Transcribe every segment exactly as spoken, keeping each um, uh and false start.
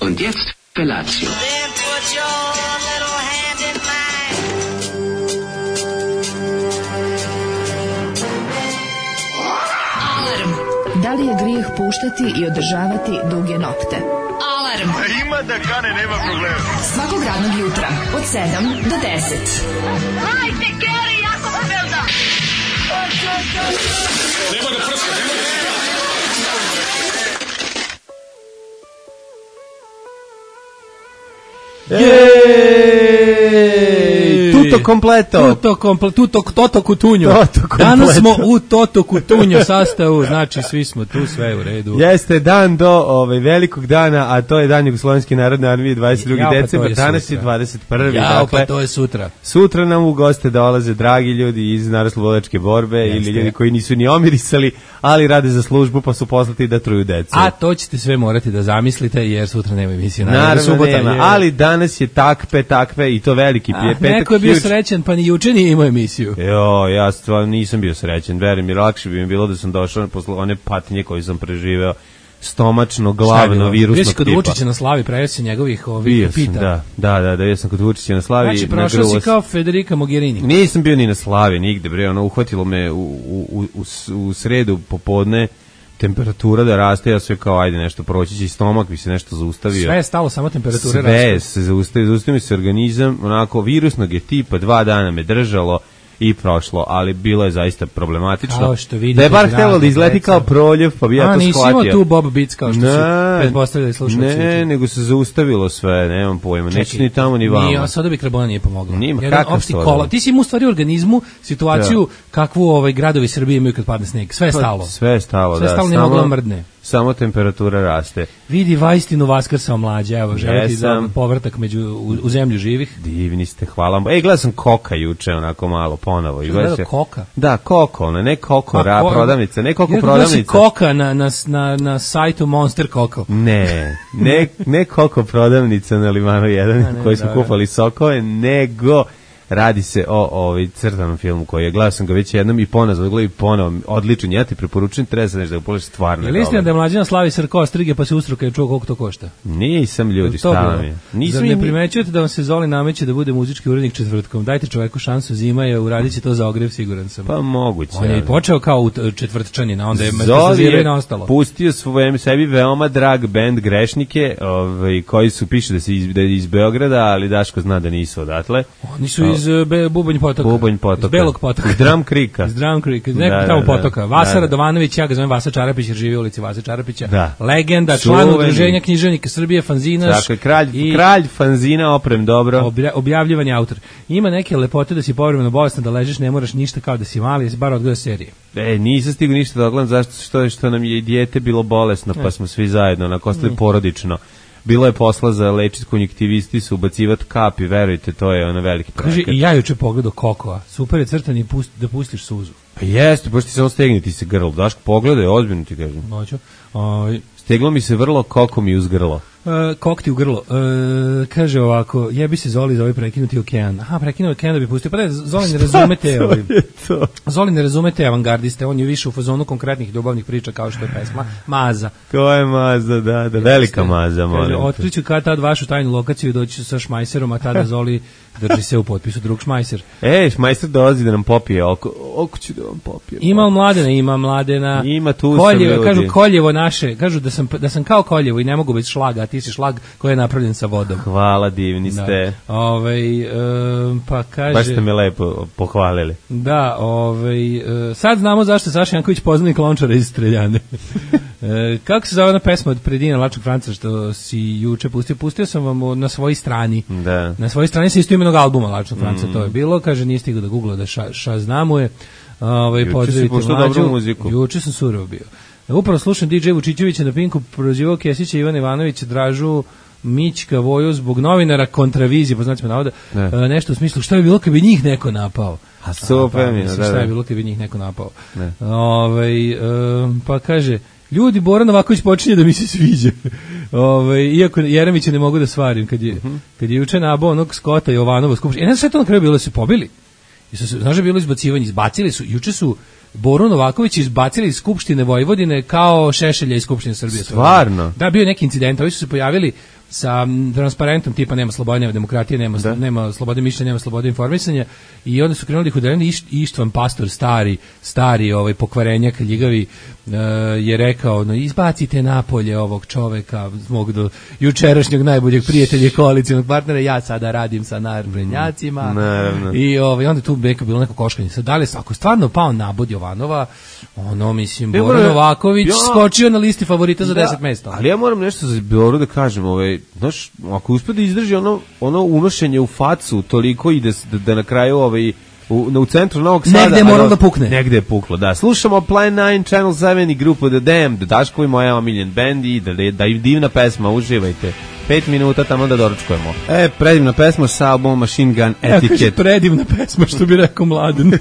Und jetzt Felatio. Then put your little hand in mine. Alarm. Da li je grijeh puštati i održavati duge nokte? Alarm. Ima da kane, nema problema. Svakog radnog jutra od sedam do deset. Hajde, Geri, jako se velda. Nema da prska, nema da prska. Jej! Tutto completo. Tutto completo, tutto toto kutunjo. Toto completo. Danas smo u toto kutunjo sastavu, znači svi smo tu, sve u redu. Jeste dan do ovaj velikog dana, a to je dan Jugoslovenske narodne armije dvadeset drugog Ja, pa decembra, to je danas sutra. je dvadeset prvi Ja, dakle. pa to je sutra. Sutra nam u goste dolaze dragi ljudi iz Narodnooslobodilačke borbe. Jeste. Ili ljudi koji nisu ni omirisali, ali rade za službu pa su poslati da truju decu. A to ćete sve morati da zamislite jer sutra nema emisije. Naravno subota nema, je- ali danas je takve, takve i to veliki Ah, pije. Petak neko je bio huge. srećan pa ni juče nije imao emisiju. Jo, ja stvarno nisam bio srećen, verujem mi, lakše bi mi bilo da sam došao posle one patnje koje sam preživeo, stomačno, glavno, virusnog Bio si kod tipa. Vučića na slavi, prejeo si njegovih ovih Bio sam, pita. da, da, da, da, ja sam kod Vučića na slavi. Znači, prošao nagruo si se- kao Federica Mogherini. Nisam bio ni na slavi, nigde, bre, ono, uhvatilo me u, u, u, u, s- u sredu popodne, temperatura da raste, ja sve kao, ajde, nešto proći će, i stomak bi se nešto zaustavio. Sve je stalo, samo temperature Sve rastu. se zaustavio, zaustavio mi se organizam, onako, virusnog je tipa, dva dana me držalo i prošlo, ali bilo je zaista problematično. Kao što vidite, da je bar draga htjelo da izleti deca. kao proljev, pa bi ja A, to nisi shvatio. imao tu Bob Beats kao što su Ne, pretpostavljali slušalci. Ne, nego se zaustavilo sve, nemam pojma, neće ni tamo ni vamo. Nije, a sada bi karbona nije pomogla. Nima, Jedan kakav opšti soda? kola. Ti si imao u stvari u organizmu situaciju kakvu ovaj gradovi Srbije imaju kad padne sneg. Sve je Pa, stalo. Sve je stalo, Sve da. je stalo, nije samo- moglo mrdne. Samo temperatura raste. Vidi Vajstinu Vaskrsao mlađe, evo, želiti za Jesam. povratak među, u, u zemlju živih. Divni ste, hvala vam. Ej, gledao sam Koka juče, onako malo, ponovo. I Gledao gledao se- Koka? Da, Koko, ona, ne Koko, A, ra, ko- prodavnica, ne Koko Jer gledao si prodavnica. Koka na, na, na, na sajtu Monster Koko. Ne, ne, ne Koko prodavnica na Limanu jedan, ne, koji smo dobro. kupali sokove, nego radi se o ovaj crtanom filmu koji je, gledao sam ga već jednom i ponovo, gledao i ponovo, odličan, ja ti preporučujem, treba se nešto da ga pogledaš, stvarno Je je li istina dobar. da je mlađina slavi srko ostrige pa se ustruka i čuo koliko to košta? Nisam ljudi, To šta bilo. vam je? Nisam Zar ne im- primećujete da vam se Zoli nameće da bude muzički urednik četvrtkom? Dajte čoveku šansu, zima je, uradit će to za ogrev, siguran sam. Pa moguće. On je i ali- počeo kao u t- četvrtčanina, onda je Zoli metastazirao i je na ostalo. pustio svojem sebi veoma drag bend Grešnike, ovaj, koji su, piše da, se iz, da je iz Beograda, ali Daško zna da nisu odatle. Oni su iz uh, Be, Bubanj potoka. Bubanj potoka. Iz Belog potoka. Iz Drum Creeka. Iz Drum Creeka, iz Da, nekog da, tamo da. potoka. Vasa Da, da. Radovanović, ja ga zovem Vasa Čarapić jer živi u ulici Vasa Čarapića. Da. Legenda, član Čuveni. udruženja književnika Srbije, fanzinaš. Dakle, kralj, i kralj fanzina, oprem dobro. obja- objavljivani autor. Ima neke lepote da si povremeno bolestan, da ležiš, ne moraš ništa kao da si mali, jesi bar odgleda serije. E, nisam stigao ništa da ogledam, zašto što, što nam je i dijete bilo bolesno, pa smo svi zajedno, onako, ostali porodično. Bilo je posla za lečit konjektivisti, su ubacivati kapi, verujte, to je ono veliki Kaže, projekat. i ja juče pogledao Kokoa. Super je crtan i pust, da pustiš suzu. Pa jeste, pošto ti samo stegni ti se grlo. Daško, pogledaj, ozbiljno ti kažem. Noću. Ovaj, Steglo mi se vrlo, koko mi uz grlo. Uh, kokti u grlo. Uh, kaže ovako, jebi se Zoli za ovaj prekinuti okean. Aha, prekinuti okean da bi pustio. Pa da, Zoli ne razumete, ovaj, to? Zoli ne razumete avangardiste, on je više u fazonu konkretnih ljubavnih priča kao što je pesma Maza. Ko je maza, da, da, velika maza, Kaže, molim te. otkriću kad tad vašu tajnu lokaciju i doći ću sa šmajserom, a tada Zoli drži se u potpisu drug šmajser. E, šmajster dolazi da nam popije oko, oko ću da vam popije. Ima Mladena, ima Mladena. Ima, tu sam, Koljevo, ljudi. kažu Koljevo naše, kažu da sam, da sam kao Koljevo i ne mogu bez šlaga, a ti si šlag koji je napravljen sa vodom. Hvala, divni ste. Da. Ovaj, e, pa kaže... Baš ste me lepo pohvalili. Da, ovaj, e, sad znamo zašto je Saša Janković poznanik Lončara iz Streljane. e, kako se zove ona pesma od Predina Lačnog Franca što si juče pustio? Pustio sam vam o- na svojoj strani. Da. Na svojoj strani sa istoimenog albuma Lačnog Franca, to je bilo. Kaže, nije stigao da googla da ša, ša znamuje. Ovaj, Juče si pozdravite puštao mlađu. dobru muziku. Juče sam surovo bio. E, Upravo slušam D J Vučićevića na Pinku, prozivao Kesića, Ivana Ivanovića, Dražu Mićka, Voju zbog novinara kontravizije, po znacima navoda, Ne. e, nešto u smislu šta bi bilo kad bi njih neko napao. A super pa, mi je, mislim, da, šta da. je bilo kad bi njih neko napao. Ne. Ovaj, e, pa kaže, ljudi, Bora Novaković počinje da mi se sviđa. Ovaj, iako Jeremića ne mogu da svarim, kad je, Mhm. kad je juče nabao onog Skota Jovanova skupštine. E, ne znam sve to na kraju bilo, da su pobili. I su se, znaš da je bilo izbacivanje, izbacili su, juče su Boru Novaković izbacili iz Skupštine Vojvodine kao Šešelja iz Skupštine Srbije. Stvarno? Da, bio je neki incident, ovi su se pojavili sa transparentom tipa nema slobode, nema demokratije, nema, da. nema slobode mišljenja, nema slobode informisanja i onda su krenuli ih udareni. Iš, Ištvan Pastor, stari, stari ovaj, pokvarenjak, ljigavi, uh, je rekao, no izbacite napolje ovog čoveka, mog do jučerašnjeg najboljeg prijatelja i koalicijnog partnera, ja sada radim sa naprednjacima. Naravno. I ovaj, onda tu neka bilo neko koškanje. Sad, da li, ako stvarno pao nabod Jovanova, ono, mislim, Bora Novaković ja, skočio na listi favorita za da, deset mesta. Ali ja moram nešto za Boru da kažem, ovaj, znaš, ako uspe da izdrži ono, ono unošenje u facu toliko i da, da, da na kraju ovaj, u, u centru Novog Sada... Negde je moralo da pukne. Negde je puklo, da. Slušamo Plan devet, Channel sedam i grupu The Damned, Daško i moja omiljen band i da, da je divna pesma, uživajte. Pet minuta tamo da doručkujemo. E, predivna pesma sa albumom Machine Gun Etiquette. Ja, predivna pesma, što bi rekao Mladen.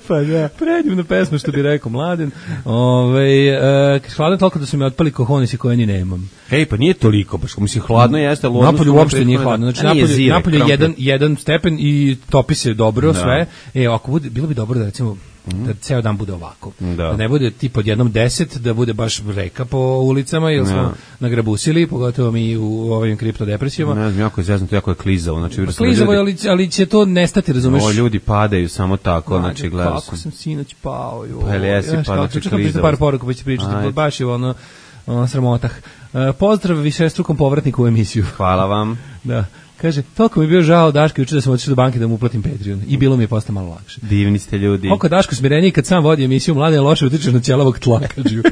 Pa da. Predivna pesma, što bi rekao Mladen. Ove, e, hladno toliko da su mi otpali kohonisi koje ni nemam. Ej, pa nije toliko, baš mislim, hladno jeste. Napolje uopšte nije hladno. Znači, napolje, napolje je jedan, jedan stepen i topi se dobro, da. Sve. E, ako bude, bilo bi dobro da recimo da ceo dan bude ovako. Da. Da ne bude tip od jednom deset, da bude baš reka po ulicama, jer smo no. nagrabusili, pogotovo mi u ovim kriptodepresijama. Ne znam, jako je zeznuto, jako je klizavo. Znači, pa klizavo, ali, ali će to nestati, razumeš? O, ljudi padaju samo tako, Mađe, znači, gledao sam. Kako sam sinoć pao, jo. Pa, jesi, pa, znači, klizavo. Par poruka pa će pričati, baš je ono, ono sramotah. Uh, pozdrav višestrukom povratniku u emisiju. Hvala vam. Da. Kaže, toliko mi je bio žao Daško juče da sam otišao do banke da mu uplatim Patreon i bilo mi je postao malo lakše. Divni ste ljudi. Koliko Daško smireniji kad sam vodi emisiju Mladen loše utiče na ćelavog tlakađu.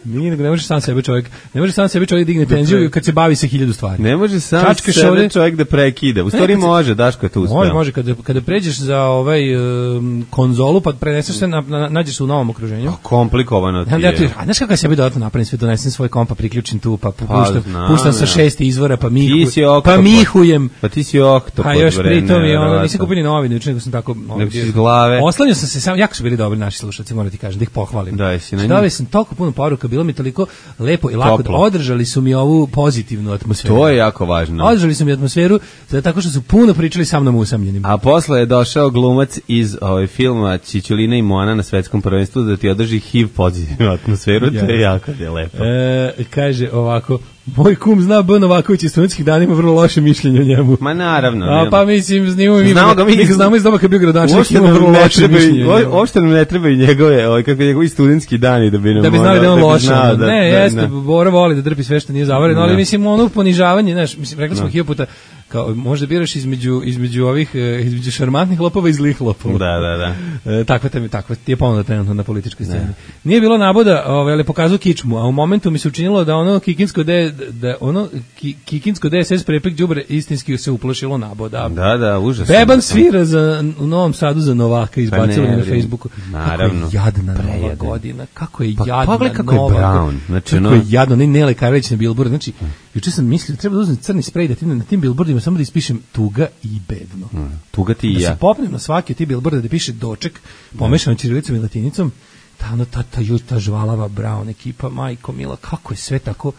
Nije, nego ne može sam sebe čovjek, ne može sam sebe čovjek digne tenziju kad se bavi sa hiljadu stvari. Ne može sam Čačkaš sebe ovdje, čovjek da prekida. U stvari može, Daško je tu uspeo. Može, može, kada, kada pređeš za ovaj um, konzolu pa preneseš se, na, na, nađeš se u novom okruženju. A komplikovano ti je. Ja, a znaš kako ja sebi dodatno napravim sve, donesem svoj kompa, priključim tu, pa puštam, pa, puštam sa šest izvora, pa, mihu, pa mihujem. Pa ti si okto. A još pritom je ono, nisam kupili novine, juče nego sam tako... Nego si iz glave. Oslanio sam se, sam, jako su bili dobri naši slušalci, moram ti kažem, da ih pohvalim. Da, jesi na njih. Stavili sam toliko puno poruka, bilo mi toliko lepo i lako, da održali su mi ovu pozitivnu atmosferu. To je jako važno. Održali su mi atmosferu, zato tako što su puno pričali sa mnom usamljenim. A posle je došao glumac iz ovaj filma Čičulina i Moana na svetskom prvenstvu da ti održi H I V pozitivnu atmosferu, ja. To je jako je lepo. E, kaže ovako, moj kum zna B. Novaković iz studentskih dana, ima vrlo loše mišljenje o njemu. Ma naravno. A pa mislim, znamo mi, znamo ga mi, mi ga znamo iz doba kad je bio gradonačelnik, ima vrlo loše mišljenje. Uopšte nam ne trebaju njegove, ovaj, kako njegovi studentski dani da bi nam... Da bi znali da je on loše. Da, da, ne, da, jeste, da. Bora voli da drpi sve što nije zavareno, ali mislim, ono ponižavanje, znaš, mislim, rekli smo hiljadu puta, kao možda biraš između između ovih između šarmantnih lopova i zlih lopova. Da, da, da. E, takva te takva ti je ponuda trenutno na političkoj sceni. Ne. Nije bilo naboda, ovaj, ali pokazao kičmu, a u momentu mi se učinilo da ono kikinsko de, da ono ki, kikinsko D S S prepek đubre istinski se uplašilo naboda. Da, da, užasno. Beban svira za u Novom Sadu za Novaka, izbacili pa na Facebooku. Naravno. Kako je jadna nova godina. Kako je pa, jadna pa, kako nova. Je Brown. Znači, kako no. je jadno, ne Nele Karlić na billboard. Znači, juče sam mislio treba da uzmem crni sprej da ti na tim billboardima samo da ispišem tuga i bedno. Hmm, tuga ti i da ja. Da se popnem na svaki od tih billboarda da piše doček, pomešano ćirilicom i latinicom, ta, ono, ta, ta, ta, ta žvalava Brown ekipa, majko mila, kako je sve tako,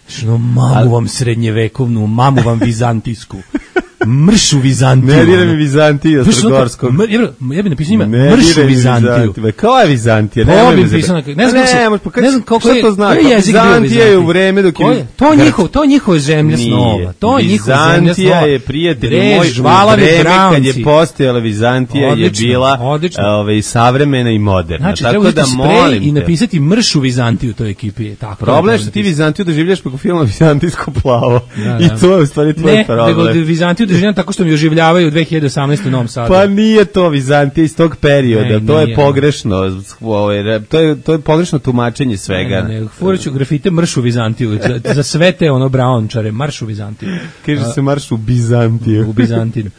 što mamu vam srednjevekovnu, mamu vam vizantijsku. Mršu Vizantiju. Ne diraj mi Vizantiju Strogorskog. Ja bih napisao ime Mršu Vizantiju. Kao je Vizantija? Ne, ne, pisano, ne znam kako se, ne znam kako je, to znači. Vizantija je u vreme dok je... To je njihov, to je njihova zemlja snova. To je njihova zemlja snova. Vizantija je, prijatelj moj, u vreme kad je postojala Vizantija je bila ovaj, savremena i moderna. Znači, treba uzeti sprej i napisati Mršu Vizantiju toj ekipi. Problem je što ti Vizantiju doživljaš preko filma Vizantijsko plavo. I to je u stvari tvoj problem. Ne, nego Vizantiju doživljam tako što mi oživljavaju u dve hiljade osamnaeste u Novom Sadu. Pa nije to Vizantija iz tog perioda, ne, to je pogrešno, to je, to je pogrešno tumačenje svega. Ne, ne, furaću grafite Mršu Vizantiju, za, za sve te ono Brownčare, Maršu Vizantiju. Kaže se Marš u Bizantiju. U Bizantiju.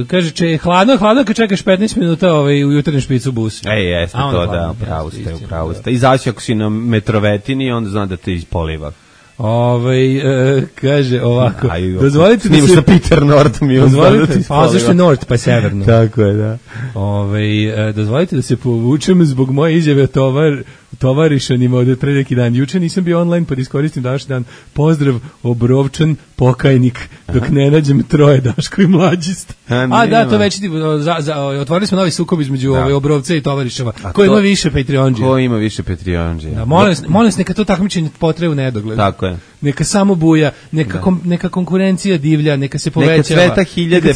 Kaže, če je hladno, hladno kad čekaš petnaest minuta ovaj, u jutarnjem špicu busu. Ej, jeste to, hladno, da, pravo ste, pravo ste. Izaći ako si na metrovetini, onda zna da te ispoliva. Ovaj e, kaže ovako. Aj, dozvolite da se Peter Nord mi dozvolite, pa zašto je Nord pa je severno. Tako je, da. Ovaj e, dozvolite da se povučem zbog moje izjave tovar tovarišanima od pre neki dan. Juče nisam bio online, pa da iskoristim današnji dan. Pozdrav, Obrovčan, pokajnik, dok ne nađem troje Daško i mlađist. A, A da, to već ti, za, za, otvorili smo novi sukob između da. ove Obrovca i tovariševa. Ko ima više Patreonđija? Ko ima više Patreonđija? Da, molim, molim se, neka to takmičenje potraje u nedogled. Tako je. Neka samo buja, neka, kom, neka konkurencija divlja, neka se povećava. Neka cveta hiljade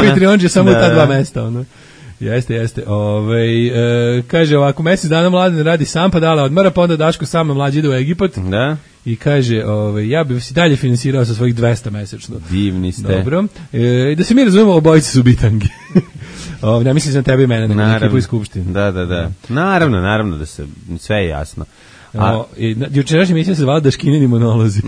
Patreonđija samo da, u ta dva mesta, ono. Jeste, jeste. Ove, e, kaže ovako, mesec dana Mladen radi sam, pa dala odmara, pa onda Daško sama mlađi ide u Egipat. Da. I kaže, ove, ja bih se dalje finansirao sa svojih dvesta mesečno. Divni ste. Dobro. E, da se mi razumemo, obojice su bitangi. Ove, ne mislim za tebe i mene, nego ekipu iz Skupštine. Da, da, da. Naravno, naravno da se, sve je jasno. A o, i jučerašnja emisija se zvala Daškinini monolozi.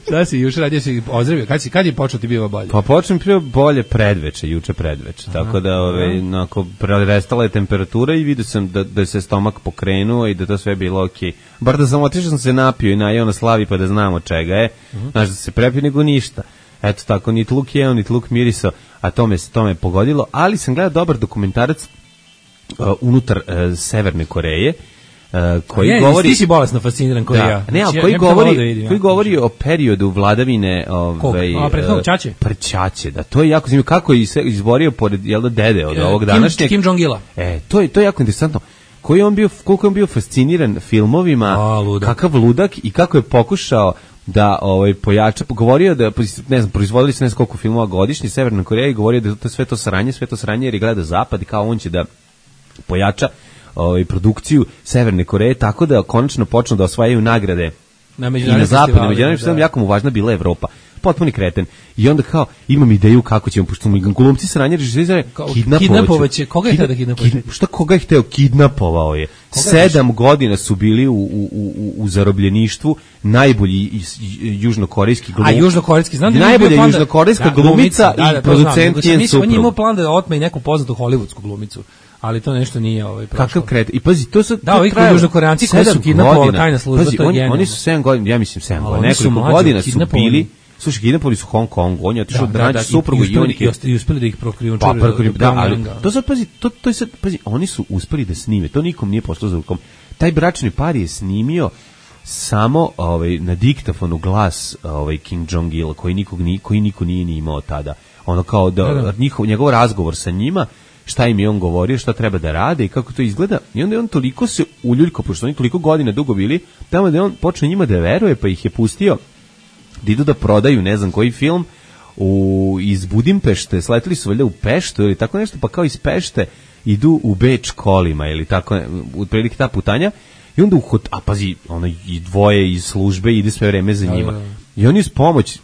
Šta si juče radio, si ozdravio? Kad si kad je počeo ti bio bolje? Pa počnem bio bolje predveče, juče predveče. Aha, tako da ove onako prestala je temperatura i vidio sam da da se stomak pokrenuo i da to sve bilo okej. Bar da sam otišao, sam se napio i najeo na slavi pa da znamo čega je. Uh-huh. Znaš da se prepi nego ništa. Eto tako, ni luk jeo, ni luk mirisao, a to me to me pogodilo, ali sam gledao dobar dokumentarac uh, unutar uh, Severne Koreje. Uh, koji je, govori ti si bolesno fasciniran koji da, ja. Ne, znači, koji ja, govori, da vidim, koji ja. govori o periodu vladavine, ovaj a prethodnog Čače. Prćače, da to je jako zanimljivo kako je se izborio pored jel da dede od e, ovog današnjeg Kim Jong-ila. E, to je to je jako interesantno. Koji on bio koliko je on bio fasciniran filmovima, a, ludak. Kakav ludak i kako je pokušao da ovaj pojača, govorio da ne znam, proizvodili se ne znam koliko filmova godišnje Severna Koreja i govorio da to sve to sranje, sve to sranje jer gleda zapad i kao on će da pojača ovaj produkciju Severne Koreje tako da konačno počnu da osvajaju nagrade na međunarodnim festivalima. Na međunarodnim festivalima jako mu važna bila Evropa. Potpuni kreten. I onda kao imam ideju kako ćemo pošto mi glumci sranje režiseri kidnapovaće. Koga je hteo da kidnapuje? Kid, šta koga je hteo kidnapovao je? Koga Sedam je godina su bili u, u, u, u zarobljeništvu najbolji južnokorejski glumci. A južnokorejski, znam da najbolja južnokorejska da, glumica da, da, i producent njen suprug. On je imao plan da otme i neku poznatu hollywoodsku glumicu. Ali to nešto nije ovaj prošlo. Kakav kret. I pazi, to su da, ovi južnokoreanci koji su kidnapovali tajna služba, pazi, to je oni, oni su sedam godina, ja mislim sedam godina, nekoliko godina su bili, slušaj, kidnapovali su Hong Kong, on je otišao da, da naći da, suprugu i oni i uspeli da ih prokrijumčare. Pa, da, ali to sad pazi, to to je sad pazi, oni su uspeli da snime, to nikom nije pošlo za rukom. Taj bračni par je snimio samo ovaj na diktafonu glas ovaj Kim Jong-il koji nikog ni koji niko nije ni imao tada. Ono kao da, da, da. njihov njegov razgovor sa njima, šta im je on govorio, šta treba da rade i kako to izgleda. I onda je on toliko se uljuljko, pošto oni toliko godina dugo bili, tamo da je on počeo njima da veruje, pa ih je pustio da idu da prodaju ne znam koji film u, iz Budimpešte, sletili su valjda u Peštu ili tako nešto, pa kao iz Pešte idu u Beč kolima ili tako, otprilike ta putanja. I onda uhod, a pazi, ono i dvoje iz službe ide sve vreme za njima. I oni uz pomoć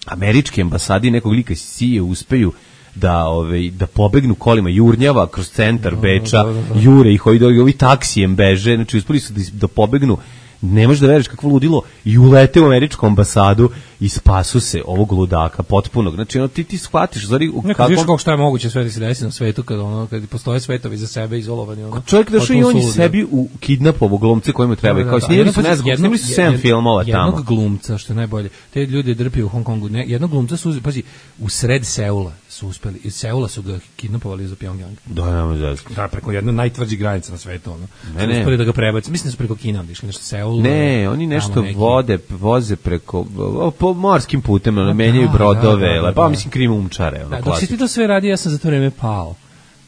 američke ambasade i nekog lika sije uspeju da ovaj da pobegnu kolima jurnjava kroz centar Beča, jure ih ovi, ovi taksijem beže, znači uspeli su da, da pobegnu. Ne možeš da veruješ kakvo ludilo i ulete u američku ambasadu i spasu se ovog ludaka potpunog. Znači ono ti ti shvatiš zari u kako vidiš kako šta je moguće sve da se desi na svetu kad ono kad postoje svetovi za sebe izolovani ono. Čovjek došao i on je sebi u kidnapovao glumce kojima treba kao snimili su ne znam, snimili su sedam filmova tamo. Jednog glumca što je najbolje. Te ljudi drpiju u Hong Kongu. Ne, jednog glumca su pazi u sred Seula su uspeli. Iz Seula su ga kidnapovali za Pyongyang. Da, nema veze. Da, preko jedne najtvrđih granica na svetu ono. Ne, ne. Uspeli da ga prebace. Mislim da su preko Kine otišli nešto Seul. Ne, oni nešto vode, voze preko po morskim putem, no, menjaju da, brodove, da, da, da, pa mislim krimumčare, ono da, dok si ti to sve radio, ja sam za to vreme pao.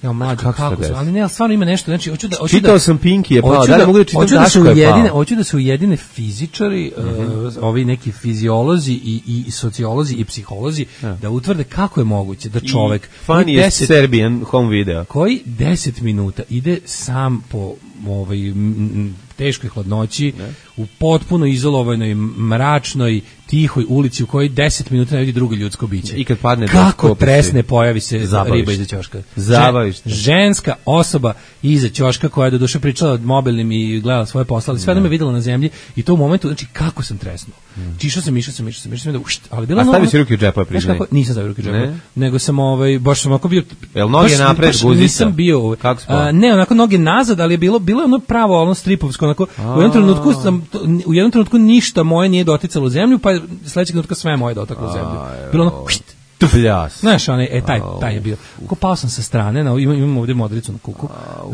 Ja mlađi, kako, kako su, ali ne, ali stvarno ima nešto, znači, hoću da... Hoću čitao da, sam Pinky je pao, da li mogu da čitam Daško je ujedine, pao? Hoću da se ujedine fizičari, mm-hmm. uh, ovi neki fiziolozi i, i sociolozi i psiholozi, ja. Da utvrde kako je moguće da čovek... Funny deset, Serbian home video. Koji deset minuta ide sam po ovaj, m, teškoj hladnoći, ne. U potpuno izolovanoj, mračnoj, tihoj ulici u kojoj deset minuta ne vidi drugo ljudsko biće. I kad padne kako tresne pojavi se zabaviš. Riba iza ćoška. Zabaviš. Ženska osoba iza ćoška koja je do duše pričala mobilnim i gledala svoje posle, ali sve da me videla na zemlji i to u momentu, znači kako sam tresnuo. Mm. Čišao sam, išao sam, išao sam, išao sam, da, ušt, ali bila a stavio si ruke u džepa, priznaj. Nisam stavio ruke u džepa, nego sam ovaj, baš sam onako bio... Jel noge napred, guzica? Nisam bio... Kako a, ne, onako noge nazad, ali je bilo, bilo je ono pravo, ono stripovsko, onako, u jednom trenutku sam, u jednom trenutku ništa moje nije doticalo u zemlju, pa sledećeg trenutka sve moje dotaklo u zemlju. Bilo ono, št, pljas. Znaš, onaj, e, taj, taj je bio. Ko pao sam sa strane, na, imam, imam ovdje modricu na kuku,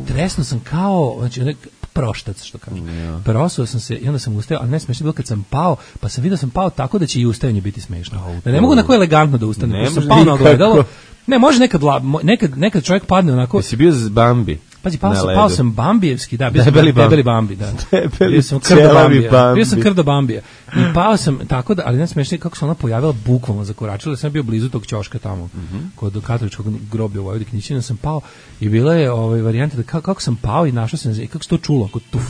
tresno sam kao, znači, proštac, što kažem. Yeah. Prosao sam se i onda sam ustao, ali ne smešno bilo kad sam pao, pa sam vidio sam pao tako da će i ustajanje biti smešno. Oh, da ne mogu onako elegantno da ustanem, ne sam pao na ogledalo. Ne, može nekad, nekad, nekad čovjek padne onako. Jesi bio z Bambi? Pazi, pao sam, pao sam Bambijevski, da, bio debeli sam debeli Bambi, da. Debeli bio sam krdo Bambija. Bambi. Bio sam krdo Bambija. I pao sam tako da, ali ne smiješno kako se ona pojavila, bukvalno zakoračila, sam bio blizu tog ćoška tamo, mm-hmm. kod katoličkog groblja u Vojvodini Knjićina sam pao i bila je ovaj varijanta da kako, kako sam pao i našao sam, kako se to čulo, ako tuf.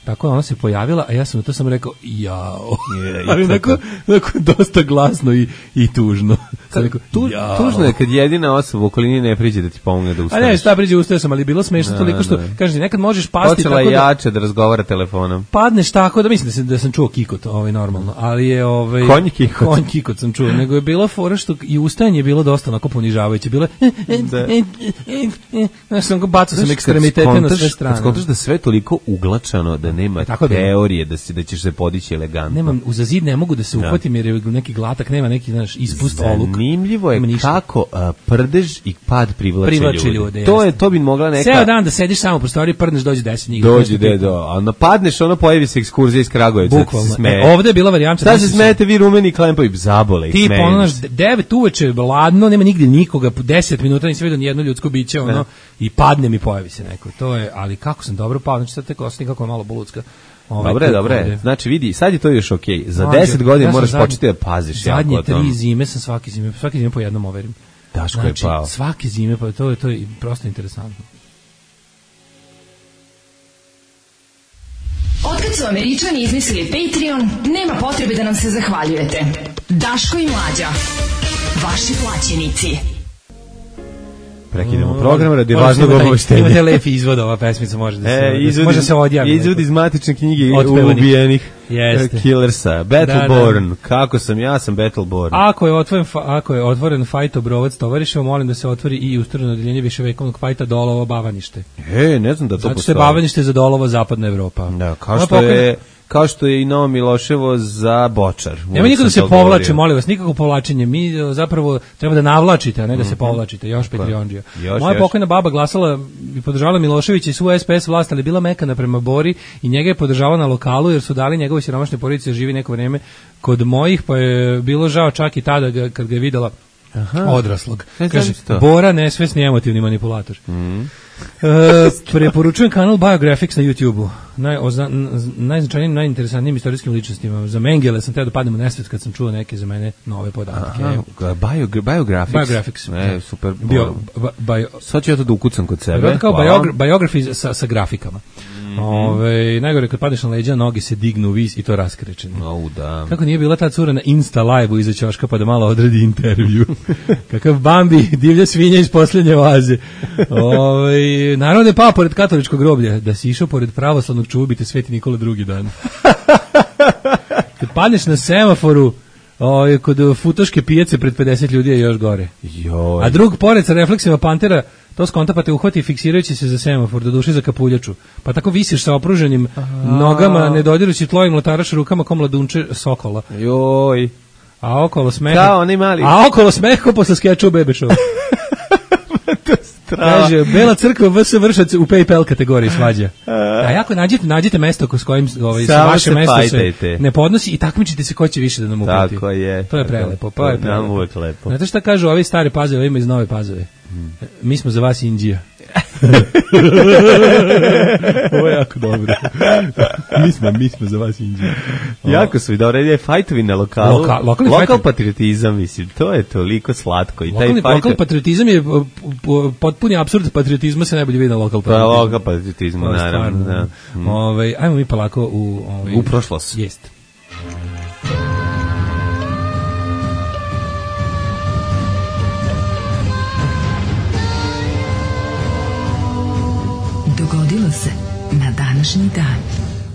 Tako ona se pojavila, a ja sam na to sam rekao jao. Yeah, ali neko, neko dosta glasno i, i tužno. Sam rekao, tu, tužno je kad jedina osoba u okolini ne priđe da ti pomogne da ustaneš. A ne, šta priđe, ustao sam, ali bilo smešno toliko što, kažeš, nekad možeš pasti počela tako da... Počela jače da razgovara telefonom. Padneš tako da, mislim da sam, da sam čuo kikot, ovaj, normalno, ali je... Ovaj, konj kikot. Konj kikot sam čuo, nego je bilo fora što i ustajanje je bilo dosta onako ponižavajuće. Bilo je... Znaš, sam bacao sam ekstremitete na sve strane. Kad skontaš da sve toliko uglačano da nema tako teorije da si da ćeš se podići elegantno. Nemam uza zid ne mogu da se uhvatim jer je neki glatak, nema neki naš ispust oluk. Zanimljivo je kako uh, prdež i pad privlače, privlače ljude. ljude to je to bi mogla neka. Ceo dan da sediš samo u prostoriji, prdneš, dođe deset njih. Dođe de do, a napadneš, ono pojavi se ekskurzija iz Kragujevca. E, ovde je bila varijanta. Šta se smete vi rumeni klempovi zabole? Ti ponoš devet uveče, ladno, nema nigde nikoga, deset minuta nisam vidio ni jedno ljudsko biće, ono, i padne mi pojavi se neko. To je, ali kako sam dobro pao, znači sad tek osjetim kako je malo boludska. Ovaj, dobre, dobre. Znači vidi, sad je to još okej. Okay. Za deset godina ja moraš zadnji, početi da paziš zadnje jako o tom. Zadnje tri zime sam svaki zime, svaki zime po jednom overim. Daško znači, je pao. Svaki zime, pa to je, to je prosto interesantno. Otkad su Američani izmislili Patreon, nema potrebe da nam se zahvaljujete. Daško i Mlađa, vaši plaćenici. Prekidamo program radi važnog obaveštenja. Imate lepi izvod, ova pesmica može da se, e, izvod, može se odjavi. Izvod iz matične knjige ubijenih killersa. Battleborn, da, da. Kako sam, ja sam Battleborn. Ako je otvoren, ako je otvoren fajt obrovac tovariševa, molim da se otvori i ustrojeno odeljenje viševekovnog fajta Dolovo Bavanište. E, ne znam da to zato postoji. Zato je Bavanište za Dolovo zapadna Evropa. Da, kao što pokren... je... kao što je i Novo Miloševo za Bočar. Nema niko da se povlači, molim vas, nikako povlačenje. Mi zapravo treba da navlačite, a ne da se povlačite. Još Petrionđija. Moja pokojna baba glasala i podržavala Miloševića i svu S P S vlast, ali bila mekana prema Bori i njega je podržavala na lokalu jer su dali njegove siromašne porodice živi neko vreme kod mojih, pa je bilo žao čak i tada ga, kad ga je videla Aha. odraslog. Kaže, Bora nesvesni emotivni manipulator. Mm. E, preporučujem kanal Biographics na YouTube-u. Naj, najznačajnijim, najinteresantnijim istorijskim ličnostima. Za Mengele sam teo da padnem u nesvet kad sam čuo neke za mene nove podatke. Aha, bio, Biographics. Bio e, super. Bio, bio, Sad ću ja to da ukucam kod sebe. Kao biogra, biography sa, sa grafikama. Mm-hmm. Ove, najgore kad padneš na leđa, noge se dignu u vis i to raskrečeni. Oh, da. Kako nije bila ta cura na Insta live-u iza ćoška pa da malo odredi intervju. Kakav Bambi, divlja svinja iz posljednje vaze. Ove, naravno da je pao pored katoličkog groblja, da si išao pored pravoslavnog čubite Sveti Nikola drugi dan. Kad padneš na semaforu, o, kod futoške pijace pred pedeset ljudi je još gore. Joj. A drug pored sa refleksima pantera, to skonta pa te uhvati fiksirajući se za semafor, do duše za kapuljaču. Pa tako visiš sa opruženim Aha. nogama, ne dodirući tlojim lotaraš rukama ko mladunče sokola. Joj. A okolo smeha. Kao oni mali. A okolo smeha posle skeča u Bebe Show. Kaže, Bela crkva V S Vršac u PayPal kategoriji svađa. A jako nađite, nađite mesto s kojim ovaj, sa vaše mesto se ne podnosi i takmičite se ko će više da nam uplati. Tako je. To je prelepo. To je prelepo. Uvek lepo. Znate šta kažu ovi stari Pazove, ima iz Nove Pazove? Hmm. Mi smo za vas Indija. Ovo je jako dobro. mi, smo, mi smo za vas Indija. Jako su i dobro, je fajtovi na lokalu. Loka, lokalni Lokal fajtovi. Patriotizam, mislim, to je toliko slatko. I lokalni, taj lokal patriotizam je potpuni apsurd patriotizma se najbolje vidi na lokal patriotizmu. Pa, lokal patriotizmu, naravno. Da. Mm. Ove, ajmo mi polako u... Ove, u prošlost. Jest. Dogodilo se na današnji dan.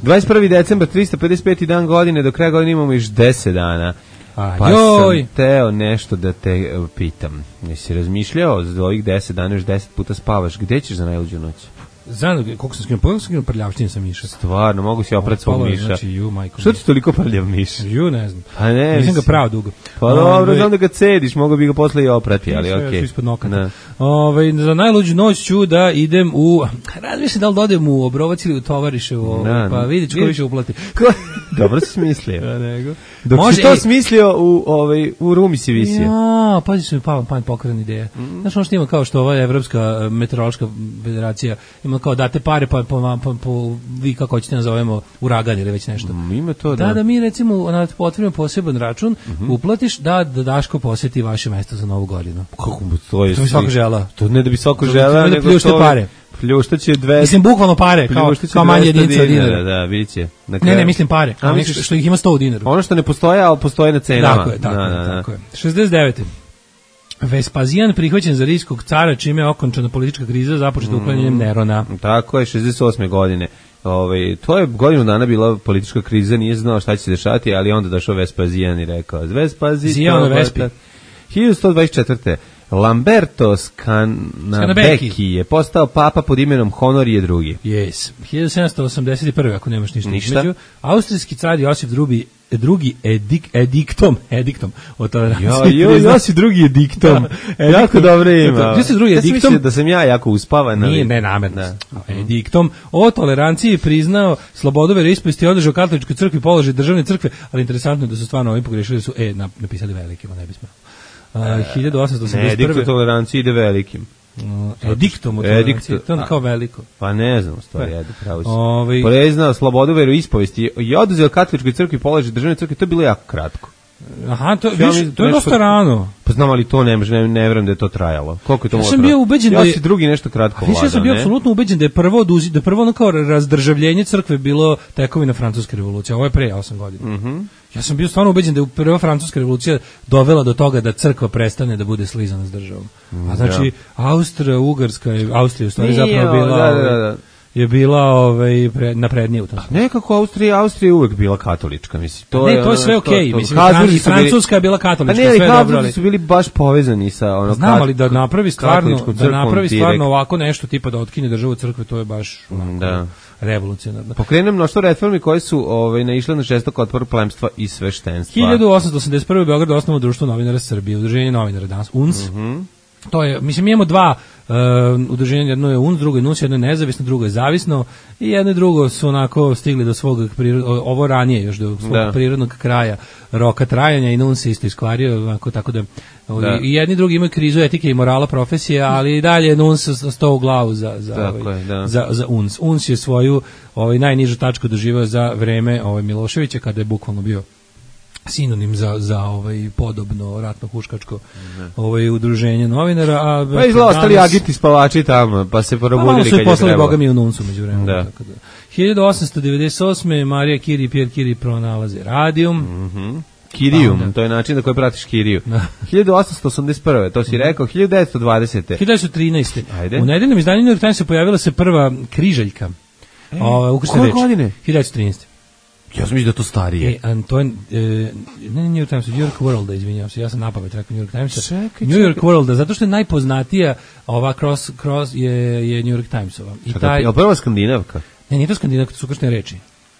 dvadeset prvi decembar, tristo pedeset peti dan godine, do kraja godine imamo još deset dana. A, pa joj. sam teo nešto da te pitam. Jesi razmišljao za ovih deset dana još deset puta spavaš? Gde ćeš za najluđu noć? Znam, koliko sam skinuo, pogledam sam skinuo prljavštine sa miša. Stvarno, mogu si oprat svog Palo je, miša. znači, ju, majko Što mi. ti toliko prljav miš? Ju, ne znam. Pa ne, Nisam ga mislim. pravo dugo. Pa dobro, Ove, znam da ga cediš, mogu bi ga posle i oprati, ali sve okej. su ispod nokata. Da. Ove, za najluđu noć ću da idem u... Razmišljam da li da odem u Obrovac ili u Tovariševo, Da, pa vidjet ću ko više uplati. Dobro si smislio. Da, nego. Dok Može, si to ej, smislio, u, ovaj, u Rumi si visio. Ja, pazi su mi pala pamet pokretna ideja. Mm. Znaš ono što ima kao što ova Evropska eh, meteorološka federacija ima kao date pare pa po, po, po vi kako hoćete nazovemo uragan ili već nešto. Mm, ima to, da. Da, da mi recimo na otvorimo poseban račun, mm-hmm. uplatiš da, da Daško poseti vaše mesto za Novu godinu. Kako bi to je? To bi svako žela. To ne da bi svako To bi- žela, to bi da nego pljušte to... pare. Pljuštaće dve... Mislim bukvalno pare, kao, pljuštaće kao manje dvesta jedinice od dinara. Da, vidit će. Na Ne, kraju- ne, mislim pare. A, Kao misliš- što, što ih ima sto u dinaru. Ono što ne postoje, ali postoje na cenama. Tako je, tako da, je, da, da. tako je. šezdeset devete Vespazijan prihvaćen za rimskog cara, čime je okončana politička kriza započeta uklanjanjem Nerona. Tako je, šezdeset osme godine. Ovaj, to je godinu dana bila politička kriza, nije znao šta će se dešati, ali onda došao Vespazijan i rekao, Vespazijan, Zijano Vespi. hiljadu sto dvadeset četvrte Lamberto Scanabecchi je postao papa pod imenom Honorije drugi. Yes. hiljadu sedamsto osamdeset prve ako nemaš ništa, Ništa. između. Austrijski car Josip drugi, drugi edik, ediktom, ediktom o toleranciji. Jo, jo, ja si drugi je diktom. Da, jako ediktom. dobro ima. Dakle, ti si drugi ja sam ediktom. mislio da sam ja jako uspavan. ali- Nije, ne namerno. Da. Ediktom o toleranciji priznao slobodu veroispovesti i održao katoličkoj crkvi položaj državne crkve, ali interesantno je da su stvarno ovi pogrešili da su e nap- napisali velikima, ne bismo. Uh, hiljadu osamsto Ne, osamdeset edikt o prve toleranciji ide velikim. Uh, ediktom o toleranciji, to je kao veliko. Pa ne znam, u stvari, ajde, pravo si. Ovaj- Priznao slobodu veroispovesti i oduzeo katoličkoj crkvi položaj državne crkve, to je bilo jako kratko. Aha, to, Ja viš, mislim, to je nešto- dosta rano. Pa znam, ali to ne, može, ne, ne verujem da je to trajalo. Koliko je to Ja moglo sam trajati? bio ubeđen da je- Josip drugi nešto kratko A više ja sam bio ne? apsolutno ubeđen da je prvo oduzi, da je prvo ono kao razdržavljenje crkve bilo tekovina francuske revolucije. Ovo je pre osam godina. Mhm. Ja sam bio stvarno ubeđen da je prva francuska revolucija dovela do toga da crkva prestane da bude slizana s državom. A znači Austro-Ugarska je Austrija u stvari Nije, zapravo bila da, da, da. ovaj, je bila ovaj pre, naprednija u tom smislu. Nekako Austrija, Austrija je uvek bila katolička, mislim. To Ne, je, to je sve ono, okej, to- mislim, Habsburzi i su bili- Francuska je bila Pa katolička, ne, ali sve je dobro, Habsburzi ali su bili baš povezani sa ono znam, kat- ali da napravi stvarno, katoličkom da crkvom napravi direkt. stvarno ovako nešto tipa da otkine državu od crkve, to je baš onako, Da. revolucionarno. Pokrenuo mnoštvo reformi koje su ovaj, naišle na žestok otpor plemstva i sveštenstva. hiljadu osamsto osamdeset prve. Beograd osnovno društvo novinara Srbije, udruženje novinara danas, U N S. Mhm. To je, mislim, imamo dva uh, udruženja, jedno je U N S, drugo je N U S, jedno je nezavisno, drugo je zavisno i jedno i drugo su onako stigli do svog, prirod, ovo ranije još do svog Da. prirodnog kraja roka trajanja i N U N S se isto iskvario, onako, tako da, Da. i jedni i drugi imaju krizu etike i morala profesije, ali i dalje N U N S sto u glavu za, za, Tako ovaj, je, da. za, za U N S. U N S je svoju ovaj, najnižu tačku doživao za vreme ovaj, Miloševića, kada je bukvalno bio sinonim za za ovaj podobno ratno huškačko ovaj udruženje novinara, a Pa izgleda ostali agiti spavači tamo, pa se pa malo probudili su kad ih je poslali trebalo. boga mi u Nuncu međuvremenu. Da. Tako da. hiljadu osamsto devedeset osme. Marija Curie i Pierre Curie pronalaze radijum. Mhm. Kirijum, Pa onda. to je način na koji pratiš Kiriju. Da. hiljadu osamsto osamdeset prve, to si rekao, hiljadu devetsto dvadesete. hiljadu devetsto trinaeste. Ajde. U nedeljnom izdanju New York Timesa pojavila se prva križaljka. E, o, ukrštena koje reč. godine? hiljadu devetsto trinaeste. Ja sam mislio da je to starije. E, Anton, e, ne New York Times, New York World, izvinjavam se, ja sam napamet rekao New York Timesa. Čekaj, New York World, zato što je najpoznatija ova cross, cross je, je New York Timesova. I Čekaj, taj, je li prva skandinavka? ne, nije to skandinavka, to su ukrštene reči.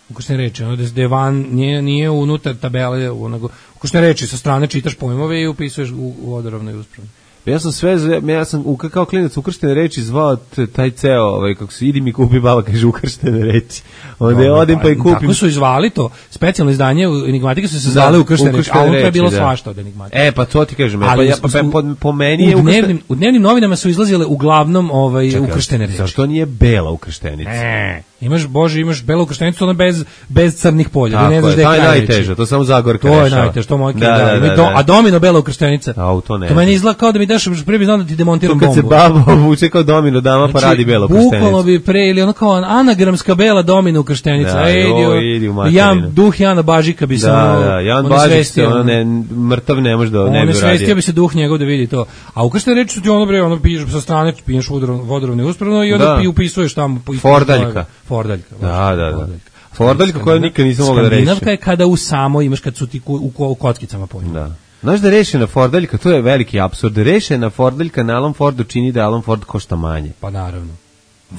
Ukrštene reči, ono da je- da je van, nije, nije unutar tabele, onogo, ukrštene reči, sa strane čitaš pojmove i upisuješ u, u vodoravno i uspravno. Ja sam sve, zve- ja sam u, kao klinac ukrštene reči zvao t- taj ceo, ovaj, kako se idi mi kupi, baba kaže ukrštene reči. Onda ja odem pa i kupim. Tako su izvali to, specijalno izdanje u Enigmatike su se Da, zvale ukrštene reči, ukrštene a unutra je reči, bilo da. svašta od Enigmatike. E, pa to ti kažem, e, pa, Ali ja, u- pa, u- po, po meni je u ukrštene... dnevnim, u dnevnim novinama su izlazile uglavnom ovaj, Čekaj, ukrštene reči. Zašto nije bela ukrštenica? Ne. Imaš, Bože, imaš belu ukrštenicu, ona bez, bez crnih polja. Tako ne znaš je, gde je to je kraj najteže, reči. to samo Zagorka To je rešava. najteže, to moj Da, da, da, ima da, do- da. A domino bela ukrštenica. A, to ne To meni izgleda kao da mi daš, prije bi znao da ti demontiram To kad se bombu. baba obuče kao domino dama, pa radi bela Bukvalno ukrštenica. bi pre, ili ono kao anagramska bela domino ukrštenica. Da, Ej, joj, idi u materinu. Jan, duh Jana Bažika bi se Da, ono, da, Jan ono Bažić se, svestio, ono, ne, mrtav ne može da ne on bi je svestio uradio. bi se duh njegov da vidi to. A ukrštene reči su ti ono bre, ono piješ sa strane, piješ vodoravno i uspravno i onda Da. pi upisuješ tamo. po- Fordaljka. Fordaljka. Da, baš, da, da. Fordaljka. Fordaljka koju nikad nisam mogao da rešim. Skandinavka je kada u samo imaš kad su ti ku- u, ko- u kockicama pojma. Da. Znaš da rešena Fordaljka, to je veliki apsurd. Rešena Fordaljka na Alan Fordu čini da Alan Ford košta manje. Pa naravno.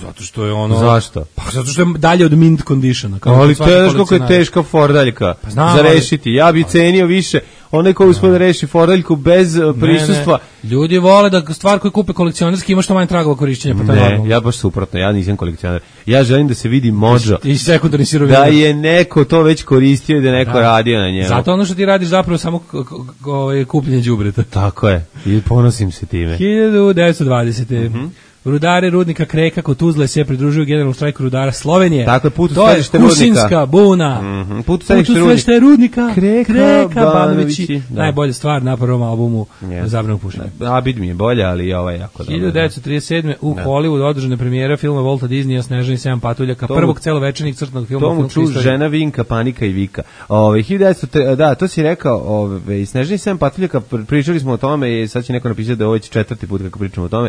Zato što je ono... Zašto? Pa zato što je dalje od mint conditiona. Kao Ali svaki teško kako je kolekcionar. teška fordaljka Pa znam, za ali- rešiti. Ja bi cenio više onaj ko uspio da reši fordaljku bez uh, prisustva. Ne, ne. Ljudi vole da stvar koju kupe kolekcionarski ima što manje tragova korišćenja, pa to je Ne, normalno. ja baš suprotno, ja nisam kolekcionar. Ja želim da se vidi modžo. I sekundarni sirovina. Da je neko to već koristio i da je neko Da. radio na njemu. Zato ono što ti radiš zapravo samo k- k- k- ovaj, kupljenje đubreta. Tako je. I ponosim se time. hiljadu devetsto dvadesete. Mhm. Rudari rudnika Kreka kod Tuzle se pridružuju generalnom štrajku rudara Slovenije. Tako je, put u to je središte rudnika. Kusinska buna. Mhm, put u Put u središte središte rudnika. Kreka, Kreka Banovići. Banovići. Da. Najbolja stvar na prvom albumu Yes. Zabranog pušenja. Abid mi je bolja, ali i ova je jako dobra. hiljadu devetsto trideset sedme. u Hollywoodu održana premijera filma Volta Disneya Snežani sedam patuljaka, Tomu- prvog celovečernjeg crtanog filma u Tomu filmskoj ču istoriji. žena Vinka, panika i vika. Ove, hiljadu devetsto tre- da, to si rekao, ove, i Snežani sedam patuljaka, pr- pričali smo o tome i sad će neko napisati da je ovo već četvrti put kako pričamo o tome,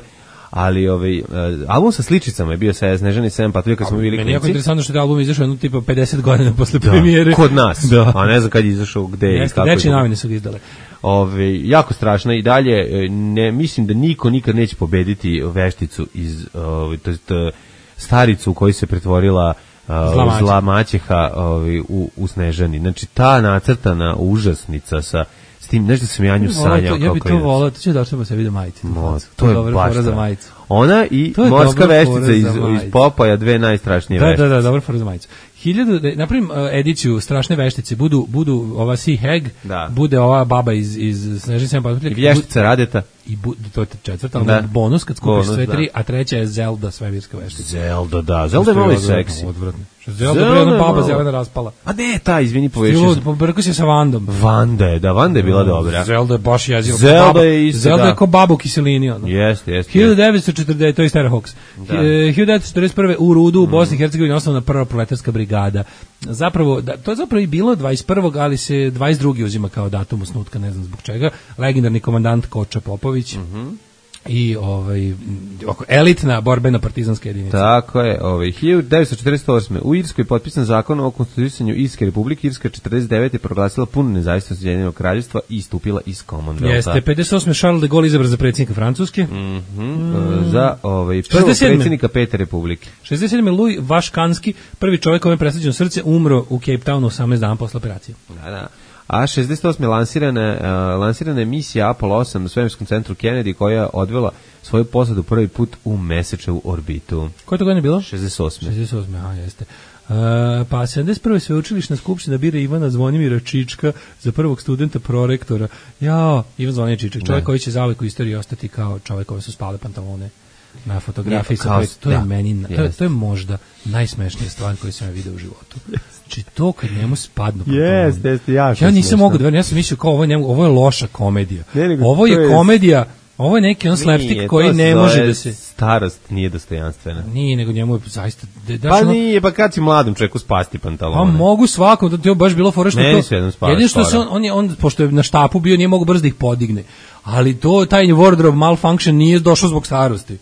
ali ovaj, uh, album sa sličicama je bio sa Snežani sedam patuljaka, kad smo bili Meni je jako klinci. interesantno što je album izašao jedno tipa pedeset godina posle premijere. Kod nas, Da. a ne znam kad je izašao, gde i Jeste, kako je dečije to. novine su ga izdale. Ove, jako strašno i dalje, e, ne, mislim da niko nikad neće pobediti vešticu iz, ove, to jest, e, staricu u koju se pretvorila uh, Zla maćeha. zla maćeha ovaj, u, u Snežani. Znači, ta nacrtana užasnica sa s tim, nešto sam ja nju sanjao. Ja bih kao to klinac. volao, to će da se vidi majice. Mo, to je dobra baš fora za to. majicu. Ona i To je morska dobra veštica fora iz, za iz majicu. Popaja, dve najstrašnije Da, veštice. da, da, dobra fora za majicu. Hiljadu, da napravim uh, ediciju strašne veštice, budu, budu ova Sea Hag, Da. bude ova baba iz, iz Snežani sedam I patuljaka. vještica Radeta. I bu, to je četvrta, ali Da. bonus kad skupiš Bonus, sve da. tri, a treća je Zelda svemirska veštica. Zelda, da. Zelda je malo i seksi. Odvratno. Što Zelda, Zelda bre, ona je baba malo. zelena raspala. A ne, ta, izvini, Ti povešio lud, sam. pobrko se sa Vandom. Vanda je, da, Vanda je bila dobra. Zelda je baš jezio. Zelda je isto, Zelda da. je ko baba u kiselini, ono. Jeste, jeste. hiljadu devetsto četrdeset to je Stara Hawks. Da. E, hiljadu devetsto četrdeset prve u Rudu u Bosni i Hercegovini osnovna prva proletarska brigada. Zapravo da, to je zapravo i bilo dvadeset prvog ali se dvadeset drugi uzima kao datum osnutka, ne znam zbog čega. Legendarni komandant Koča Popović. Mhm. I ovaj oko elitna borbena partizanska jedinica. Tako je, ovaj hiljadu devetsto četrdeset osme u Irskoj je potpisan zakon o konstituisanju Irske republike. Irska četrdeset devete proglasila punu nezavisnost Ujedinjenog kraljevstva i istupila iz Commonwealtha. Jeste, pedeset osme Charles de Gaulle izabran za predsjednika Francuske. Mhm, za ovaj prvog šezdeset sedme predsjednika Pete republike. šezdeset sedme Louis Vaškanski, prvi čovjek kome je presađeno srce, umro u Cape Townu osamnaest dana posle operacije. Da, da. A šezdeset osme lansirana, uh, lansirana je misija Apollo osam u svemirskom centru Kennedy koja je odvela svoju posadu prvi put u mesečevu orbitu. Koje to godine bilo? šezdeset osme. šezdeset osme, aha, jeste. Uh, pa sedamdeset prve sveučilišna skupština bira Ivana Zvonimira Čička za prvog studenta prorektora. Jao, Ivan Zvonimir Čičak, čovjek Da. koji će zauvek u istoriji ostati kao čovjek koji su spale pantalone na fotografiji. Ne, sa kao- koje- to je da, meni, na- to, je, jeste. to je možda najsmešnija stvar koju sam ja vidio u životu. Znači to kad njemu spadnu pantaloni. Jeste, jeste, jako Ja nisam smešno. mogao da verujem, ja sam mislio kao ovo je, njemu, ovo je loša komedija. Ne, nego ovo to je je- komedija, ovo je neki on slapstick Nije, koji to se ne zove može da se... Starost nije dostojanstvena. Nije, nego njemu je zaista... Da, daš Pa ono- nije, pa kad si mladom čovjeku spasti pantalone? Pa mogu svakom, da ti je baš bilo fora što Meni to. su jednom spali Jedino što se skoro. on, on je on pošto je na štapu bio nije mogao brzo da ih podigne. Ali to taj wardrobe malfunction nije došao zbog starosti.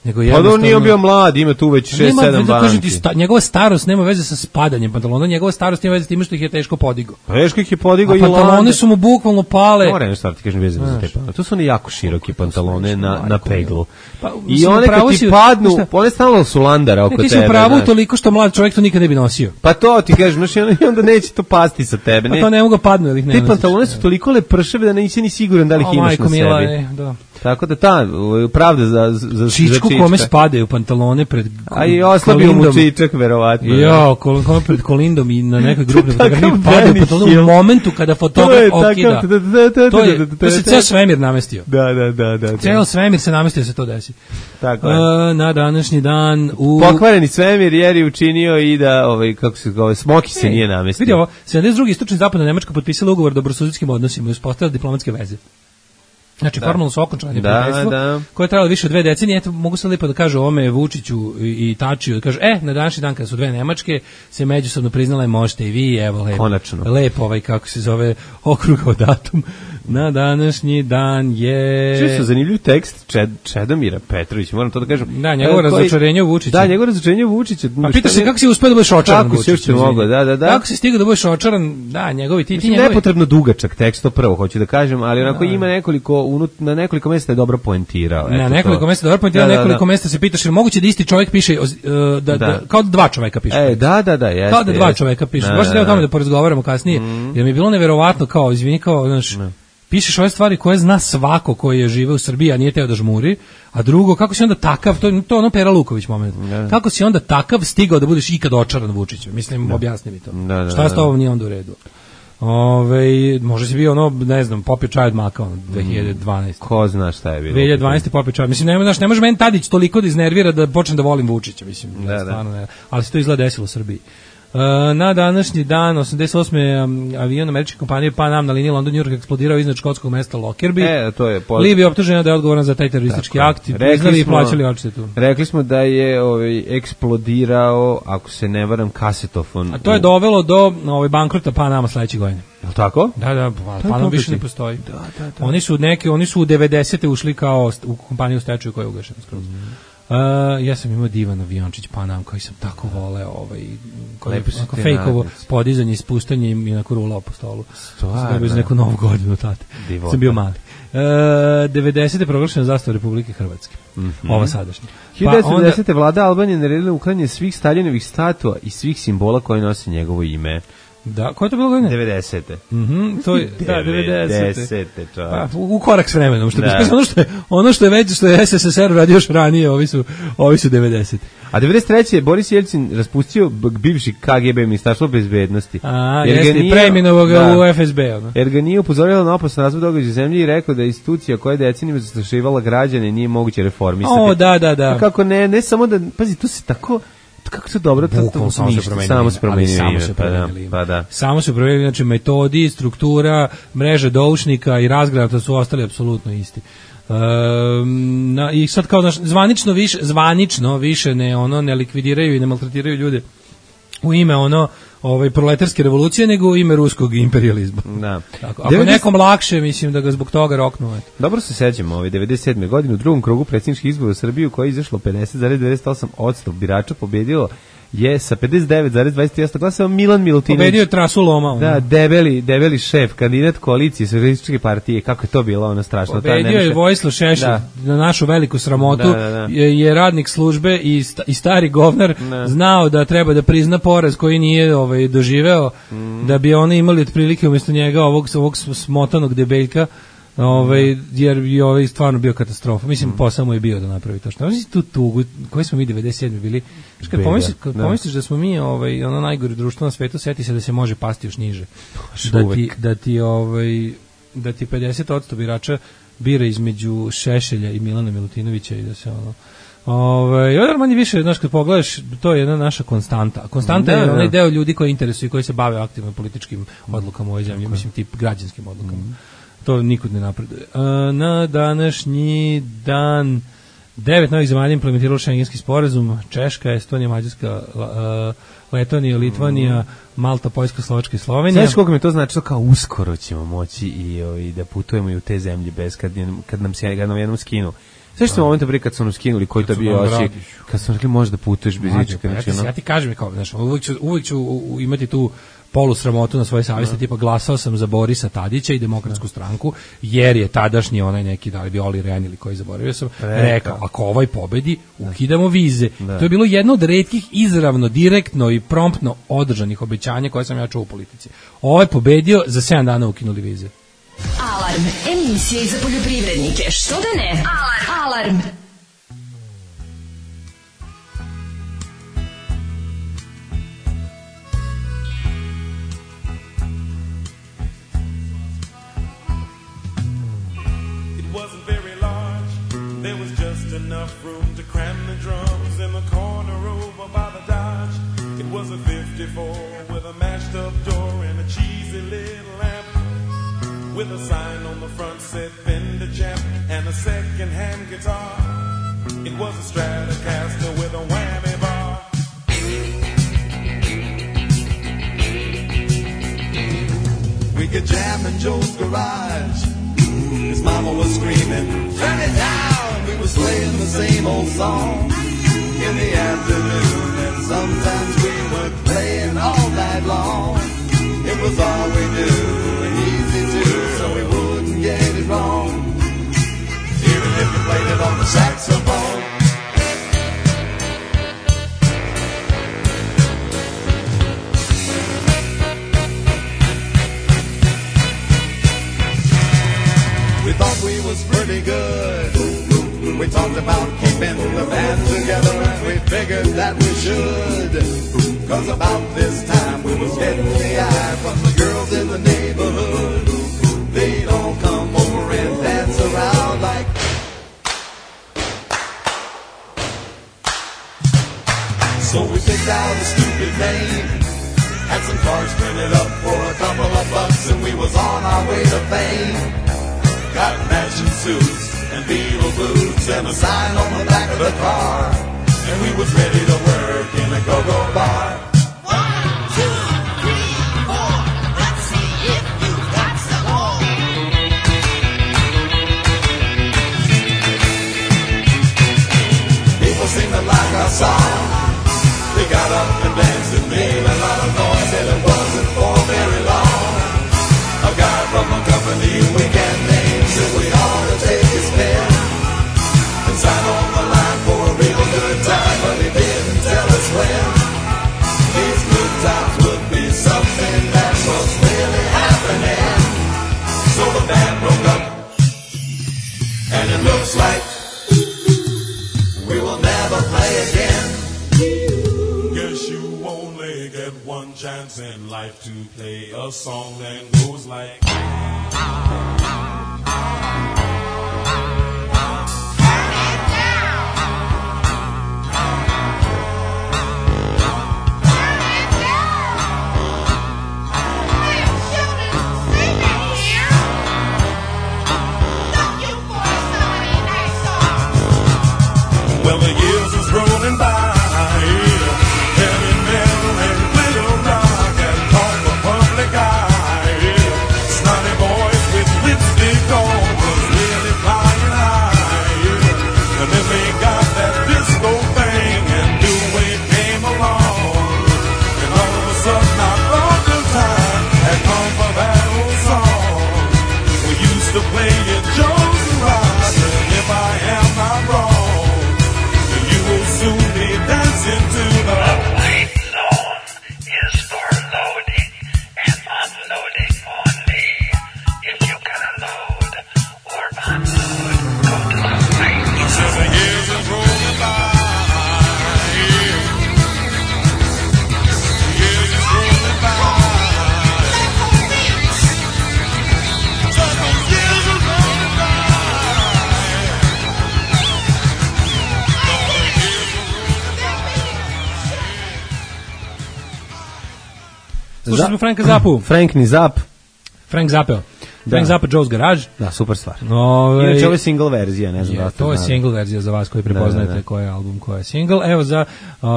Nego Pa da jednostavno on nije bio mlad, ima tu već šest Nema sedam veze, kažem ti, banki. sta, njegova starost nema veze sa spadanjem pantalona, njegova starost nema veze s time što ih je teško podigao. Pa Veško ih je podigao A i pantaloni Landa. su mu bukvalno pale. Moram nešto ti kažem vezano za te pantalone. To su oni jako široki pantalone na, na majko peglu. Pa, I mislim, one upravo kad ti si- padnu, znaš šta? one stalno su landara oko Ne, ti si tebe. u pravu znaš. toliko što mlad čovjek to nikad ne bi nosio. Pa to ti kažem, znaš, i onda, i onda neće to pasti sa tebe. Pa Ne. to ne mogu da padnu, jer ih ne Te nosiš. pantalone su toliko lepršave da nisi ni siguran da li ih O, imaš majko na sebi. mila, e, da. Tako da ta uh, pravda za, za, za Čičku Čička. kome spadaju pantalone pred A i oslabio mu Kolindom. Čičak, verovatno. Jo, kol- kome pred Kolindom i na nekoj grupnoj Takav fotografiji padaju Benny pantalone Hill. u momentu kada To fotograf je okida. takav- da, da, da, To je, da, da, to se da, ceo da. svemir namestio. Da, da, da, da. da. Ceo svemir se namestio da se to desi. Tako je. E, na današnji dan u... Pokvareni svemir jer je učinio i da, ovaj, kako se zove, Smoki se nije namestio. Vidi ovo, sedamdeset drugi istočni zapadna Nemačka potpisala ugovor o dobrosusedskim odnosima i uspostavila diplomatske veze. Znači, formalno su okončali Da, prijateljstvo, da. koje je trajalo više od dve decenije. Eto, mogu sad lipo da kažu ovome Vučiću i, i Tačiju, da kažu, e, na današnji dan kada su dve Nemačke se međusobno priznale, možete i vi, evo lepo. Konačno. Lepo ovaj, kako se zove, okrugao datum. Na današnji dan je... Čuo sam zanimljiv tekst Čed, Čedomira Petrovića, moram to da kažem. Da, njegovo razočarenje u Vučića. Da, njegovo razočarenje u Vučića. Pa pita se kako si uspeo da budeš očaran Vučića. Kako si uspeo mogao, da, da, da. Kako si stigao da budeš očaran, da, njegovi ti, ti njegovi... Nepotrebno dugačak tekst, to prvo hoću da kažem, ali onako ima nekoliko, unut, na nekoliko mjesta je dobro poentirao. Na nekoliko mjesta je dobro poentirao, da, da, nekoliko da. mjesta se pitaš, jer moguće da isti čovjek piše, uh, da, da. Da, kao da dva čoveka piše. E, da, da, da, jeste. Kao da dva čoveka piše. Da, Baš da, da, o tome da. da porazgovaramo kasnije, mm. jer mi je bilo neverovatno kao, izvini, kao, znaš, ne. Pišeš ove stvari koje zna svako koji je žive u Srbiji, a nije teo da žmuri, a drugo, kako si onda takav, to, to ono Pera Luković moment, ne. Kako si onda takav stigao da budeš ikad očaran Vučićem, mislim, ne. Objasni mi to. Da, da, šta je s tobom nije onda u redu? Ove, možda si bio ono, ne znam, popio čaj od maka, ono, dve hiljade dvanaeste. Ko zna šta je bilo? dve hiljade dvanaeste popio čaj. Mislim, ne, znaš, ne može meni Tadić toliko da iznervira da počnem da volim Vučića, mislim, da, da. Stvarno ne. Ali se to izgleda desilo u Srbiji. Uh, na današnji dan, osamdeset osme Um, avion američke kompanije Pan Am na liniji London New York eksplodirao iznad škotskog mesta Lockerbie. E, to je poz... Libija optužena da je odgovoran za taj teroristički Tako. akt i priznali i plaćali odštetu. Rekli smo da je ovaj, eksplodirao, ako se ne varam, kasetofon. A to je dovelo do ovaj, bankrota Pan Ama sledeće godine. Je li tako? Da, da, Pan Am više ne postoji. Da, da, da. Oni su neki, oni su u devedesete ušli kao u kompaniju stečaju koja je ugašena skroz. Mm. Uh, ja sam imao divan aviončić Pan Am koji sam tako voleo, ovaj, koji je fejkovo podizanje i spuštanje i onako rulao po stolu. Stvarno? Bez neku novu godinu tate. Divota. Sam bio mali. Uh, devedesete proglašena zastava Republike Hrvatske. Mm-hmm. Ova sadašnja. hiljadu devetsto devedesete vlada Albanije naredila uklanjanje svih Staljinovih statua i svih simbola koji nose njegovo ime. Da, koje je to bilo godine? devedesete. Mhm, to je da devedesete. Pa u korak s vremenom, što da. ono što je ono što je već što je S S S R radio još ranije, ovi su ovi su devedesete. A devedeset treće Boris Jelcin raspustio bivši K G B ministarstvo bezbednosti. A, jeste preimenovao ga u F S B, ono. Jer ga nije upozorila na opasan razvoj događaja u zemlji i rekao da je institucija koja je decenijama zastrašivala građane nije moguće reformisati. O, da, da, da. A kako ne, ne samo da, pazi, to se tako kako to dobro, to, to samo se promenili, samo se promenili, samo se promenili. Pa da. Samo se promenili, znači metodi, struktura, mreže doušnika i razgrada su ostali apsolutno isti. Um, na, i sad kao naš, zvanično više, zvanično više ne ono ne likvidiraju i ne maltretiraju ljude u ime ono ovaj proletarske revolucije nego u ime ruskog imperijalizma. Da. Tako, ako devedeset nekom lakše, mislim da ga zbog toga roknu. Eto. Dobro se sećamo, ovaj devedeset sedme godine u drugom krugu predsjedničkih izbora u Srbiji u kojoj je izašlo pedeset zarez devedeset osam posto birača pobedilo je sa pedeset devet zarez dvadeset tri posto glasova Milan Milutinović. Pobedio je trasu loma. Ono. Da, debeli, debeli šef, kandidat koalicije Socijalističke partije, kako je to bilo ono strašno. Pobedio je Vojislav Šešelj, da. Na našu veliku sramotu, da, da, da. Je, je radnik službe i, sta, i stari govnar da. Znao da treba da prizna poraz koji nije ovaj, doživeo, mm. Da bi oni imali otprilike umjesto njega ovog, ovog smotanog debeljka. Ovaj jer je ovaj stvarno bio katastrofa. Mislim mm. posao mu je bio da napravi to što. Znači tu tugu koji smo mi devedeset sedme bili. Kad pomisliš, kad da. Pomisliš da smo mi ovaj ono najgore društvo na svetu, seti se da se može pasti još niže. Da ti da ti ovaj da ti pedeset posto birača bira između Šešelja i Milana Milutinovića i da se ono ovaj ovaj manje više znaš kad pogledaš to je jedna naša konstanta. Konstanta da, je onaj deo ljudi koji interesuju i koji se bave aktivno političkim odlukama u ovoj zemlji, mislim tip građanskim odlukama. Mm. To nikud ne napreduje. Na današnji dan devet novih zemalja implementiralo šengenski sporazum. Češka, Estonija, Mađarska, Letonija, Litvanija, Malta, Poljska, Slovačka i Slovenija. Znaš koliko mi to znači kao uskoro ćemo moći i, i da putujemo i u te zemlje bez kad, kad nam se kad nam jednom skinu. Sve što momenta prije kad su nam skinuli koji to bio oči, kad su rekli možeš da putuješ bez ičega. Ja, ja ti kažem kao, znaš, uvijek ću, uvijek ću imati tu polu sramotu na svojoj savjesti, no. Tipa glasao sam za Borisa Tadića i Demokratsku no. stranku, jer je tadašnji onaj neki, da li bi Oli Ren ili koji zaboravio sam, Reka. rekao, ako ovaj pobedi, ukidamo vize. Da. To je bilo jedno od retkih izravno, direktno i promptno održanih obećanja koje sam ja čuo u politici. Ovaj pobedio, za sedam dana ukinuli vize. Alarm, emisija za poljoprivrednike, što da ne? Alarm! Alarm! Enough room to cram the drums in the corner over by the Dodge. It was a fifty-four with a mashed up door and a cheesy little lamp with a sign on the front said Fender Champ and a second-hand guitar. It was a Stratocaster with a whammy bar. We could jam in Joe's garage was screaming, turn it down. We was playing the same old song in the afternoon, and sometimes we were playing all night long. It was all we knew, and easy too, so we wouldn't get it wrong, even if we played it on the saxophone. We thought we was pretty good. We talked about keeping the band together, and we figured that we should. Cause about this time we was getting the eye from the girls in the neighborhood. They'd all come over and dance around like. So we picked out a stupid name, had some cards printed up for a couple of bucks, and we was on our way to fame. Got matching suits and Beatle boots and a sign on the back of the car, and we was ready to work in a go-go bar. One, two, three, four. Let's see if you've got some more. People seemed to like our song. They got up and danced and made a lot of noise, and it wasn't for very long. A guy from a company we can't name said we ought to take his pen and sign on the line for a real good time, but he didn't tell us when. These good times would be something that was really happening. So the band broke up, and it looks like we will never play again. Guess you only get one chance in life to play a song that goes like. Well, the years is rolling by, heavy metal and glitter rock and talk for public eye. Snotty boys with lipstick on was really flying high. And then they got that disco thing and New Wave came along. And all of a sudden I thought the time had come for that old song. We used to play it Joe's Garage, and if I am not wrong, soon be dancing to the white zone is for loading and unloading only. If you can load or unload, go to the white zone. Says the years is rolling by. The years is rolling by. Says the years is rolling by. Slušali smo Franka Zappu. Frank ni Zapp. Frank Zappeo. Frank Zappa, Joe's Garage. Da, super stvar. Ove, Inače, ovo je single verzija, ne znam je, da ste to je znali. single verzija za vas koji prepoznajete Da, da, da. koji je album, koji je single. Evo za uh,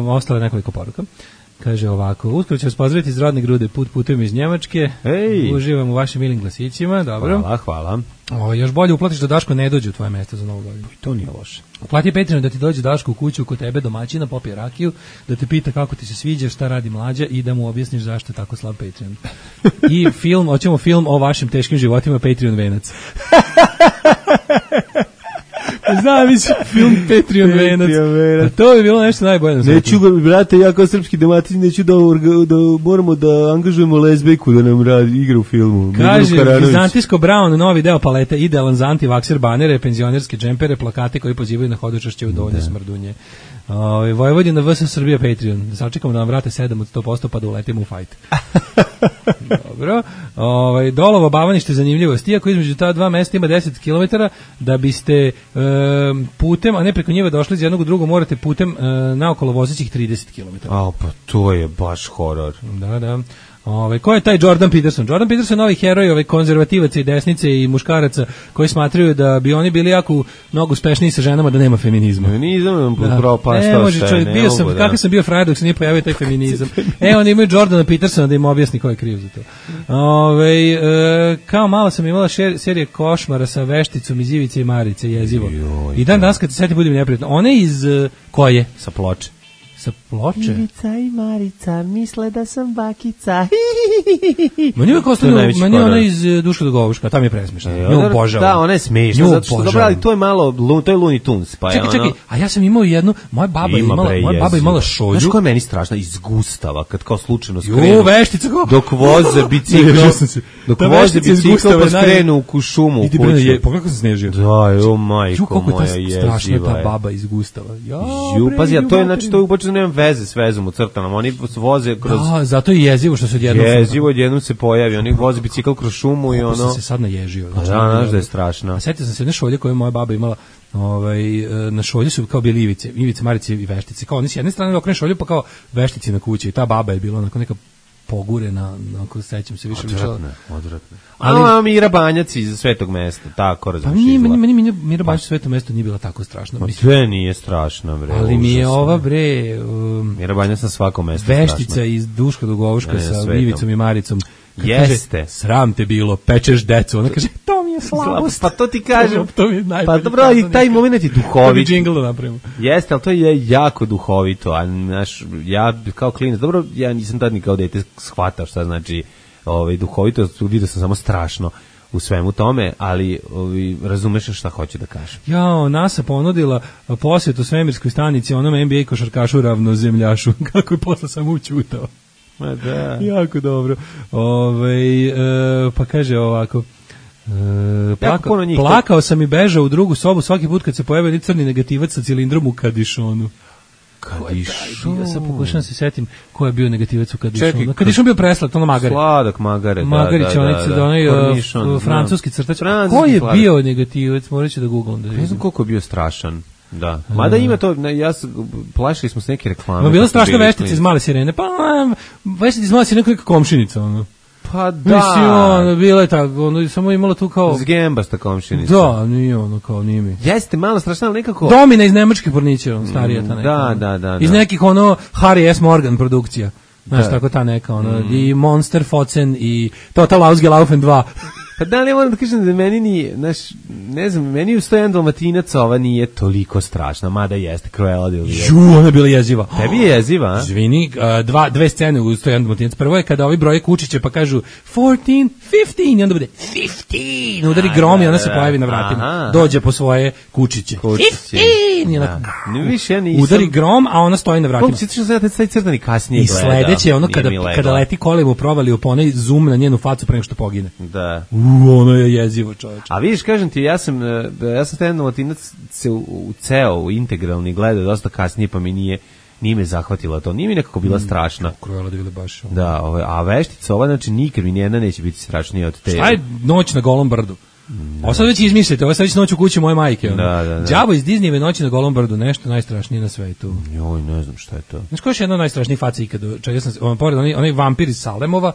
ostale nekoliko poruka. Kaže ovako, uskoro ću vas pozdraviti iz rodne grude, put putujem iz Njemačke. Ej. Uživam u vašim milim glasićima, dobro. Hvala, hvala. O, još bolje uplatiš da Daško ne dođe u tvoje mesto za novu godinu. To nije loše. Uplati Patreon da ti dođe Daško u kuću kod tebe domaćina, popije rakiju, da te pita kako ti se sviđa, šta radi mlađa i da mu objasniš zašto je tako slab Patreon. I film, hoćemo film o vašim teškim životima, Patreon venac. Znam, mislim, film Patreon venac. A to je bilo nešto najbolje na svijetu. Neću, brate, ja kao srpski domaćin neću da, da moramo da angažujemo lezbijku da nam radi igra u filmu. Kaže, Vizantijsko Brown, novi deo palete, idealan za antivakser banere, penzionerske džempere, plakate koji pozivaju na hodočašće u dovoljne smrdunje. Ove, Vojvodina V S Srbija Patreon. Sačekamo da nam vrate sedam od sto posto pa da uletimo u fajt. Dobro. Ove, Dolovo Bavanište zanimljivost. Iako između ta dva mesta ima deset kilometara, da biste e, putem, a ne preko njega došli iz jednog u drugo, morate putem e, naokolo vozećih trideset kilometara. A, pa to je baš horor. Da, da. Ove, ko je taj Jordan Peterson? Jordan Peterson je novi heroj ovaj konzervativaca i desnice i muškaraca koji smatraju da bi oni bili jako mnogo uspešniji sa ženama da nema feminizma. Feminizam nam Da. propastao Ne može sve, čovjek, ne bio sam, mogu, da. kako sam bio frajer dok se nije pojavio taj feminizam. E, oni imaju Jordana Petersona da im objasni ko je kriv za to. Ove, e, kao malo sam imala šer, serije košmara sa Vešticom iz Ivice i Marice, jezivo. Joj, I dan danas kad se setim budem neprijatno. One iz, e, koje? Sa ploče. Sa Ploče? Ivica i Marica misle da sam bakica. Meni je ostalo, To je najveći meni je ona horor. iz e, Duška do Govuška, tam je presmešna. E, Nju ona- obožavam. Da, ona je smešna, Nju zato što, dobro, obožavam. ali to je malo, lu- to je Looney Tunes, pa je Čekaj, čekaj, ono... a ja sam imao jednu, moja baba je Ima, imala, bre, moja baba je jezivo. imala šolju. Znaš koja je meni strašna? Iz Gustava, kad kao slučajno Ju, skrenu. Veštica, kako? Dok voze bicikl, Ježio sam se. dok Ta voze Veštica iz bicikl Gustava pa je naj- skrenu u šumu u Idi bre, je, kuću. pogledaj kako sam snežio. Da, jo, Ju, majko kako je moja, ta strašna jeziva ta je. baba iz Gustava. Ja, Ju, bre, pazi, a to je, ju, znači, to je uopće nema veze s vezom u crtama. Oni voze kroz... Da, zato je jezivo što se odjednom... Jezivo, odjednom se pojavi. Oni voze bicikl kroz šumu i Kako sam ono... se sad naježio. Pa da, znaš da je strašno. A setio sam se jedne šolje koju je moja baba imala, ovaj, e, na šolji su kao bili ivice, ivice, marice i veštice. Kao oni s jedne strane okreneš šolju, pa kao veštici na kući. I ta baba je bila onako neka pogurena, onako sećam se više ličila. Odvratno, odvratno. Ali- Ali... A, Mira Banjac iz Svetog mesta, tako Pa razumiješ. nije, meni, izgleda. meni, meni Mira Banjac u Svetom mestu nije bila tako strašna. Ma Mislim. sve nije strašno, bre. Ali mi je užasno. ova, bre, um, Mira Banjac na svakom mestu Veštica strašna. iz Duška do Govuška Ne, ne, sa svetom. Ivicom i Maricom. Kad Jeste. Kaže, sram te bilo, pečeš decu. Ona kaže, to mi je slabost. Pa to ti kažem. To mi je najbolji Pa dobro, i taj moment je To bi duhovit. džingl da napravimo. Jeste, ali to je jako duhovito, a naš, ja kao klinac, dobro, ja nisam tad ni kao dete shvatao šta znači ovaj, duhovito, vidio sam samo strašno u svemu tome, ali ovaj, razumeš šta hoću da kažem. Jao, NASA ponudila posjetu svemirskoj stanici onom N B A košarkašu ravnozemljašu. Kako je posle samo učutao. Ma da. Jako dobro. Ove, e, pa kaže ovako... E, plaka, puno njih- plakao sam i bežao u drugu sobu svaki put kad se pojavio ni crni negativac sa cilindrom u Kadišonu. Kadišon. Ja sad pokušam se setim ko je bio negativac u Kadišonu. Čekaj, Kadišon bio preslat, ono Magare. Sladak Magare, da, Magarić, da, onaj, da, da. onaj, Kornišon, uh, znam. francuski crtač. Francuski Ko je sladak. bio negativac? Morat ću da googlam. Da Ne znam vidim. koliko je bio strašan. Da. Mada ima to, ne, ja sam, plašili smo se neke reklame. Ma bila kad smo strašna bili veštica klinici. iz Male sirene. Pa, um, veštica iz Male sirene kao neka komšinica, ono. Pa Da. Mislim, ono, da. bila je tako, ono, samo imala tu kao... Zgembasta komšinica. Da, nije ono, kao, nije mi. Jeste malo strašno, ali nekako... Domina iz nemačke porniće, on, starija ta neka. da, ono. da, da, Iz da. nekih, ono, Harry S. Morgan produkcija. Znaš, Da. tako ta neka, ono, i Monster, Focen, i Total Ausgelaufen dva. Pa da li ja moram da kažem da meni ni, znaš, ne znam, meni u sto jedan Dalmatinac ova nije toliko strašna, mada jeste Cruella de Vil. Ju, ona je bila jeziva. Tebi je jeziva, a? Izvini, uh, dva, dve scene u sto jedan Dalmatinac. Prvo je kada ovi broje kučiće pa kažu fourteen, fifteen i onda bude fifteen. Udari grom i ona se pojavi na vratima. Aha. Dođe po svoje kučiće. Kučiće. fifteen! I onako, Da. Ne, više ja nisam... udari grom, a ona stoji na vratima. Kako si što sam ja taj crtani kasnije I gledao. sledeće je ono Nije kada, mi leglo. kada leti kolima u provaliju po onaj zoom na njenu facu pre nego što pogine. Da. U, ono je jezivo, čoveče. A vidiš, kažem ti, ja sam, e, ja sam taj Dalmatinac se u, u ceo, u integralni gledao dosta kasnije, pa mi nije, nije me zahvatila to. Nije mi nekako bila strašna. Cruella de Vil baš. ono. Da, ovaj, a veštica ova, znači nikad mi nijedna neće biti strašnija od te. Šta je noć na Golom brdu? Ovo sad već izmislite, ovo sad već noć u kući moje majke. Ono. Da, da, da. Đavo iz Disneyve noći na Golom brdu, nešto najstrašnije na svetu. Joj, ne znam šta je to. Znaš ko je još jedna od najstrašnijih faca ikad? Čekaj, sam se, on, pored, onaj, onaj vampir iz Salemova,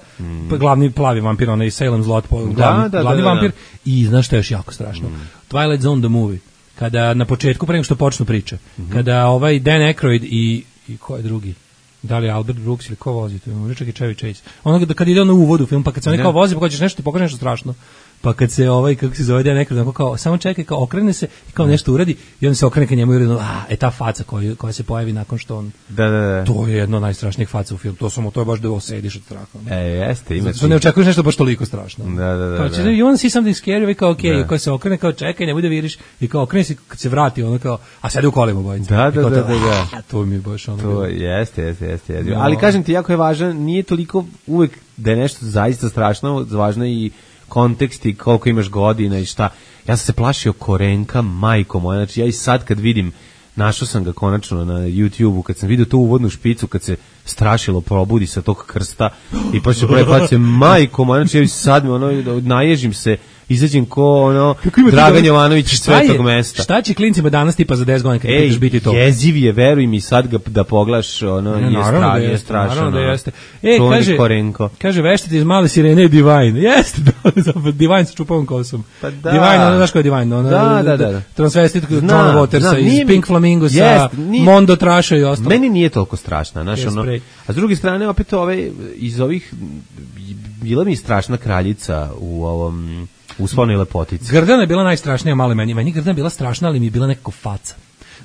pa glavni plavi vampir, onaj Salem Zlot, po- glavni, da, glavni da, da, vampir, da. i znaš što je još jako strašno? Twilight Zone the movie. Kada na početku, pre nego što počnu priče, kada ovaj Dan Aykroyd i, i ko je drugi? Da li je Albert Brooks ili ko vozi? To je možda čak i Chevy Chase. Ono da kad ide ono u uvodu u film, pa kad se oni Da. kao vozi, pa kad ćeš nešto ti pokaže nešto strašno. Pa kad se ovaj, kako se zove, Dan Aykroyd, onako kao, samo čekaj, kao okrene se i kao nešto uradi i on se okrene ka njemu i uradi, a, e ta faca koja, koja se pojavi nakon što on... Da, da, da. To je jedno od najstrašnijih faca u filmu. To samo to je baš da osediš od straha. E, jeste, ima Zato ne očekuješ nešto baš toliko strašno. Da, da, da, Kao, da. će, you wanna see something scary? I kao, ok, Da. i kao se okrene, kao čekaj, ne bude viriš. I kao okrene se, kad se vrati, ono kao, a sedi u kolima bojica. Da, I da, kao da, to, da, da. a, to mi je baš ono. To bilo. jeste, jeste, jeste, jeste. No. Ali kažem ti, jako je važan, nije toliko uvek da je nešto zaista strašno, važno je i kontekst i koliko imaš godina i šta. Ja sam se plašio Korenka, majko moja, znači ja i sad kad vidim, našao sam ga konačno na YouTubeu, kad sam vidio tu uvodnu špicu, kad se strašilo probudi sa tog krsta i pa se pravi face, majko moja, znači ja i sad mi ono, naježim se, izađem ko ono ima Dragan dobro- Jovanović iz Šta je- Svetog mesta. Šta će klincima danas tipa za deset godina kad Ej, pitaš biti to? jeziv je, veruj mi, sad ga da poglaš, ono, Ne, je, naravno stra, da je jeste, strašno. naravno da ono. jeste. E, Čuveni kaže, Korenko. kaže veštite iz male sirene Divine. Jeste, da, Divine sa čupavom kosom. Pa da. Divine, ono, znaš ko je Divine? Ono, Da, da, da. Transvestit Znam, John Watersa znam, iz nije mi- Pink Flamingosa, Jest, nije- Mondo Trasha i ostalo. Meni nije toliko strašna, znaš, Yes, ono, spray. a s druge strane, opet ove, iz ovih, bila mi strašna kraljica u ovom, u Svonoj lepotici. Grdana je bila najstrašnija, malo meni. Meni Grdana je bila strašna, ali mi je bila nekako faca.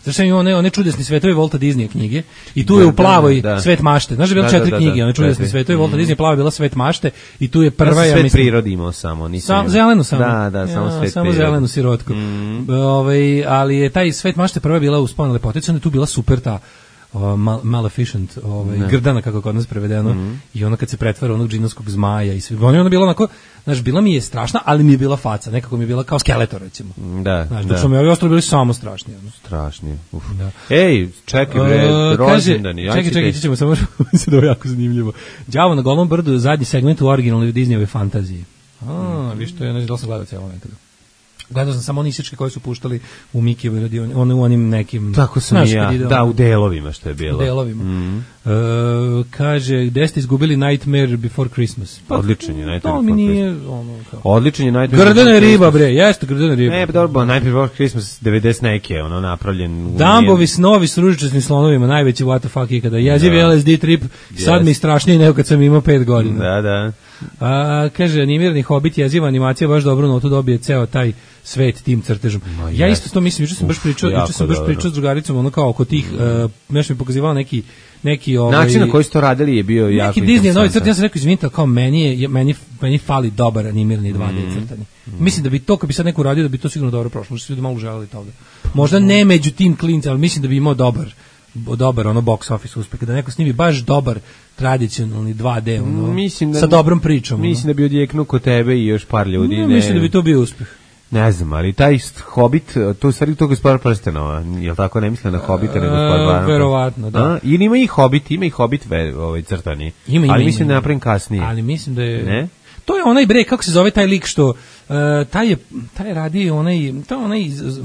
Zašto ima one, one čudesni svetovi Volta Disneya knjige i tu je u plavoj da, da. Svet mašte. Znaš da je bilo Da, četiri da, da, knjige, da, one čudesni četiri. svetovi Volta Disneya, plava je bila Svet mašte i tu je prva, Ja sam ja svet mislim... prirodi imao samo, nisam Sam, imao. zelenu samo. Da, da, samo Ja, svet samo prirodi. zelenu sirotku. Mm. Ovaj, ali je taj Svet mašte prva bila u Sponu lepotici, onda je tu bila super ta uh, mal, Maleficent, ovaj, Grdana kako je kod nas prevedeno, Mm. i ona kad se pretvara u onog džinovskog zmaja i sve. Ona je bila onako, znaš, bila mi je strašna, ali mi je bila faca, nekako mi je bila kao skeletor recimo. Da, Znaš, da. dok su mi ovi ostali bili samo strašni. Ono. Strašni. Uf. Da. Ej, čekaj bre, E, rođendani. Kaže, čekaj, čekaj, ćemo samo se da je jako zanimljivo. Đavo na Golom brdu je zadnji segment u originalnoj Disneyove fantaziji. A, viš to je, ne znam da li sam gledao cijelo nekada. Gledao sam samo one isičke koje su puštali u Mikijevoj radioni, one u onim nekim... Tako sam znaš, i ja, kad ide da, ono- u delovima što je bilo. u delovima. Mm. E, kaže, gde ste izgubili Nightmare Before Christmas? Odličan je Nightmare To mi Before nije, ono, kao... Odličan je Nightmare Grdana Before je riba, Christmas. bre, jeste grdana je riba. Ne, pa dobro, Nightmare Before Christmas devedeset neke, ono napravljen. u- Dambovi snovi s ružičastim slonovima, najveći what the fuck ikada. Jeziv Da. L S D trip, sad Yes. mi strašnije nego kad sam imao pet godina. Da, da. A, kaže, animirani Hobbit, jeziva animacija, baš dobro notu dobije ceo taj svet tim crtežom. Ma, Ja jest. isto to mislim, juče sam baš pričao, jako juče sam baš dobro. pričao s drugaricom, ono kao oko tih, uh, nešto mi pokazivao neki, neki ovaj... Način na koji su to radili je bio jako Neki Disney novi interesantan. crtani, ja sam rekao, izvinite, ali kao meni, je, meni, meni fali dobar animirani dva D Mm. crtani. Mislim da bi to, kad bi sad neko uradio, da bi to sigurno dobro prošlo, možda su ljudi malo želeli toga. Možda ne među tim klincima, ali mislim da bi imao dobar, dobar ono box office uspeh, da neko snimi baš dobar tradicionalni dva D, ono, Mislim da, sa dobrom pričom. ono. Mislim da bi odjeknuo kod tebe i još par ljudi. Ne, ne, mislim da bi to bio uspeh. Ne znam, ali taj Hobbit, to je u stvari to Gospodar prstenova, je li tako, ne mislim na Hobbita, nego Gospodar prstenova? verovatno, da. A? Ili ima i Hobbit, ima i Hobbit ve, ovaj, crtani, Ima, ima, ali ima, mislim ima. da napravim kasnije. Ali mislim da je... Ne? To je onaj bre, kako se zove taj lik što... Uh, taj je, taj radi onaj... To je onaj... iz- iz-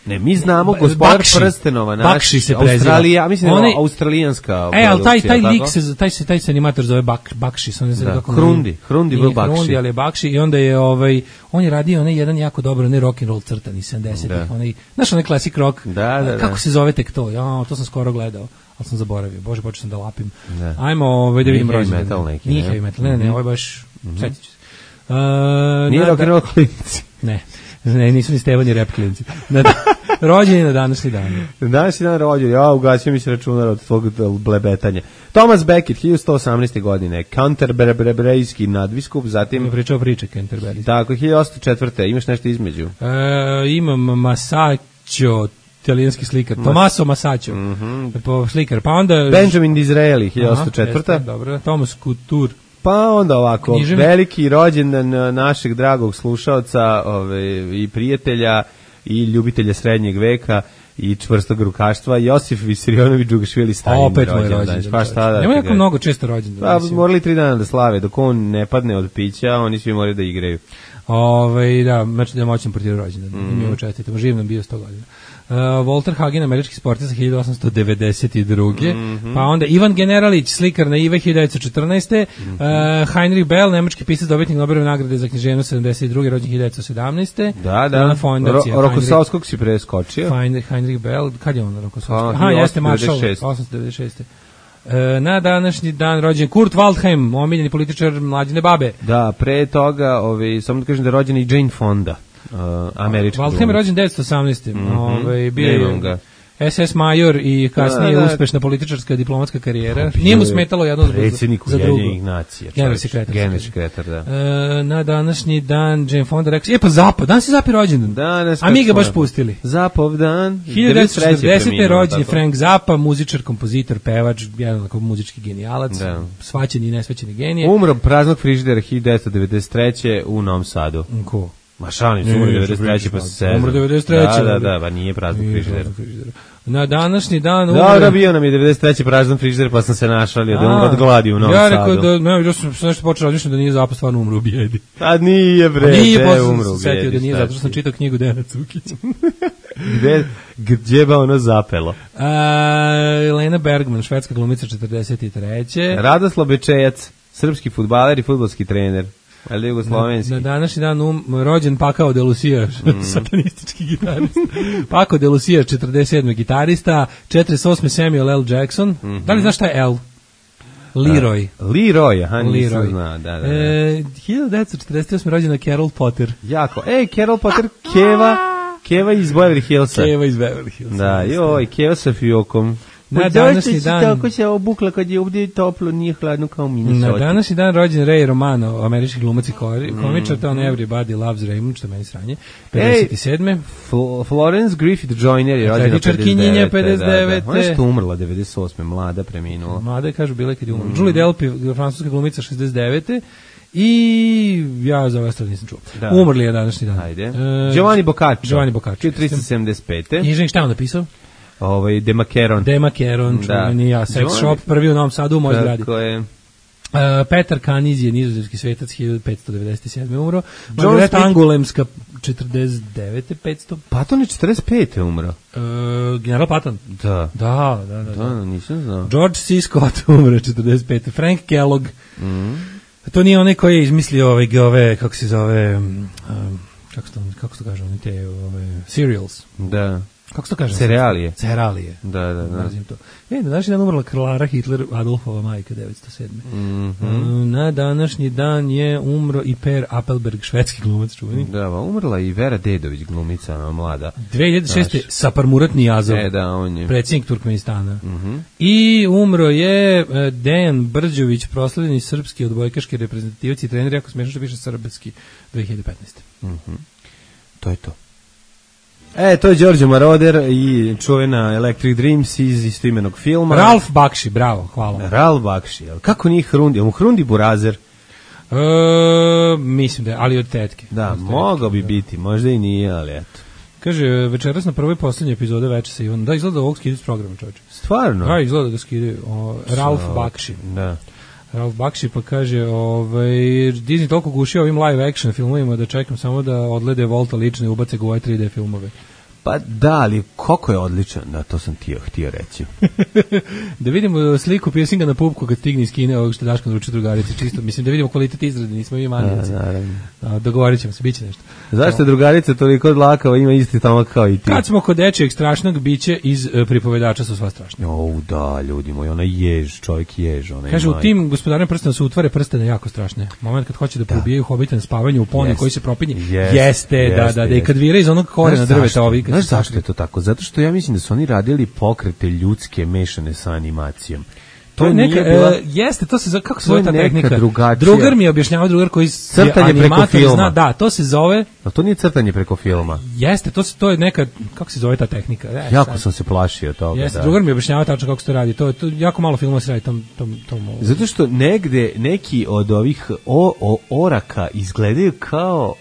Ne, mi znamo Ba- Gospodar Bakši. prstenova, naš, Bakši se preziva. Australija, mislim da Onaj- je australijanska E, ali taj, taj produkcija, lik tako? se, taj se, taj se animator zove Bak, Bakši, sam ne znam Da, kako... Hrundi, Hrundi Nije byl Bakši. Hrundi, ali je Bakši i onda je, ovaj, on je radio onaj jedan jako dobar, onaj rock and roll crtan iz sedamdesetih, Da. onaj, znaš onaj classic rock, Da, da, kako da. se zove tek to, ja, to sam skoro gledao, ali sam zaboravio, bože, počeo sam da lapim. Da. Ajmo, ovaj, da Nije vidim heavy rođendan. metal neki, Nije ne? heavy metal, ne, ne, ne, ovo je baš, setit ću se. Uh, Nije na- rock and roll klinici. Ne, ne, nisu ni Stevan i rap klinci. Na, rođen je na današnji dan. Danas je dan rođen, ja ugasio mi se računar od tvog blebetanja. Thomas Becket, hiljadu sto osamnaeste. godine, Canterburyjski nadbiskup, zatim, Mi pričao priče Canterbury. tako, hiljadu osamsto četvrte. imaš nešto između? E, imam Masaccio, italijanski slikar. Tommaso Masaccio, po slikar. Pa onda... Benjamin Disraeli, hiljadu osamsto Aha, četvrte. jeste, dobro. Thomas Couture. Pa onda ovako, Književnik. veliki rođendan eh, našeg dragog slušaoca ove, i prijatelja i ljubitelja srednjeg veka i čvrstog rukaštva, Josif Visarionović Džugašvili Stalin. Opet moj rođendan. Pa šta da Nema ti jako kažem? mnogo često rođendan. Pa mislim. morali tri dana da slave, dok on ne padne od pića, oni svi moraju da igraju. Ove, da, znači da je moćan portir rođendan. Mhm. Mm. Mi ovo čestitamo, živ nam bio sto godina. Uh, Walter Hagen, američki sportista hiljadu osamsto devedeset druge. Mhm. Pa onda Ivan Generalić, slikar na Ive hiljadu devetsto četrnaeste. Mhm. Uh, Heinrich Bell, nemački pisac, dobitnik Nobelove nagrade za književnost sedamdeset druge. rođen hiljadu devetsto sedamnaeste. Da, da. Ana Fondacija, Ro, Heinrich- Rokosovskog si preskočio. Heinrich, Heinrich Bell, kad je on Rokosovski? Pa, Aha, jeste Marshall, osamsto devedeset šeste. osamsto devedeset šeste. E, na današnji dan rođen Kurt Waldheim, omiljeni političar Mlađine babe. Da, pre toga, ovaj, samo da kažem da je rođena i Jane Fonda, uh, američka. Waldheim je rođen devetsto osamnaeste. Mhm. Ovaj, bio Nemam je ga. S S major i kasnije Da, da. uspešna političarska diplomatska karijera. Bio Nije mu je smetalo jedno za, predsjednik za drugo. Ujedinjenih nacija. Generalni čovječe. sekretar. Generalni sekretar, da. E, na današnji dan Jane Fonda rekao, je pa Zapad, danas je Zapi rođendan. Danas, A mi kako ga baš smo- pustili. Zapov dan. hiljadu devetsto četrdesete. preminuo, rođen je tako? Frank Zappa, muzičar, kompozitor, pevač, jedan onako muzički genijalac, Da. svaćeni i nesvaćeni genije. Umro praznog frižidera hiljadu devetsto devedeset treće. u Novom Sadu. Ko? Ma šalim se, umro devedeset treće pa se sezam. Umro devedeset treće Da, da, da, pa nije prazan frižider. Na današnji dan umre... Da, da, bio nam je devedeset treće prazan frižider, pa sam se našalio da umro od gladi u Novom Sadu. Ja rekao da, ne, ja sam nešto počeo razmišljati da nije zapravo stvarno umro u bijedi. A nije, bre, nije, te umro u se setio bijedi. da nije, zato što sam čitao knjigu Dejana Cukića. Gde, gdje ba ono zapelo? A, Elena Bergman, švedska glumica četrdeset treće Radoslav Bečejac, srpski fudbaler i fudbalski trener. Ali jugoslovenski. Na, na današnji dan um, rođen Pakao de Lucia, mm. satanistički gitarista. Pakao de Lucia, četrdeset sedme gitarista, četrdeset osme Samuel L. Jackson. Mm-hmm. Da li znaš šta je L? Leroy. Uh, Leroy, aha, nisam Leroy. znao, da, da, da. E, hiljadu devetsto četrdeset osme rođena Carol Potter. Jako. Ej, Carol Potter, Keva, Keva iz Beverly Hillsa. Keva iz Beverly Hillsa. Da, joj, Keva sa fiokom. Na današnji dan... Tako se obukla kad je ovdje toplo, nije hladno kao Minnesota. Na današnji dan rođen Ray Romano, američki glumac i komičar, to on Everybody Loves Raymond, što meni sranje, pedeset sedme Fl Florence Griffith Joyner je rođena pedeset devete Ona je što umrla devedeset osme mlada, preminula. Mlada je, kažu, bila kad je umrla. Mm. Julie Delpy, francuska glumica, šezdeset devete I ja za ove stvari nisam čuo. Da. Umrli je današnji dan. Ajde. E, Giovanni Boccaccio. Giovanni Boccaccio. trista sedamdeset pete Knjižnik, šta je on napisao? Ovaj Demakeron. Demakeron, čuveni ja, sex shop, prvi u Novom Sadu u mojoj zgradi. Tako je. Uh, Petar Kaniz je nizozemski svetac, hiljadu petsto devedeset sedme umro. Margareta Angulemska, četrdeset devete petsto Patton je četrdeset pete umro. Uh, general Patton? Da. Da, da, da. Da, da nisam znao. George C. Scott umro četrdeset pete Frank Kellogg. Mhm. To nije onaj koji je izmislio ove, ove kako se zove, um, kako se to, kako se to kaže, oni te ove, cereals. Da. Kako se to kaže? Cerealije. Cerealije. Da, da, da. Nazim to. E, na današnji dan umrla Klara Hitler, Adolfova majka, devetsto sedme Mm-hmm. Na današnji dan je umro i Per Appelberg, švedski glumac čuveni. Da, umrla i Vera Dedović, glumica, mlada. dve hiljade šeste Saparmurat Niyazov, e, da, on je predsjednik Turkmenistana. Mm-hmm. I umro je Dejan Brđović, proslavljeni srpski odbojkaški reprezentativac i trener, jako smiješno što piše srpski, dve hiljade petnaeste Mm-hmm. To je to. E, to je Đorđe Maroder i čuvena Electric Dreams iz istoimenog filma. Ralf Bakshi, bravo, hvala. Ralf Bakshi, kako nije Hrundi? Mu Hrundi Burazer? E, mislim da je, ali od tetke. Da, od tetke, mogao bi da. biti, možda i nije, ali eto. Kaže, večeras na prvoj posljednje epizode Veče sa Ivanom. Da, izgleda ovog skidaju s programa, čovječe. Stvarno? Da, izgleda da ga skidaju. O, Ralf so, Bakshi. Da. Ralf Bakshi pa kaže, ovaj, Disney toliko gušio ovim live action filmovima da čekam samo da odlede Volta lično i ubace ga u ove tri D filmove. Pa da, ali koliko je odličan, da, to sam htio, htio reći. Da vidimo sliku piercinga na pupku kad stigne iz Kine, ovog što Daško naručio drugarici, čisto, mislim da vidimo kvalitet izrade, nismo mi manijeci. Dogovorit ćemo se, bit će nešto. Zašto je drugarica toliko dlakava, ima isti stomak kao i ti? Kad smo kod dečijeg strašnog bića iz uh, pripovedača su sva strašne. O, da, ljudi moji, ona jež, čovjek jež. Ona kaže, u tim gospodarnim prstena su utvare prstene jako strašne. Moment kad hoće da, da. probijaju hobita na spavanju u pone yes. koji se propinje, yes. jeste, yes. da, da, da, i kad vira iz onog korena drveta ovi. Znaš zašto je to tako? Zato što ja mislim da su oni radili pokrete ljudske mešane sa animacijom. To je neka, bila, uh, jeste, to se zove, kako se zove ta tehnika? Drugačija. Drugar mi je objašnjavao, drugar koji crtanje preko filma. Zna, da, to se zove... A to nije crtanje preko filma. Jeste, to, se, to je neka, kako se zove ta tehnika? E, jako sad. sam se plašio toga. Jeste, da. drugar mi je objašnjavao tačno kako se to radi. To, to jako malo filma se radi tom... tom, tom zato što negde neki od ovih o, o, oraka izgledaju kao,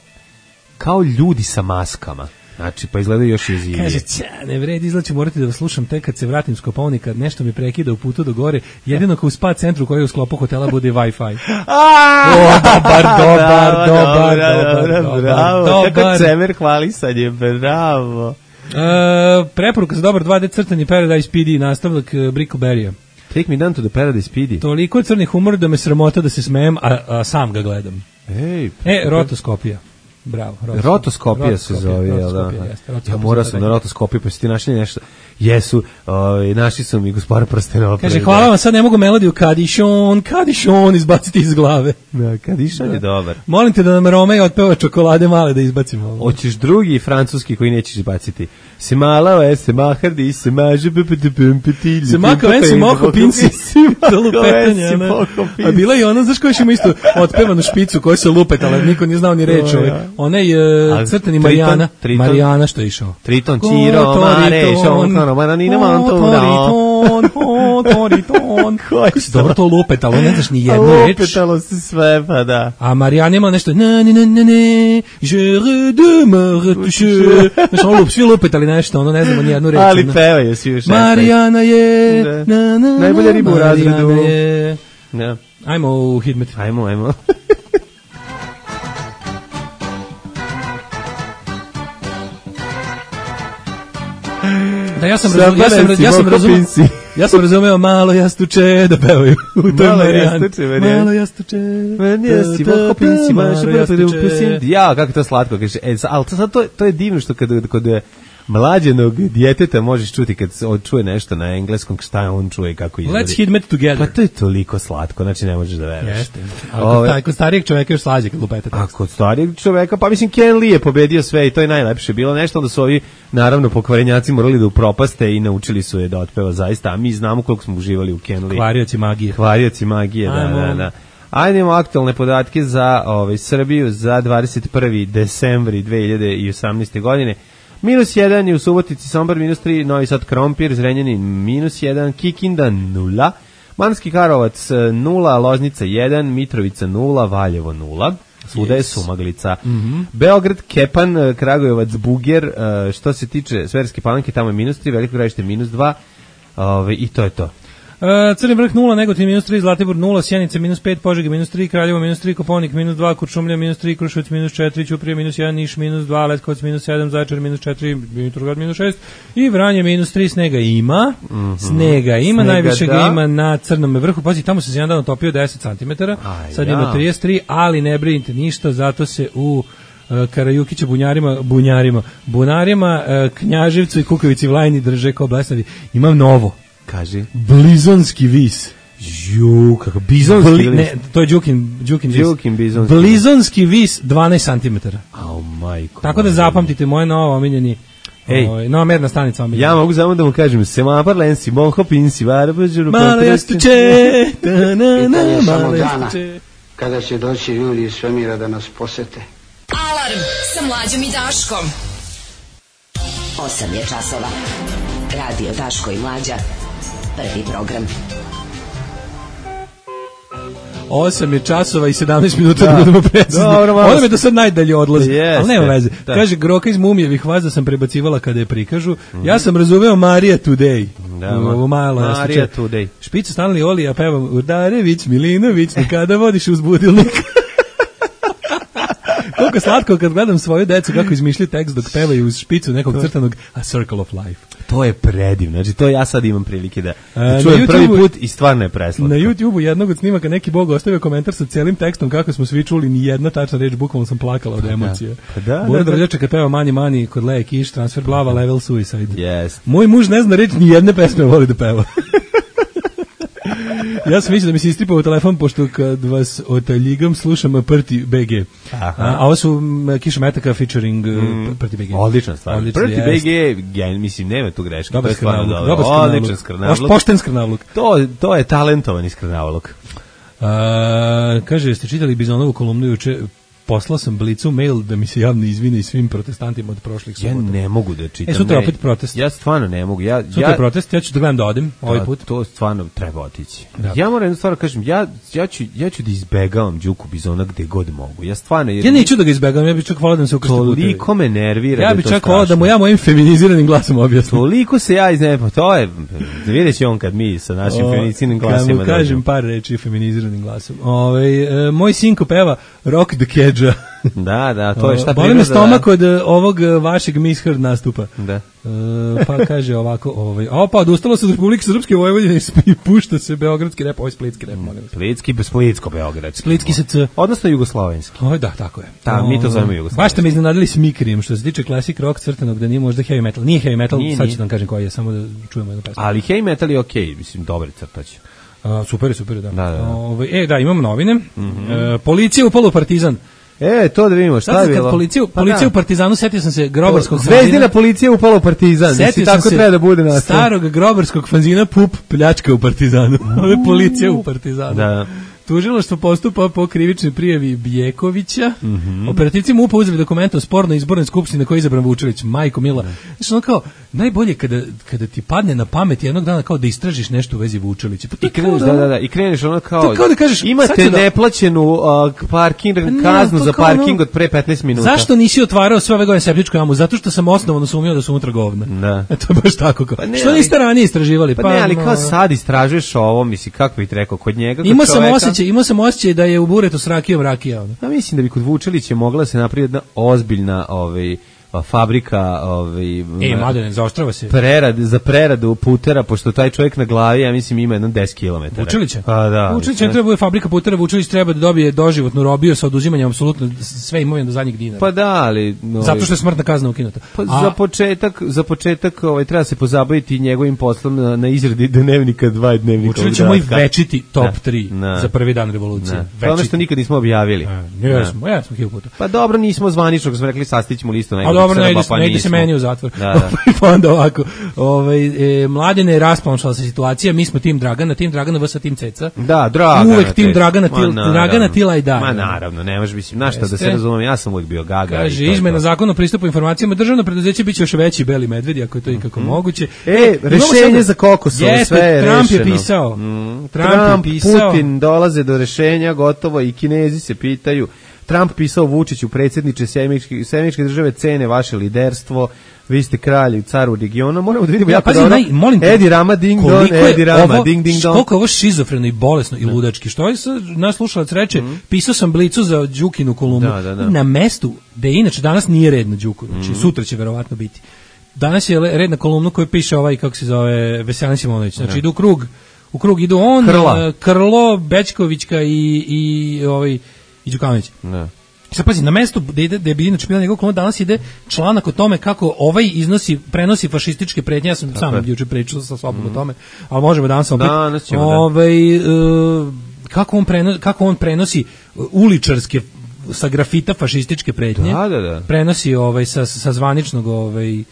kao ljudi sa maskama. Znači, pa izgledaju još jezivije. Kaže, ća, ne vredi, izlaću morati da vas slušam tek kad se vratim s Kopaonika, nešto mi prekida u putu do gore, jedino kao u spa centru koji je u sklopu hotela bude Wi-Fi. O, dobar, dobar, dobar, dobar, dobar, bravo, kako Cemer hvalisanje, bravo. E, preporuka za dobar dva D crtani Paradise P D, nastavljak Brickleberry-a. Take me down to the Paradise P D. Toliko crnih humor da me sramota da se smejem, a, a sam ga gledam. Ej, e, rotoskopija. Bravo, rotoskopija, rotoskopija se zove, jel da? Ja morao sam na rotoskopiju, pa si ti našli nešto. Jesu, ovaj, naši su mi Gospodar prstenova. Kaže, hvala vam, sad ne mogu melodiju Kadišon, Kadišon izbaciti iz glave. Da, Kadišon da. je dobar. Molim te da nam Romej otpeva Čokolade male da izbacimo ovo. Hoćeš drugi francuski koji nećeš izbaciti. Se malao je, se mahardi, se maže, pepetepempetilj. Se makao je, se moho pinci, za lupetanje. A bila je ona, znaš koja ćemo isto otpevanu špicu koja se lupetala, niko nije znao ni reč. onaj A, uh, crtani Triton, Marijana. Triton. Marijana što je išao. Triton, Ciro, Mare, Šonkano, Maranina, Mantovno. Toriton, ho, toriton. Kako si dobro to lupetalo, ne znaš ni jednu reč. Lupetalo se sve, pa da. A Marijana ima nešto, na, ne, ne, ne, ne, je redemare, znaš, ono lup, svi lupetali nešto, ono ne znamo ni jednu reč. Ali ono. pevaju svi u šesnaest. Marijana je, Da. na, na, na, Najbolja riba u Marijana razredu. je. Da. Ajmo u Hidmet. Ajmo, ajmo. Da, ja sam razumeo, ja sam, ja sam razumeo, ja sam razumeo malo jastuče da pevaju u toj Malo Marijani. jastuče, Marijani. Malo jastuče. Jesi, Ta, ta, Voko Pinsi, ta, maš, malo jastuče. ja, kako je to slatko, kaže, e, ali to, sad to, to je divno što kad, kod mlađenog djeteta možeš čuti kad se on čuje nešto na engleskom, šta on čuje i kako izgleda. Let's Hidmet together. Pa to je toliko slatko, znači ne možeš da veruješ. Jeste. Ali Ove- kod, taj, kod starijeg čoveka još slađe kad lupete A tekst. kod starijeg čoveka, pa mislim Ken Lee je pobedio sve i to je najlepše bilo nešto, onda su ovi naravno pokvarenjaci morali da upropaste i naučili su je da otpeva zaista, a mi znamo koliko smo uživali u Ken Lee. Kvarioci magije. Kvarioci magije, da, Ajmo. da, da. Ajde imamo aktualne podatke za ovaj, Srbiju za dvadeset prvi decembar dve hiljade osamnaeste. godine. Minus jedan je u Subotici, Sombor minus tri, Novi Sad Krompir, Zrenjanin minus jedan, Kikinda nula, Manski Karlovac nula, Loznica jedan, Mitrovica nula, Valjevo nula. Svuda je sumaglica. Beograd, Kepan, Kragujevac, Buger, e, što se tiče Sverske Palanke, tamo je minus tri, Veliko Gradište minus dva, ove, i to je to. Uh, Crni vrh nula, Negotin minus tri, Zlatibor nula, Sjenica minus pet, Požega minus tri, Kraljevo minus tri, Koponik minus dva, Kuršumlija minus tri, Kruševac minus četiri, Ćuprija minus jedan, Niš minus dva, Leskovac minus sedam, Zaječar minus četiri, Dimitrovgrad minus šest i Vranje minus tri. Snega ima, mm-hmm. snega ima, Snega, najviše ga da. ima na Crnom vrhu, pazi, tamo se jedan dan otopio deset centimetara, A, sad ja. ima trideset tri, ali ne brinite ništa, zato se u uh, Karajukića bunjarima, bunjarima, bunarima, uh, Knjaževcu i Kukovici Vlajni drže kao blesavi. Imam novo. Kaži. Blizonski vis. Ju, kako bizonski Bli, ili- ne, to je Đukin, Đukin vis. Đukin bizonski. Blizonski vis dvanaest centimetara. Au, majko. Tako da zapamtite moje novo omiljeni, Ej. ovaj, nova merna stanica omiljeni. Ja mogu samo da mu kažem, Semapar Lensi, Monho Pinsi, Varabađuru, Malo jastuče, ta na na, Pitanje samo malo dana. jastuče. Kada će doći ljudi iz svemira da nas posete. Alarm sa Mlađom i Daškom. osam je časova. Radio Daško i Mlađa. Prvi program. osam je časova i sedamnaest minuta Da. da budemo precizni. Dobro, malo Ona me do sad najdalje odlazi. Jeste. Ali nema veze. Da. Kaže, Groka iz Mumijevih vaza sam prebacivala kada je prikažu. Ja sam razumeo Marija Today. Da, Ovo malo. ja Marija slučaj- Today. Špica Stanley Oli, ja pevam Urdarević, Milinović, kada vodiš uz budilnik. Koliko slatko kad gledam svoju decu kako izmišljaju tekst dok pevaju uz špicu nekog crtanog A Circle of Life. To je predivno. Znači, to ja sad imam prilike da, da na čujem prvi YouTubeu- put i stvarno je preslatko. Na YouTubeu jednog od snimaka neki bog ostavio komentar sa celim tekstom kako smo svi čuli ni jedna tačna reč, bukvalno sam plakala od emocije. Pa da, Bora da, da. Drljača kad peva Mani Mani kod Leje Kiš, transfer glava, level suicide. Yes. Moj muž ne zna reći ni jedne pesme, voli da peva. Ja sam mislio da mi se istripao u telefon, pošto kad vas otaljigam slušam Prti B G. Aha. A, a ovo su m, Kiša Metaka featuring mm. Prti B G. Odlična stvar. Odlično, Prti jest. B G, ja mislim, nema tu greške. Dobar to je stvarno skrnavluk. dobro. Dobar skrnavluk. Odličan skrnavluk. Baš pošten skrnavluk. To, to je talentovani skrnavluk. A, kaže, jeste čitali Bizonovu kolumnu juče? Poslao sam Blicu mail da mi se javno izvine i svim protestantima od prošlih Ja subota. ne mogu da čitam. E, sutra ne. opet protest. Ja stvarno ne mogu. Ja, Sutra ja, je protest, ja ću da gledam da odem ovaj Da, put. To stvarno treba otići. Da. Ja moram jednu stvar da kažem, ja, ja, ću, ja ću da izbegavam Đuku Bizona gde god mogu. Ja stvarno... Jer Ja neću da ga izbegam, ja bih čak volao da mi se ukrsti putevi. Toliko me nervira Ja da je bih to čak volao da strašno. mu ja mojim feminiziranim glasom objasnim. Toliko se ja izne, pa to je, vidjet će on kad mi sa našim O, feministinim kad glasima mu kažem dođemo. par reči feminiziranim glasom. Ove, e, moj sinko peva Rock the Kedža. Da, da, to je šta Boli me priroda, stomak da. od e, ovog e, vašeg Misheard nastupa. Da. E, pa kaže ovako, ovaj, a pa odustalo se od Republike Srpske Vojvodine i spi- pušta se beogradski rep, ovaj splitski rep, molim vas. Splitski, Splitsko, Beogradski. Splitski se c. Odnosno jugoslovenski. Oj, da, tako je. Da, mi to Ovaj, zovemo jugoslovenski. Baš ste me iznenadili s Mikrijem, što se tiče classic rock crtanog, da nije možda heavy metal. Nije heavy metal, Nije, sad nije. ću da vam kažem koji je, samo da čujemo jednu pesmu. Ali heavy metal je okej, mislim, dobar crtač. A, super je, super je, da. Da, da, da. Ovaj, e, da, imamo novine. E, policija upala u Partizan. E, to da vidimo, šta Sad je kad bilo? policiju, Pa policiju da. u Partizanu, setio sam se grobarskog Zvezdina fanzina. policija upala u Partizan. Mislim, Setio sam tako se treba da bude na starog grobarskog fanzina Pup pljačka u Partizanu. Ovo je policija u Partizanu. Da. Tužilaštvo postupa po krivičnoj prijavi Bjekovića. Mhm. Operativci MUP-a uzeli dokumente o spornoj izbornoj skupštini na kojoj je izabran Vučević. Majko mila. Znači, ono kao, najbolje kada, kada ti padne na pamet jednog dana kao da istražiš nešto u vezi Vučevića. Pa to I kreneš, da, da, da, i kreneš ono kao, to kao da kažeš, sad imate ću da- neplaćenu uh, parking, Pa ne, kaznu to za kao parking ono- od pre petnaest minuta. Zašto nisi otvarao sve ove godine septičku jamu? Zato što sam osnovano sumnjao da su unutra govna. Da. E, to je baš tako kao. Pa ne, Što ali- niste ranije istraživali? Pa ne, ali no, kao sad istražuješ ovo, misli, kako bih ti rekao, kod njega, kod Imao sam čoveka- osjećaj, imao sam osjećaj da je u buretu s rakijom rakija. Ono. Ja mislim da bi kod Vučelića mogla se napraviti jedna ozbiljna ovaj, a, fabrika ovaj, E, m- Mladene, zaoštrava se. prerad, za preradu putera, pošto taj čovjek na glavi, ja mislim, ima jedno deset kilometara. Vučilića? Pa da. Vučilić ne treba bude fabrika putera, Vučilić treba da dobije doživotnu robiju sa oduzimanjem apsolutno sve imovine do zadnjeg dinara. Pa da, ali... ovaj, Zato što je smrtna kazna ukinuta. Pa A- za početak, za početak ovaj, treba se pozabaviti njegovim poslom na, na izradi dnevnika dva i dnevnika. Vučilić je od moj Ratka. večiti top Da, tri da. za prvi dan revolucije. Da. To je ono što nikad nismo objavili. Ne, ja smo, ja smo hiljadu puta. Pa dobro, nismo zvanično, smo rekli sastićemo listu A najboljih dobro, ne Srba, ide, pa ne ide se nismo. meni u zatvor. Da, da. Pa onda ovako, ovaj, e, Mladene je rasplanšala se situacija, mi smo tim Dragana, tim Dragana vs tim Ceca. Da, Dragana. Uvek tim te- Dragana, Ma, til, naravno. Dragana Tila i da. Ma naravno, ne može, mislim, znaš šta, da se Jeste. razumem, ja sam uvijek bio gaga. i Kaže, to je izmena to. zakona o pristupu informacijama, državno preduzeće biće još veći beli medvedi, ako je to ikako moguće. E, Imamo rešenje sada- za Kokosovo, Jeste, sve je Trump rešeno. je pisao. Mm, Trump, Trump, je pisao. Putin dolaze do rešenja, gotovo, i Kinezi se pitaju. Trump pisao Vučiću, predsjedniče Sjemeničke države, cene vaše liderstvo, vi ste kralj, car u regionu, moramo da vidimo Ja, jako pazi, dobro. naj, molim te, Edi Rama, ding don, koliko je Edi Rama, ovo- ding ding don. Koliko je ovo šizofreno i bolesno i ludački. Što je sad, naš slušalac reče, pisao sam Blicu za Đukinu kolumnu. Da, da, da. Na mestu, da je inače danas nije red na Đuku, znači sutra će verovatno biti. Danas je le- red na kolumnu koju piše ovaj, kako se zove, Veselin Simonović. Znači idu u krug, u krug idu on, Krla. eh, Krlo, Bećkovićka i, i, ovaj, i Đukanović. Ne. Sad pazi, na mestu da ide, da je bi inače bila njegov kolumna, danas ide članak o tome kako ovaj iznosi, prenosi fašističke pretnje, ja sam sam je. juče pričao sa sobom o tome, ali možemo danas opet. Danas ćemo, da. Ovaj, e, kako, on prenosi, kako on prenosi uličarske sa grafita fašističke pretnje, Da, da, da. prenosi ovaj, sa, sa zvaničnog ovaj,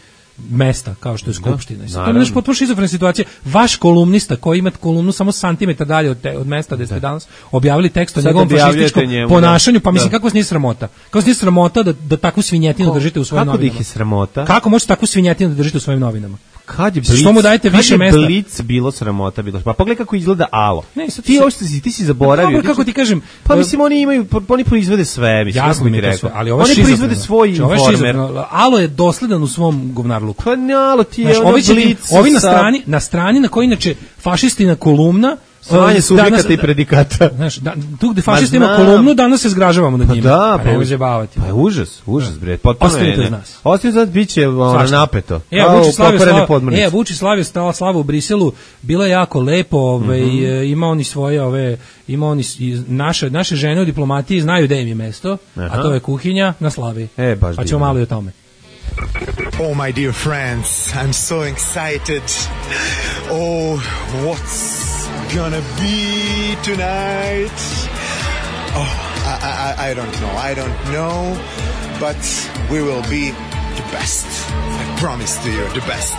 mesta, kao što je Skupština. I sad to je naravno. nešto potpuno šizofrena situacija. Vaš kolumnista koji ima kolumnu samo santimetar dalje od, te, od mesta gde ste danas objavili tekst o Sad njegovom objavljujete fašističkom njemu, ponašanju, pa da. mislim Da. kako vas nije sramota? Kako vas nije sramota da, da takvu svinjetinu držite u svojim Kako da novinama? ih je sramota? Kako možete takvu svinjetinu da držite u svojim novinama? Kad je Što Blic, mu dajete kad više je mesta? Blic bilo sramota, bilo. Pa pogledaj kako izgleda Alo. Ne, sad ti se- uopšte si, ti si zaboravio. Dobro, kako ti kažem, Pa e, mislim oni imaju, oni proizvode sve, mislim, Jasno kako mi bi je ti to sve, rekao. ali ovo je Oni proizvode šizofreno. svoj Znači, ovo je informer. šizofreno. Alo je dosledan u svom govnarluku. Pa ne, Alo ti je Znaš, ono ovi, će ti- Blic ovi na sa- strani, na strani na kojoj inače fašistina kolumna Svanje e, subjekata danas- i predikata. Znaš, da, tu gde fašisti Ma ima znam. kolumnu, danas se zgražavamo nad Pa njima. da, pa pa, nemoj už- zajebavati. pa je užas, užas, bre, potpuno Ostavite je, uz ne. nas. Ostavite uz nas, bit će ono, Svašta. napeto. E, Kao Vučić slavio pokvarene slavu, podmornice. e, Vučić slavio stala slavu u Briselu, bilo je jako lepo, ovaj, Mhm. e, ima oni svoje, ove, ima oni, s- i naše, naše žene u diplomatiji znaju gde im je mesto, Aha. a to je kuhinja na slavi. E, baš pa ćemo divno. malo i o tome. Oh, my dear friends, I'm so excited. Oh, what's gonna be tonight? Oh, I, I, I don't know. I don't know, but we will be the best. I promise to you, the best.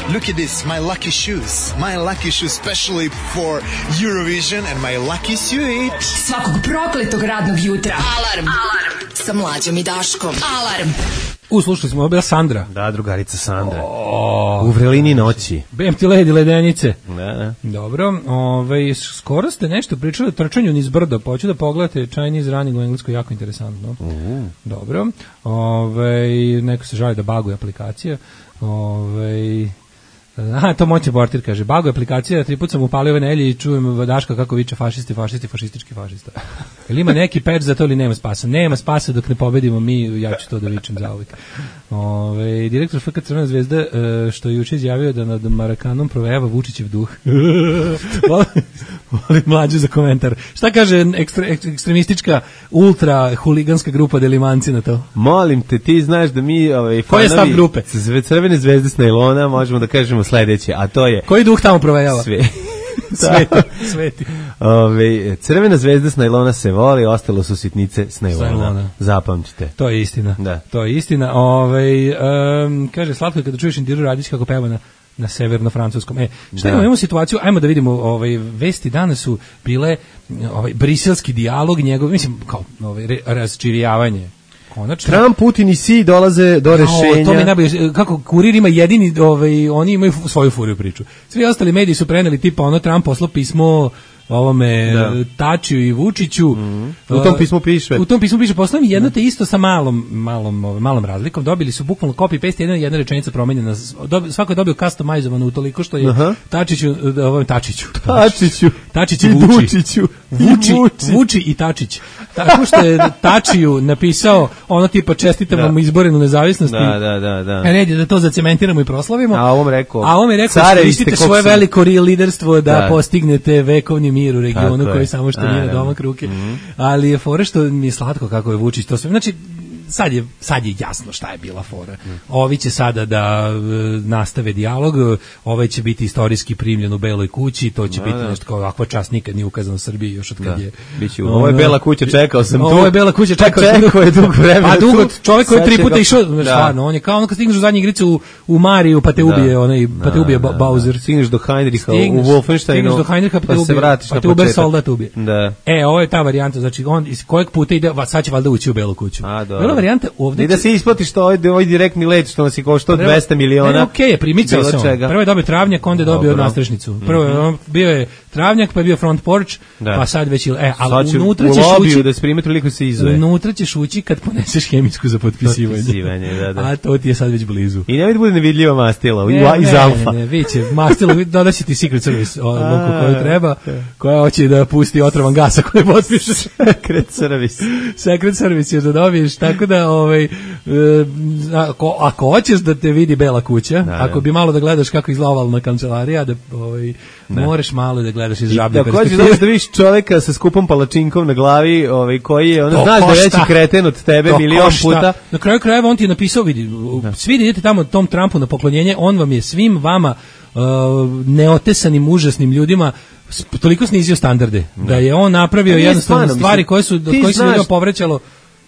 Look at this, my lucky shoes. My lucky shoes, especially for Eurovision, and my lucky suit. Svakog prokletog radnog jutra. Alarm. Alarm. Sa mlađom i Daškom. Alarm. U, slušali smo, ovo je bila Sandra. Da, drugarica Sandra. U vrelini noći. Bem ti ledi ledenice. Da, da. Dobro, ovaj, skoro ste nešto pričali o trčanju niz brdo, pa hoću da pogledate Chinese running u engleskoj, jako interesantno. Uh. Dobro, ovaj, neko se žali da baguje aplikacija. Ovaj, aha, to moćni portir kaže, baguje aplikacija, tri put sam upalio ove nelje i čujem Daška kako viče fašisti, fašisti, fašistički fašista. Jel ima neki patch za to ili nema spasa? Nema spasa dok ne pobedimo mi, ja ću to da vičem za uvijek. Ove, direktor F K Crvena zvezda, e, što je juče izjavio da nad Marakanom provejava Vučićev duh. Volim mlađu za komentar. Šta kaže ekstre, ekstremistička, ultra huliganska grupa Delimanci na to? Molim te, ti znaš da mi ovaj, Koji je stav fanovi grupe? Zve- Crvene zvezde s najlona možemo da kažemo sledeće, a to je Koji duh tamo provejava? sve. Sveti. Sveti. Ove, Crvena zvezda s najlona se voli, ostalo su sitnice s najlona. najlona. Zapamćite. To je istina. Da. To je istina. Ovaj um, kaže Slatko kada čuješ Indiru Radić kako peva na na severno-francuskom. E, šta Da. imamo, imamo situaciju, ajmo da vidimo, ovaj, vesti danas su bile ovaj, briselski dijalog, njegov, mislim, kao ovaj, re, razčirjavanje. Konačno. Trump, Putin i Xi dolaze do rešenja. O, to mi je najbolje, kako kurir ima jedini, ovaj, oni imaju svoju furiju priču. Svi ostali mediji su preneli tipa ono Trump poslao pismo ovome Da. Tačiju i Vučiću. Mm. U tom pismu piše. U tom pismu piše, poslao mi jedno te isto sa malom, malom, ovaj, malom razlikom. Dobili su bukvalno copy-paste, jedna, jedna rečenica promenjena. Dobi, svako je dobio customizovano utoliko što je Aha. Tačiću, ovom Tačiću. Tačiću. Tačić i I Vuči. Vučiću. Vuči, I Vuči. Vuči i Tačić. Tako što je Tačiju napisao ono tipa čestitam vam Da. izborenu nezavisnost. Da, da, da, da. E, red je da to zacementiramo i proslavimo. A ovom rekao, A ovom je rekao, carevi iskoristite ste koliko svoje sam- veliko real liderstvo da, Da. postignete vekovni mir u regionu Tako koji je. samo što nije na Naravno. domak ruke. Ali je fora što mi je slatko kako je Vučić to sve. Znači, sad je, sad je jasno šta je bila fora. Ovi će sada da e, nastave dijalog, ovaj će biti istorijski primljen u Beloj kući, to će Da, biti da. nešto kao ovakva čast nikad nije ukazana u Srbiji još od kad Da. je. Biće, ovo je Bela kuća, čekao sam tu. Ovo je Bela kuća, Pa čekao sam čekao je dugo vremena Pa dugo, tu. čovjek koji je Sad tri će puta ga- išao, Da. stvarno, on je kao ono kad stigneš u zadnju igricu u, u Mariju, pa te ubije, onaj, pa te Da, ubije da, Ba- da. Bowser. Stigneš do Heinricha Stigneš- u Wolfensteinu. stigneš do Heinricha, pa, pa te se ubije, vratiš pa na te Uber početak. soldat ubije. Da. E, ovo je ta varijanta, znači on iz kojeg puta ide, va, sad će valjda ući u Belu kuću. A, dobro. Bila varijanta ovde. I da će- se isplati što ovaj, ovaj direktni let što nas je koštao Prvo- dvesta miliona. Ne, okej, je, primicao Bilo se on. čega. Prvo je dobio travnjak, onda je dobio Dobro. nastrešnicu. Prvo je on bio je travnjak, pa je bio front porch, Da. pa sad već, e, ali Sad će unutra u ćeš lobiju ući, da se prime toliko se izve. unutra ćeš ući kad poneseš hemijsku za potpisivanje. Potpisivanje, da, da. A to ti je sad već blizu. I nemoj da bude nevidljiva mastila Ne, i- iz ne, Alfa. Ne, ne, vidće, mastilo, dodaći ti Secret Service o, A, luku koju treba, koja hoće da pusti otrovan gasa koju potpišeš. Secret Service. Secret Service još da dobiješ, tako da ovaj, e, ako, ako hoćeš da te vidi Bela kuća, Da, ako da. bi malo da gledaš kako izgleda ovalna kancelarija, da ovaj, moraš malo da gledaš iz žablje Da hoćeš da vidiš da vidiš čoveka sa skupom palačinkom na glavi, ovaj koji je, ono To znaš da je košta. veći kreten od tebe To milion košta. puta. Na kraju krajeva on ti je napisao, vidi, svi da idete tamo tom Trumpu na poklonjenje, on vam je svim vama uh, neotesanim, užasnim ljudima s- toliko snizio standarde, da je on napravio Pa nije jednostavno stvarno, stvari mislim, koje su, od ti kojih se znaš- ljudima povrećalo.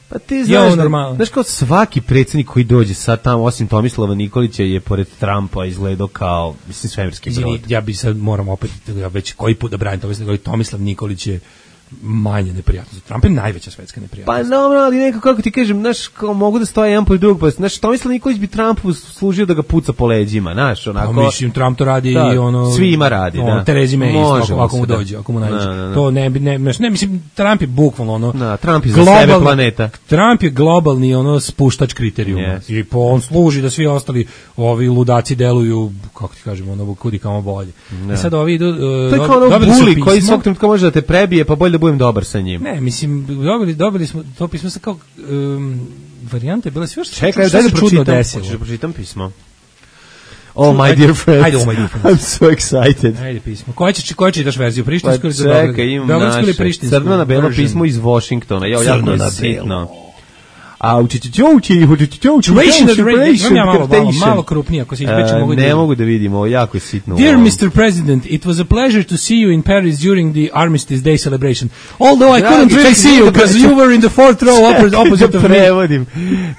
Pa ti Je znaš, ovo da, normalno. znaš kao svaki predsjednik koji dođe sad tamo, osim Tomislava Nikolića, je pored Trumpa izgledao kao, mislim, svemirski Izvini, brod. ja bi sad moram opet, ja već koji put da branim Tomislav, Tomislav Nikolić je manje neprijatno. Trump je najveća svetska neprijatnost. Pa dobro, ali nekako, kako ti kažem, znaš, kao mogu da stoje jedan po drugog, pa, znaš, Tomislav Nikolić bi Trumpu služio da ga puca po leđima, znaš, onako. Pa mislim, Trump to radi Da, i ono... svima radi, ono, da. Terezi May isto, Može ako, mu ako mu se, da. dođe, ako mu najde. Da, da, da. To ne bi, ne, ne, mislim, Trump je bukvalno ono... Da, Trump je za sebe planeta. Trump je globalni ono spuštač kriterijuma. Yes. I po on služi da svi ostali ovi ludaci deluju, kako ti kažemo, ono, kudi kamo bolje. I sad ovi idu... Uh, To je kao ono buli koji svog trenutka može da te prebije, pa bolje da budem dobar sa njim. Ne, mislim, dobili, dobili smo to pismo sa kao um, varijante, bile sve što Čekaj, što daj da se čudno pročitam. desilo. Hoćeš da pročitam pismo? Oh, my Ajde, dear friends. ajde, oh, my dear friends. I'm so excited. Ajde pismo. Koje će koje čitaš verziju? Pa Prištinsku ili za Beograd? čekaj, imam Beogradsku ili naše. prištinsku? Crno na belo version? pismo iz Washingtona. Ja, jako Crno je na sitno. A u čičićoući, u čičićoući, Ration of the radio. Imam ja malo, malo, malo krupnije, ako se ispeče mogu da Ne vidim. mogu da vidimo, jako je sitno. Dear ovo. mister President, it was a pleasure to see you in Paris during the Armistice Day celebration. Although I Dragi, couldn't really čekaj, see you da because pre- you were in the fourth row opposite, opposite da of me. prevodim.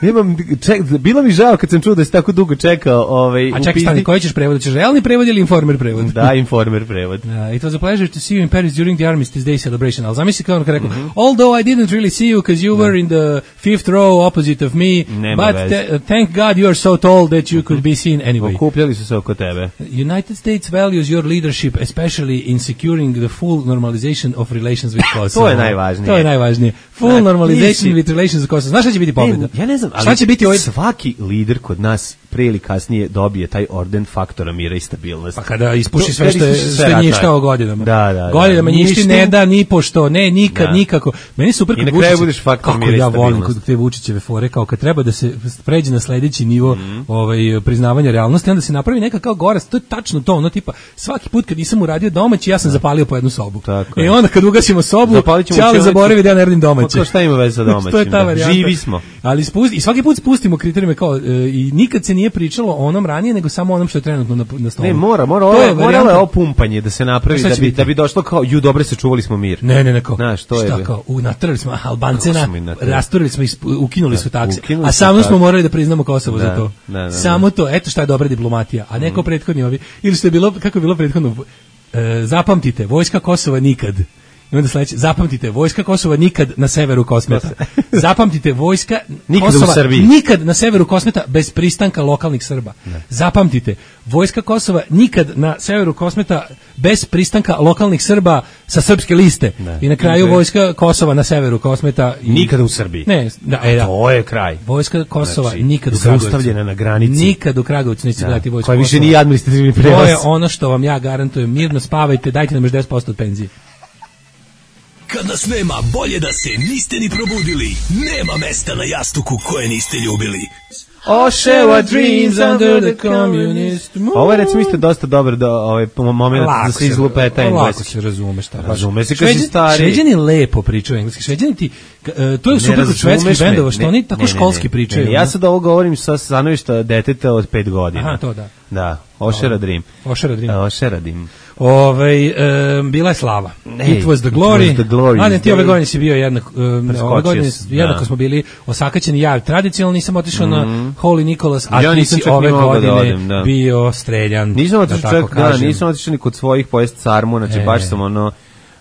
Nemam, ček, bilo mi žao kad sam čuo da si tako dugo čekao ovaj, A u čekaj, stani, pizdi. koji ćeš prevod? Ćeš realni prevod ili informer prevod? Da, informer prevod. Uh, it was a pleasure to see you in Paris during the Armistice Day celebration. Ali zamisli kao ono kad rekao, although I didn't really see you because you were in the fifth row opposite of me, Nema but veze. th- thank God you are so tall that you could be seen anyway. Okupljali su se oko tebe. United States values your leadership, especially in securing the full normalization of relations with Kosovo. To je najvažnije. To je najvažnije. Full Znači, normalization nisi- with relations with Kosovo. Znaš šta će biti pobjeda? E, ja ne znam, ali Šta će biti ovaj... svaki lider kod nas pre ili kasnije dobije taj orden faktora mira i stabilnosti. Pa kada ispuši To- sve kada što je ispuši sve sve ratove. njištao godinama. Da, da, da. Godinama njišti Ništi- ne da ni pošto, ne nikad, Da. nikako. Meni je super I kod na kraju Vučića- budeš faktor kako mira i ja volim stabilnosti. kod te Vučićeve fore, kao kad treba da se pređe na sledeći nivo Mhm. ovaj, priznavanja realnosti, onda se napravi neka kao gorast, to je tačno to, ono tipa, svaki put kad nisam uradio domaći, ja sam zapalio po jednu sobu. Tako I je. onda kad ugasimo sobu, Zapalit ćemo ćale učionicu. zaboravi da ja ne radim domaće. Pa to šta ima veze sa domaćim, To je ta da. varijanta. Živi smo. Ali spusti, i svaki put spustimo kriterijume kao, e, i nikad se nije pričalo o onom ranije, nego samo o onom što je trenutno na, na stolu. Ne, mora, mora, To ovo, je moralo varijanta- je ovo pumpanje da se napravi, Šta da će bi, biti? da bi došlo kao, ju, dobro se čuvali smo mir. Ne, ne, ne, kao, Znaš, to je šta bi- kao, u, natrali smo Albance, Kako na, smo ih natrali? rasturili smo, ih, u, ukinuli su takse. ukinuli A su samo smo takse. morali da priznamo Kosovo Da, za to. da, da, da. Samo to, eto šta je dobra diplomatija. A neko prethodni ovi, ili što je bilo, kako je bilo prethodno, e, zapamtite, vojska Kosova nikad. I onda sledeće, zapamtite, vojska Kosova nikad na severu Kosmeta. Zapamtite, vojska Nikad u Kosova Srbiji. nikad na severu Kosmeta bez pristanka lokalnih Srba. Zapamtite, vojska Kosova nikad na severu Kosmeta bez pristanka lokalnih Srba sa srpske liste. Ne. I na kraju Ne. vojska Kosova na severu Kosmeta. I... Nikada u Srbiji. Ne, da, e, da. To je kraj. Vojska Kosova Znači, nikad u Kragovcu. zaustavljena na granici. Nikad u Kragovcu neće Da. gledati vojsku Koja više Kosova. nije administrativni prevoz. To je ono što vam ja garantujem. Mirno spavajte, dajte nam još deset posto od penzije. Kad nas nema, bolje da se niste ni probudili. Nema mesta na jastuku koje niste ljubili. Oh, share our dreams under the communist moon. Ovo je recimo isto dosta dobar da, ovaj, moment da se izlupeta Lako engleski. se razume šta. Razume se kad si Šveđani- stari. Šveđani lepo pričaju engleski. Šveđani ti, e, to je Ne super kod razumeš švedskih me. bendova, što Ne, oni tako ne, ne, školski ne. pričaju. Ne, ne, ja ono. sad ovo govorim sa stanovišta deteta od pet godina. Aha, to da. Da, Ošera Dream. Ošera Dream. E, Ošera Dream. Ovaj e, bila je slava. Ne, It was the glory. it was the glory. Mladen, ti ove godine si bio jednak, e, ove Preskočio godine sam, jednako da. smo bili osakaćeni. Ja tradicionalno nisam otišao na Holy Nicholas, a Ja ti nisam si čak ni ove mogao da godine odem, da. bio streljan. Nisam da otišao tako čak, da, kažem. nisam otišao ni kod svojih pojest sarmu, znači E. baš sam ono,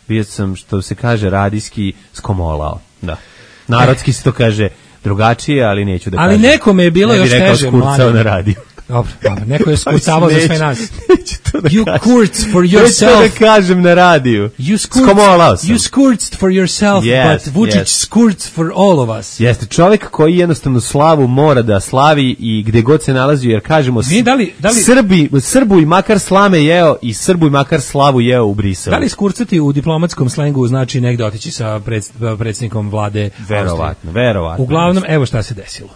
bio sam, što se kaže, radijski skomolao. Da. Narodski se to kaže drugačije, ali neću da Ali kažem. nekome je bilo Ne bi još rekao teže, skurcao Mladen. na radiju. Dobro, dobro, neko je skurcavao za sve Neću- nas. Neću to da You kažem. kurz for Neću yourself. to da kažem na radiju. You skurz, Skomolao sam. you skurced for yourself, Yes, but Vučić yes. skurz for all of us. Jeste, čovjek koji jednostavno slavu mora da slavi i gde god se nalazi, jer kažemo, Mi da li- da li- Srbi, Srbu i makar slame jeo i Srbu i makar slavu jeo u Briselu. Da li skurcati u diplomatskom slengu znači negde otići sa pred, predsjednikom vlade Austrije? Verovatno, verovatno. Uglavnom, evo šta se desilo.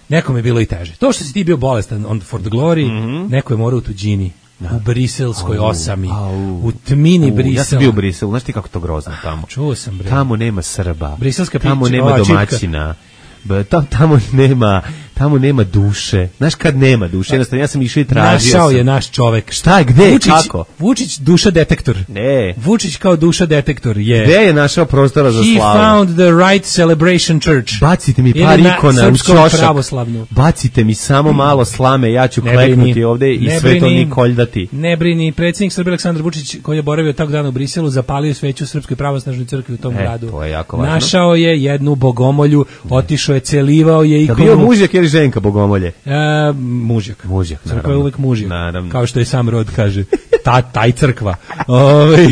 Nekom je bilo i teže. To što si ti bio bolestan on for the glory, Mhm. neko je morao u tuđini, u briselskoj Au, osami, au. u tmini U, Brisela. Ja sam bio u Briselu, znaš ti kako to grozno tamo? Čuo sam, bre. Tamo nema Srba. Briselska Tamo pića, nema ova čipka. domaćina. B- Tam, tamo nema, tamo nema duše. Znaš kad nema duše? Jednostavno, ja sam išao i tražio Našao sam. je naš čovek. Šta je, gde, Vučić, kako? Vučić duša detektor. Ne. Vučić kao duša detektor je. Gde je našao prostora za He slavu? found the right celebration church. Bacite mi Ili par na ikona u srpskom ćošak. pravoslavnu. Bacite mi samo malo slame, ja ću Ne kleknuti brini, ovde i ne sve to brini, nikoljdati. Ne brini, predsjednik Srbije Aleksandar Vučić koji je boravio tog dana u Briselu, zapalio sveću Srpskoj pravoslavnoj crkvi u tom E, gradu. to je jako važno. Našao je jednu bogomolju, otišao je, celivao je Da ikonu. bio mužjak ili ženka bogomolje? E, mužjak. Mužjak, Crkva je naravno. uvek mužjak. Naravno. Kao što je sam rod kaže. Ta, taj crkva. Ove,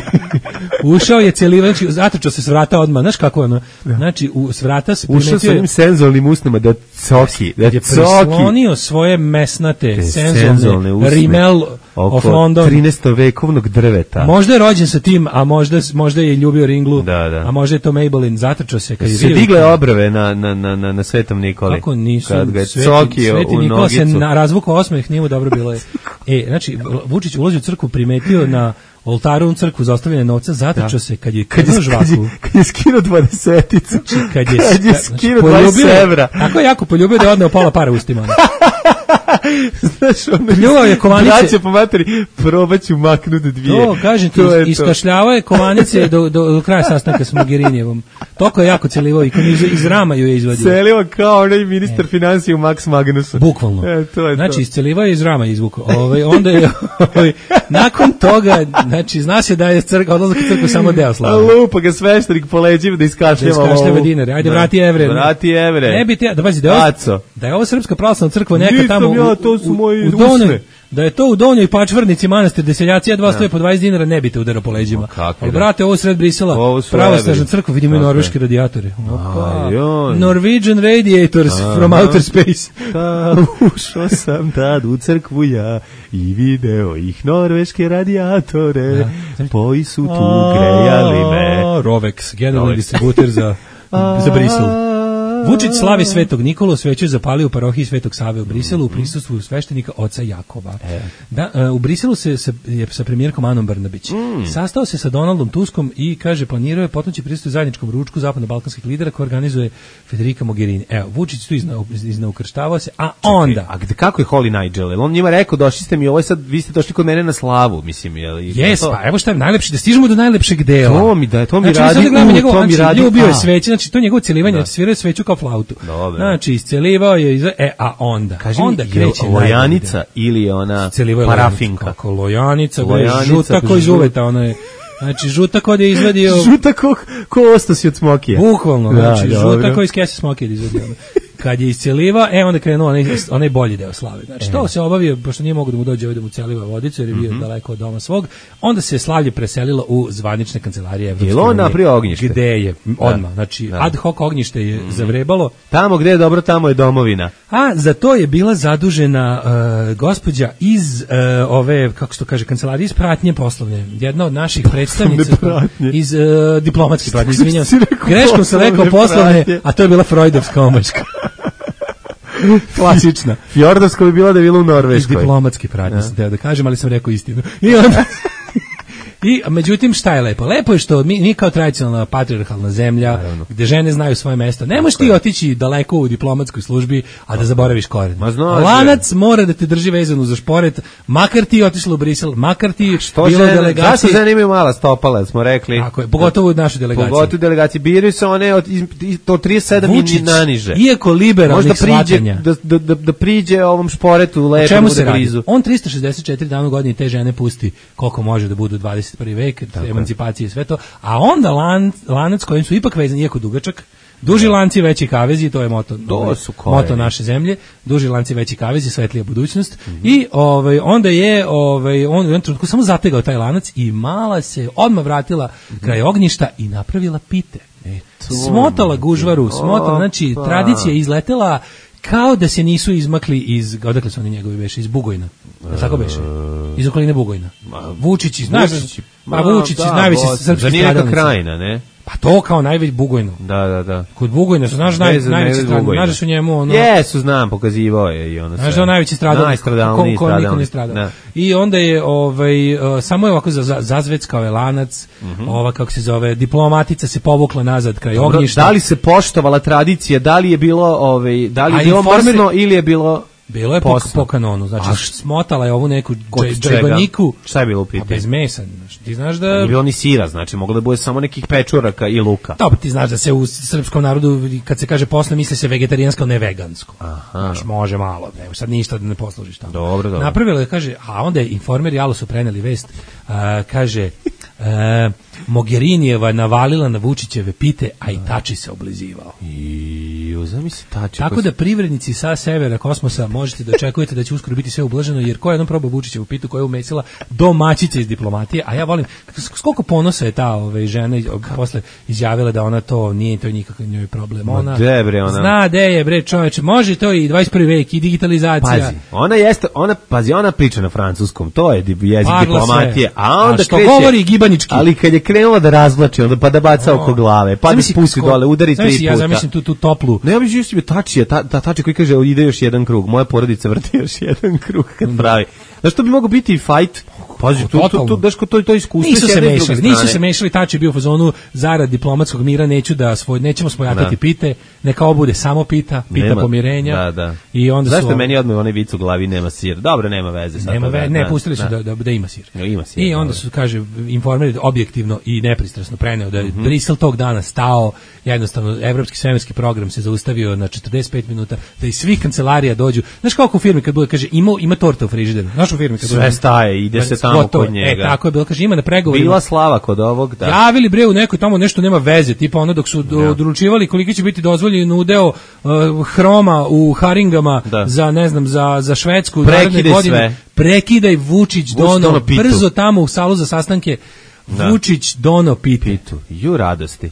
ušao je celivao, znači, zatrčao se s vrata odmah. Znaš kako je ono? Znači, u, s vrata se Ušao sa primetio onim senzualnim usnama da coki, da je coki. prislonio svoje mesnate, Te senzolne, senzolne usne rimel of oko London. trinaestovekovnog drveta. Možda je rođen sa tim, a možda, možda je ljubio ringlu, Da, da. a možda je to Maybelline, zatrčao se kad je Se vidio- digle obrve na, na, na, na, na Svetom Nikoli. Kako nisu, Kad ga je Sveti, cokio Sveti u Nikola se nogicu. na razvuku osmeh, nije mu dobro bilo je. E, znači, Vučić ulazi u crkvu, primetio na oltaru u crkvu za ostavljanje novca, zatrčao Da. se kad je Kad je, krenuo kad je, žvaku. kad je skinuo dvadeseticu. Kad je, kad je znači, skinuo poljubio dvadeset je- evra. Tako je jako poljubio da je odneo pola para ustima. ono. Znaš, ono, Pljuvao je kovanice. braće po materi, probaću maknut dvije. To, kažem ti, To je to. iskašljavao je kovanice do, do, do kraja sastanka s Mogherinijevom. Toko je jako celivao i iz, iz rama ju je izvadio. Celio kao onaj ministar financija u Max Magnusu. Bukvalno. E, to je znači, to. iscelivao je iz rama izvukao. Ovaj, onda je, ovaj, nakon toga, znači, zna se da je crk, odlazak u crkvu samo deo A slave. lupa ga sveštenik po leđima da Da iskašljava iskašljava ovu. dinare. Ajde, Da. vrati evre. Vrati evre. Ne bi te, da pazi, da je ovo, Aco. da je ovo Srpska pravoslavna crkva neka Nisam tamo ja, u, to su u- moji u Donjoj, usne. da je to u Donjoj Pačvrnici manastir, gde seljaci jedva stoje po dvadeset dinara, ne bi te udarao po leđima. kakvi Ali, da. brate, ovo sred Brisela, Ovo su pravoslavna evri. crkva, vidimo i Tako je. norveške radijatore. Opa. Ajoj. Norwegian radiators from Aha. outer space. Ta, ušao sam tad u crkvu ja i video ih norveške radijatore, koji su tu grejali me. A, Rovex, generalni Rovex. distributer za, za Brisel. Vučić slavi Svetog Nikolu, sveću je zapalio u parohiji Svetog Save u Briselu u prisustvu sveštenika oca Jakova. Da, e, u Briselu se sa, je sa premijerkom Anom Brnabić. Sastao se sa Donaldom Tuskom i kaže planirao je potencijalni pristup zajedničkom ručku zapadno-balkanskih lidera koji organizuje Federica Mogherini. Evo, Vučić tu izna, iznaukrštavao se, a onda... A gde, kako je Holy Nigel? Jel on njima rekao, došli ste mi, ovo je sad, vi ste došli kod mene na slavu, mislim, je li? Jes, to? pa evo šta je najlepše, da stižemo do najlepšeg dela. To mi da- to mi znači, mi radi sad gledamo u, njegov, to mi znači, radi ljubio je a. sveće, znači to je njegovo celivanje, Da. svirao je sveću kao flautu. Dobro. Znači, iscelivao je, izve... e, a onda, Kaži onda mi, kreće je lojanica ili je ona parafinka? Kako lojanica, bre, Lojanica, žuta ko iz žut- uveta, ono je, znači, žuta ko da je izvadio... Žuta ko, ko ostosi od smokija. Bukvalno, Da, znači, dobro. žuta ko iz kese smokija da izvadio. ono. Kad je isceliva, e, onda krenuo onaj, onaj bolji deo slave. Znači, to se obavio, pošto nije mogo da mu dođe ovdje da mu celiva vodicu, jer je bio daleko od doma svog, onda se slavlje preselilo u zvanične kancelarije Evropske Je li on unije, napravio ognjište? Gde je, odmah, znači, Da. ad hoc ognjište je zavrebalo, Tamo gde je dobro, tamo je domovina. a za to je bila zadužena uh, gospođa iz uh, ove, kako se to kaže, kancelarije iz pratnje poslovne. Jedna od naših predstavnica pratnje. iz uh, diplomatske pratnje, izvinjam se. Si rekao Greškom sam rekao poslovne poslovne, pratnje. a to je bila Freudovska omaška. Klasična. Fjordovsko bi bila da je bila u Iz Norveškoj. diplomatske pratnje sam teo da kažem, ali sam rekao istinu. I onda... I, međutim, šta je lepo? Lepo je što mi, mi kao tradicionalna patrijarhalna zemlja, gde žene znaju svoje mesto, ne možeš ti otići daleko u diplomatskoj službi, a da zaboraviš koren. Ma znaš, Lanac mora da te drži vezanu za šporet, makar ti otišla u Brisel, makar ti Što bilo žene, delegacije. zašto žene imaju mala stopala, smo rekli. Tako je, pogotovo u našoj delegaciji. Pogotovo u delegaciji. Biraju se one od, iz, iz, od trideset sedam i Vučić, naniže. iako liberalnih Možda priđe, shvatanja. da, da, da, da priđe ovom šporetu O lepo, čemu bude se radi? blizu. On trista šezdeset četiri dana u godini te žene pusti koliko može da budu dvadeset prvi vek, emancipacije i sve to, a onda lan, lanac kojim su ipak vezani, iako dugačak, duži lanci, veći kavezi, to je moto, To ovaj, su koreni. moto naše zemlje, duži lanci, veći kavezi, svetlija budućnost, i ovaj, onda je ovaj, on u jednom trenutku samo zategao taj lanac i mala se odmah vratila kraj ognjišta i napravila pite. Smotala gužvaru, smotala, znači Opa. tradicija je izletela kao da se nisu izmakli iz, odakle su oni njegovi beše, iz Bugojna. Da tako beše? Iz okoline Bugojna. Vučić iz, znaš, Vučić, pa Vučić iz da, najveće Bosna. srpske Zar nije neka stradalnice. krajina, ne? Pa to kao najveć Bugojno. Da, da, da. Kod Bugojna su, znaš, naj, Vezan najveće Medved stradalnice, Bugojna. znaš da su njemu ono... Jesu, znam, pokazivao je i ono sve. Znaš da je on najveći stradalnik, Najstradalniji ko, ko niko ne stradalnik. stradao. Da. I onda je, ovaj, uh, samo je ovako za, za, zazveckao je lanac, ova, kako se zove, diplomatica se povukla nazad kraj Dobro, ognjišta. da li se poštovala tradicija, da li je bilo, ovaj, da li je A bilo informeri- mrsno ili je bilo... Bilo je po, posno? po kanonu, znači A smotala je ovu neku Kod dž- čega? džajbaniku, Šta je bilo u a pitanju? bez mesa. Znaš, ti znaš da... Nije bilo ni sira, znači moglo da bude samo nekih pečuraka i luka. Dobro, ti znaš da se u srpskom narodu, kad se kaže posle, misli se vegetarijansko, ne vegansko. Aha. Znaš, može malo, ne, sad ništa da ne poslužiš tamo. Dobro, dobro. Napravila je, kaže, a onda je informer i Alo su preneli vest, a, kaže, a, Mogherinijeva navalila na Vučićeve pite, a i Tači se oblizivao. I zamisli tači. Tako da privrednici sa severa kosmosa možete da očekujete da će uskoro biti sve ublaženo, jer ko je jednom probao Vučićevu pitu koja je umesila domaćice iz diplomatije, a ja volim, s koliko ponosa je ta ove, žena iz- posle izjavila da ona to nije to nikakav njoj problem. Ona de, bre, ona- zna de je, bre, čoveče, može to i dvadeset prvi vek i digitalizacija. Pazi, ona jeste, ona, pazi, ona priča na francuskom, to je di- jezik Parla diplomatije, sve. a onda A što kreće, govori gibanički. ali kad je krenula da razvlači, onda pa da baca oko glave, pa da Zamisli spusti ko- dole, udari tri zamisli, puta. Ja zamislim tu, tu toplu. Ne, ja bih živio tači, ta, ta tači koji kaže ide još jedan krug, moja porodica vrti još jedan krug kad pravi. Znaš, to bi mogao biti i fight. Pazi, tu, tu, tu, Totalno. daš ko to, to iskustvo Nisu s se jedne i s druge mešali, nisu strane. se mešali, Tači je bio u fazonu zarad diplomatskog mira, neću da svoj, nećemo spojatati Da. pite, neka ovo bude samo pita, pita Nema- pomirenja. Da, da. I onda Zašto su meni odmah onaj vic u glavi nema sir? Dobro, nema veze. sad nema to, ve, da, ne, da, pustili su da, da, da ima sir. Ja, ima sir, I onda dobro. su, kaže, informeri objektivno i nepristrasno preneo da je Mhm. Brisel tog dana stao, jednostavno, evropski svemirski program se zaustavio na četrdeset pet minuta, da iz svih kancelarija dođu. Znaš kako u firmi kad bude, kaže, ima, ima torta u frižideru. Znaš u firmi kad Sve bude- staje, ide se tamo Gotovo. kod njega. E, tako je bilo, kaže, ima na pregovorima. Bila slava kod ovog, da. Javili bre u nekoj tamo nešto nema veze, tipa ono dok su do- Ja. odlučivali koliki će biti dozvoljen udeo uh, hroma u haringama Da. za ne znam za za Švedsku Prekidaj naredne godine. sve. Prekidaj Vučić dono dono pitu. brzo tamo u salu za sastanke. Da. Vučić dono pite. Pitu, ju radosti.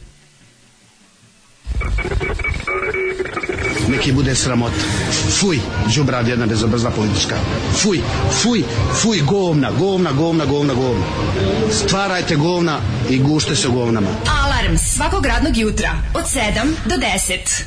Neki bude sramota. Fuj, đubrad jedna bezobrazna politička. Fuj, fuj, fuj, govna, govna, govna, govna, govna. Stvarajte govna i gušte se u govnama. Alarm svakog radnog jutra od sedam do deset.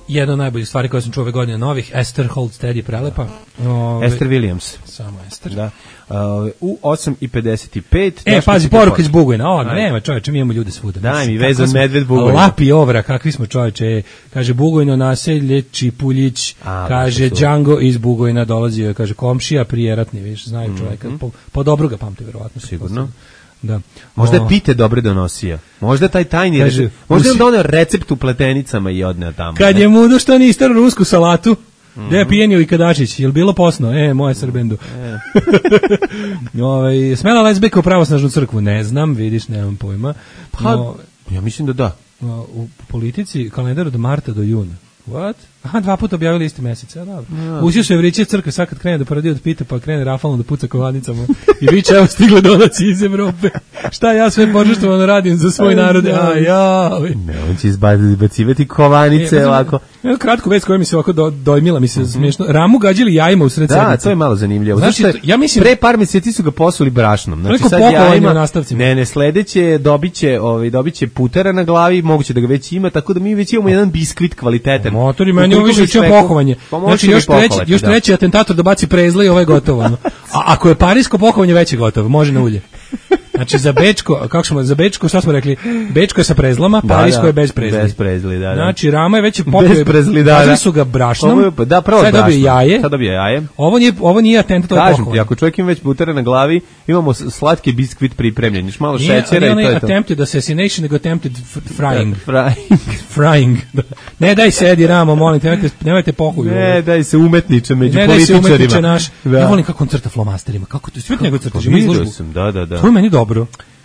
Jedna od najboljih stvari koje sam čuo ove godine novih, Esther Holt je prelepa. Ove, Esther Williams. Samo Esther. Da. Uh, u osam i pedeset pet. E, pazi, poruka iz Bugojna, odmah, nema čoveče, mi imamo ljude svuda. Daj mi, Kako vezan smo- medved Bugojna. Lapi ovra, kakvi smo čoveče, kaže Bugojno naselje, Čipuljić, A, kaže lepo su. Django iz Bugojna dolazio, je, kaže komšija prijeratni, viš, znaju čoveka, po, po dobro ga pamte, verovatno. Sigurno. Da. Možda je O, pite dobre donosija. Možda je taj tajni Kaže, recept. Možda je on usi- doneo recept u pletenicama i odneo tamo. Kad ne? je mudo što niste rusku salatu, gde je pijenio i Kadačić, je li bilo posno? E, moje Srbendu. E. Ovaj, smela lezbijka u pravosnažnu crkvu? Ne znam, vidiš, nemam pojma. Pa, No, ja mislim da da. u politici kalendar od marta do juna. What? Aha, dva puta objavili isti mesec, ja dobro. Ja. Uzio se Evriće crkve, sad kad krene da paradi od pita, pa krene rafalno da puca kovanicama. I viće, evo stigle donaci iz Evrope. Šta ja sve požrtvovano radim za svoj narod? A, ja. Ne, on će izbacivati kovanice E, ovako. Jednu kratku vest koja mi se ovako do, dojmila, mi se smiješno. Ramu gađali jajima u sred Da, sedmice. to je malo zanimljivo. Znači, Znači, ja mislim- pre par mjeseci su ga posuli brašnom. Znači Toliko sad pokovanje jajima- u nastavcima. Ne, ne, sledeće dobiće, ovaj dobiće putera na glavi, moguće da ga već ima, tako da mi već imamo jedan biskvit kvalitetan. Motori, meni ovo Ukoliko više ga uče ispeku- pohovanje. Pa može Znači, ga još treći, pokovati, još da. treći atentator da baci prezle i ovo je gotovo. ono. A ako je parijsko pohovanje, već je gotovo, može na ulje. Znači, za Bečko, kako smo, za Bečko, šta smo rekli? Bečko je sa prezlama, Da, parijsko da, je bez prezli. bez prezli, da, da. Znači, Rama je već Bez popio, prezli, da, da. gađali su ga brašnom, Ovo je- da, prvo sad je dobio brašnom. jaje. Sad dobio jaje. Ovo nije, ovo nije atentat, ovo je Kažem ti, pohovanje. ako čovjek ima već putera na glavi, imamo s- slatki biskvit pripremljen, još malo Nije, šećera nije i to onaj je to. attempted assassination, nego attempted f- frying. Frying. Frying. Da. Ne daj sedi, Ramo, molim te, nemojte, nemojte pohuju. Ne, daj se umetniče među Ne daj se političarima. umetniče naš. Da. Ja volim kako on crta flomasterima. Kako to sve njegov crta, Pa živi vidio izložbu. sam, da, da, da. To je meni dobro.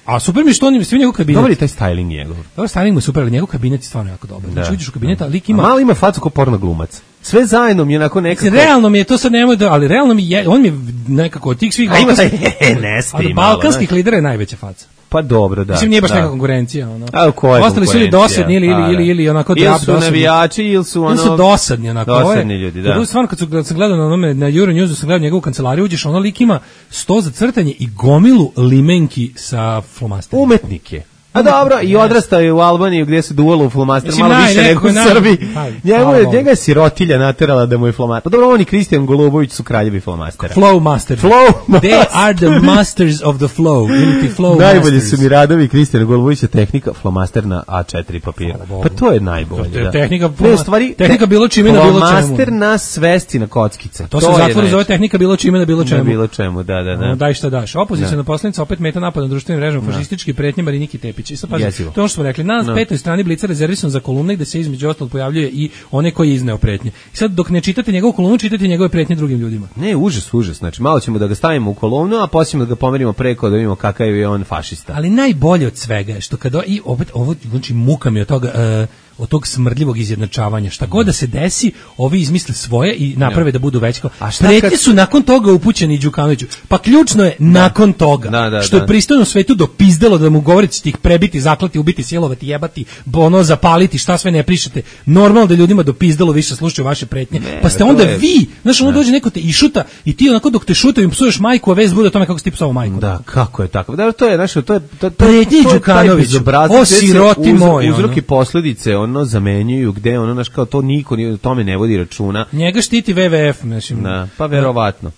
A super mi je što on ima sve njegov kabinet. Dobar je taj styling njegov. Dobro, styling mu je super, ali njegov kabinet je stvarno jako dobar. Znači, Da. uđeš u kabinet, a lik A ima... malo ima facu kao porno glumac. Sve zajedno mi je onako nekako... Mislim, realno mi je to sad nemoj da, ali realno mi je, on mi je nekako od tih svih A ima taj balkanskih- nesti ali malo, balkanskih znaš. lidera je najveća faca. Pa dobro, da. Mislim, nije baš da. neka konkurencija. Ono. A koja je Ostali su ili konkurencija? dosadni ili, ili, A, da. ili, ili onako Ili drap su dosadni. navijači, ili su ono... Ili su dosadni onako. Ovo je- Dosadni ljudi, da. Kad u- Stvarno, kad, su, kad sam gledao na onome, na Euronewsu, sam gledao njegovu kancelariju, uđeš, ono lik ima sto za crtanje i gomilu limenki sa flomasterima. Umetnik je. A dobro, i odrastao je u Albaniji gdje se duvalo u flomaster, Mislim, malo naj, više nego neko u je naj- Srbiji. naj- Njemu hvala je, Bogu. njega je sirotilja naterala da mu je flomaster. Pa dobro, on i Kristijan Golubović su kraljevi flomastera. Flow master. Flow They master. are the masters of the flow. Ili ti flow Najbolji masters. su mi radovi Kristijana Golubovića, tehnika flomaster na A četiri papira. Pa to je najbolje. To je da. tehnika- Ne, u stvari, tehnika bilo čime na bilo čemu. Flomaster na svesti na kockice. To se u je zatvoru najče- zove tehnika bilo čime na bilo čemu. Na bilo čemu, da, da, Ono, da. daj šta daš. Opozicijona Da. poslanica opet meta napad na društvenim mrežama, fašistički pretnje Mariniki Tepić. I sad pazi, Jezivo. to ono što smo rekli, na Da. petoj strani Blica rezervisan za kolumne gde se između ostalog pojavljuje i one koji je izneo pretnje. I sad dok ne čitate njegovu kolumnu, čitate njegove pretnje drugim ljudima. Ne, užas, užas. Znači, malo ćemo da ga stavimo u kolumnu, a poslije ćemo da ga pomerimo preko da vidimo kakav je on fašista. Ali najbolje od svega je što kada i opet ovo znači muka mi od toga e, od tog smrdljivog izjednačavanja. Šta god da se desi, ovi izmisle svoje i naprave da budu veći. A šta Pretnje kad- su nakon toga upućeni i Đukanoviću. Pa ključno je nakon toga. Da, da, što da. je pristojno svetu dopizdalo da mu govorite ćete ih prebiti, zaklati, ubiti, silovati, jebati, ono zapaliti, šta sve ne prišete. Normalno da ljudima dopizdalo više slušaju vaše pretnje. Ne, pa ste to onda je- vi, znaš, ono dođe neko te i šuta i ti onako dok te šutaju im psuješ majku, a vez bude o tome kako si ti psovao majku. Da, kako je tako? Da, to je naše, to je to, to, Pretnji to je taj Đukanoviću, bezobrazac o gde se siroti uz- moj, uzrok ono. i posledice ono zamenjuju, gde ono, znaš, kao to niko ni o tome ne vodi računa. Njega štiti W W F, mislim. Da, pa verovatno.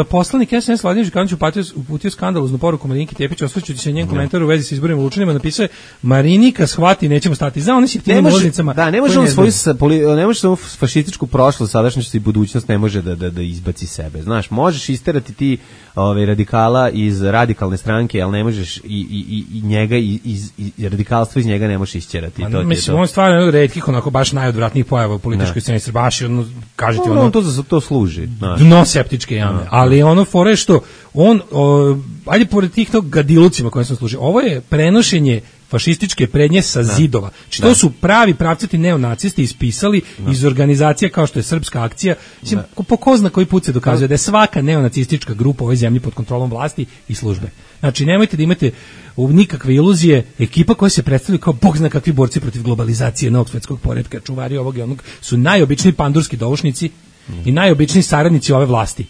E, poslanik S N S Vladimir Đukanović uputio, uputio skandaloznu poruku Mariniki Tepić, osvrćući se njen komentar u vezi sa izborima u Lučanima, napisao je Marinika shvati, nećemo stati za onim jeftinim ulaznicama. da, ne može on svoju sa- poli- ne može samo fašističku prošlost, sadašnjost i budućnost ne može da da da izbaci sebe. Znaš, možeš isterati ti ovaj radikala iz radikalne stranke, ali ne možeš i i i, i njega iz, iz, iz radikalstva iz njega ne možeš isćerati. Ma, to ti je mislim, to. on je stvarno jedan od retkih, onako baš najodvratnijih pojava u političkoj Ne. sceni Srbije, baš je ono, kažete Ono, ono, on to za to služi. znaš. dno septičke jame. Ali ono fore je što on, o, ajde pored tih tog gadilucima koje sam služio, ovo je prenošenje fašističke prednje sa zidova. Znači, to su pravi pravcati neonacisti ispisali iz organizacija kao što je Srpska akcija. Mislim, ko- po ko zna koji put se dokazuje da je svaka neonacistička grupa u ovoj zemlji pod kontrolom vlasti i službe. Znači, nemojte da imate u nikakve iluzije, ekipa koja se predstavlja kao bog zna kakvi borci protiv globalizacije, novog svetskog poretka, čuvari ovog i onog, su najobičniji pandurski doušnici i najobičniji saradnici ove vlasti.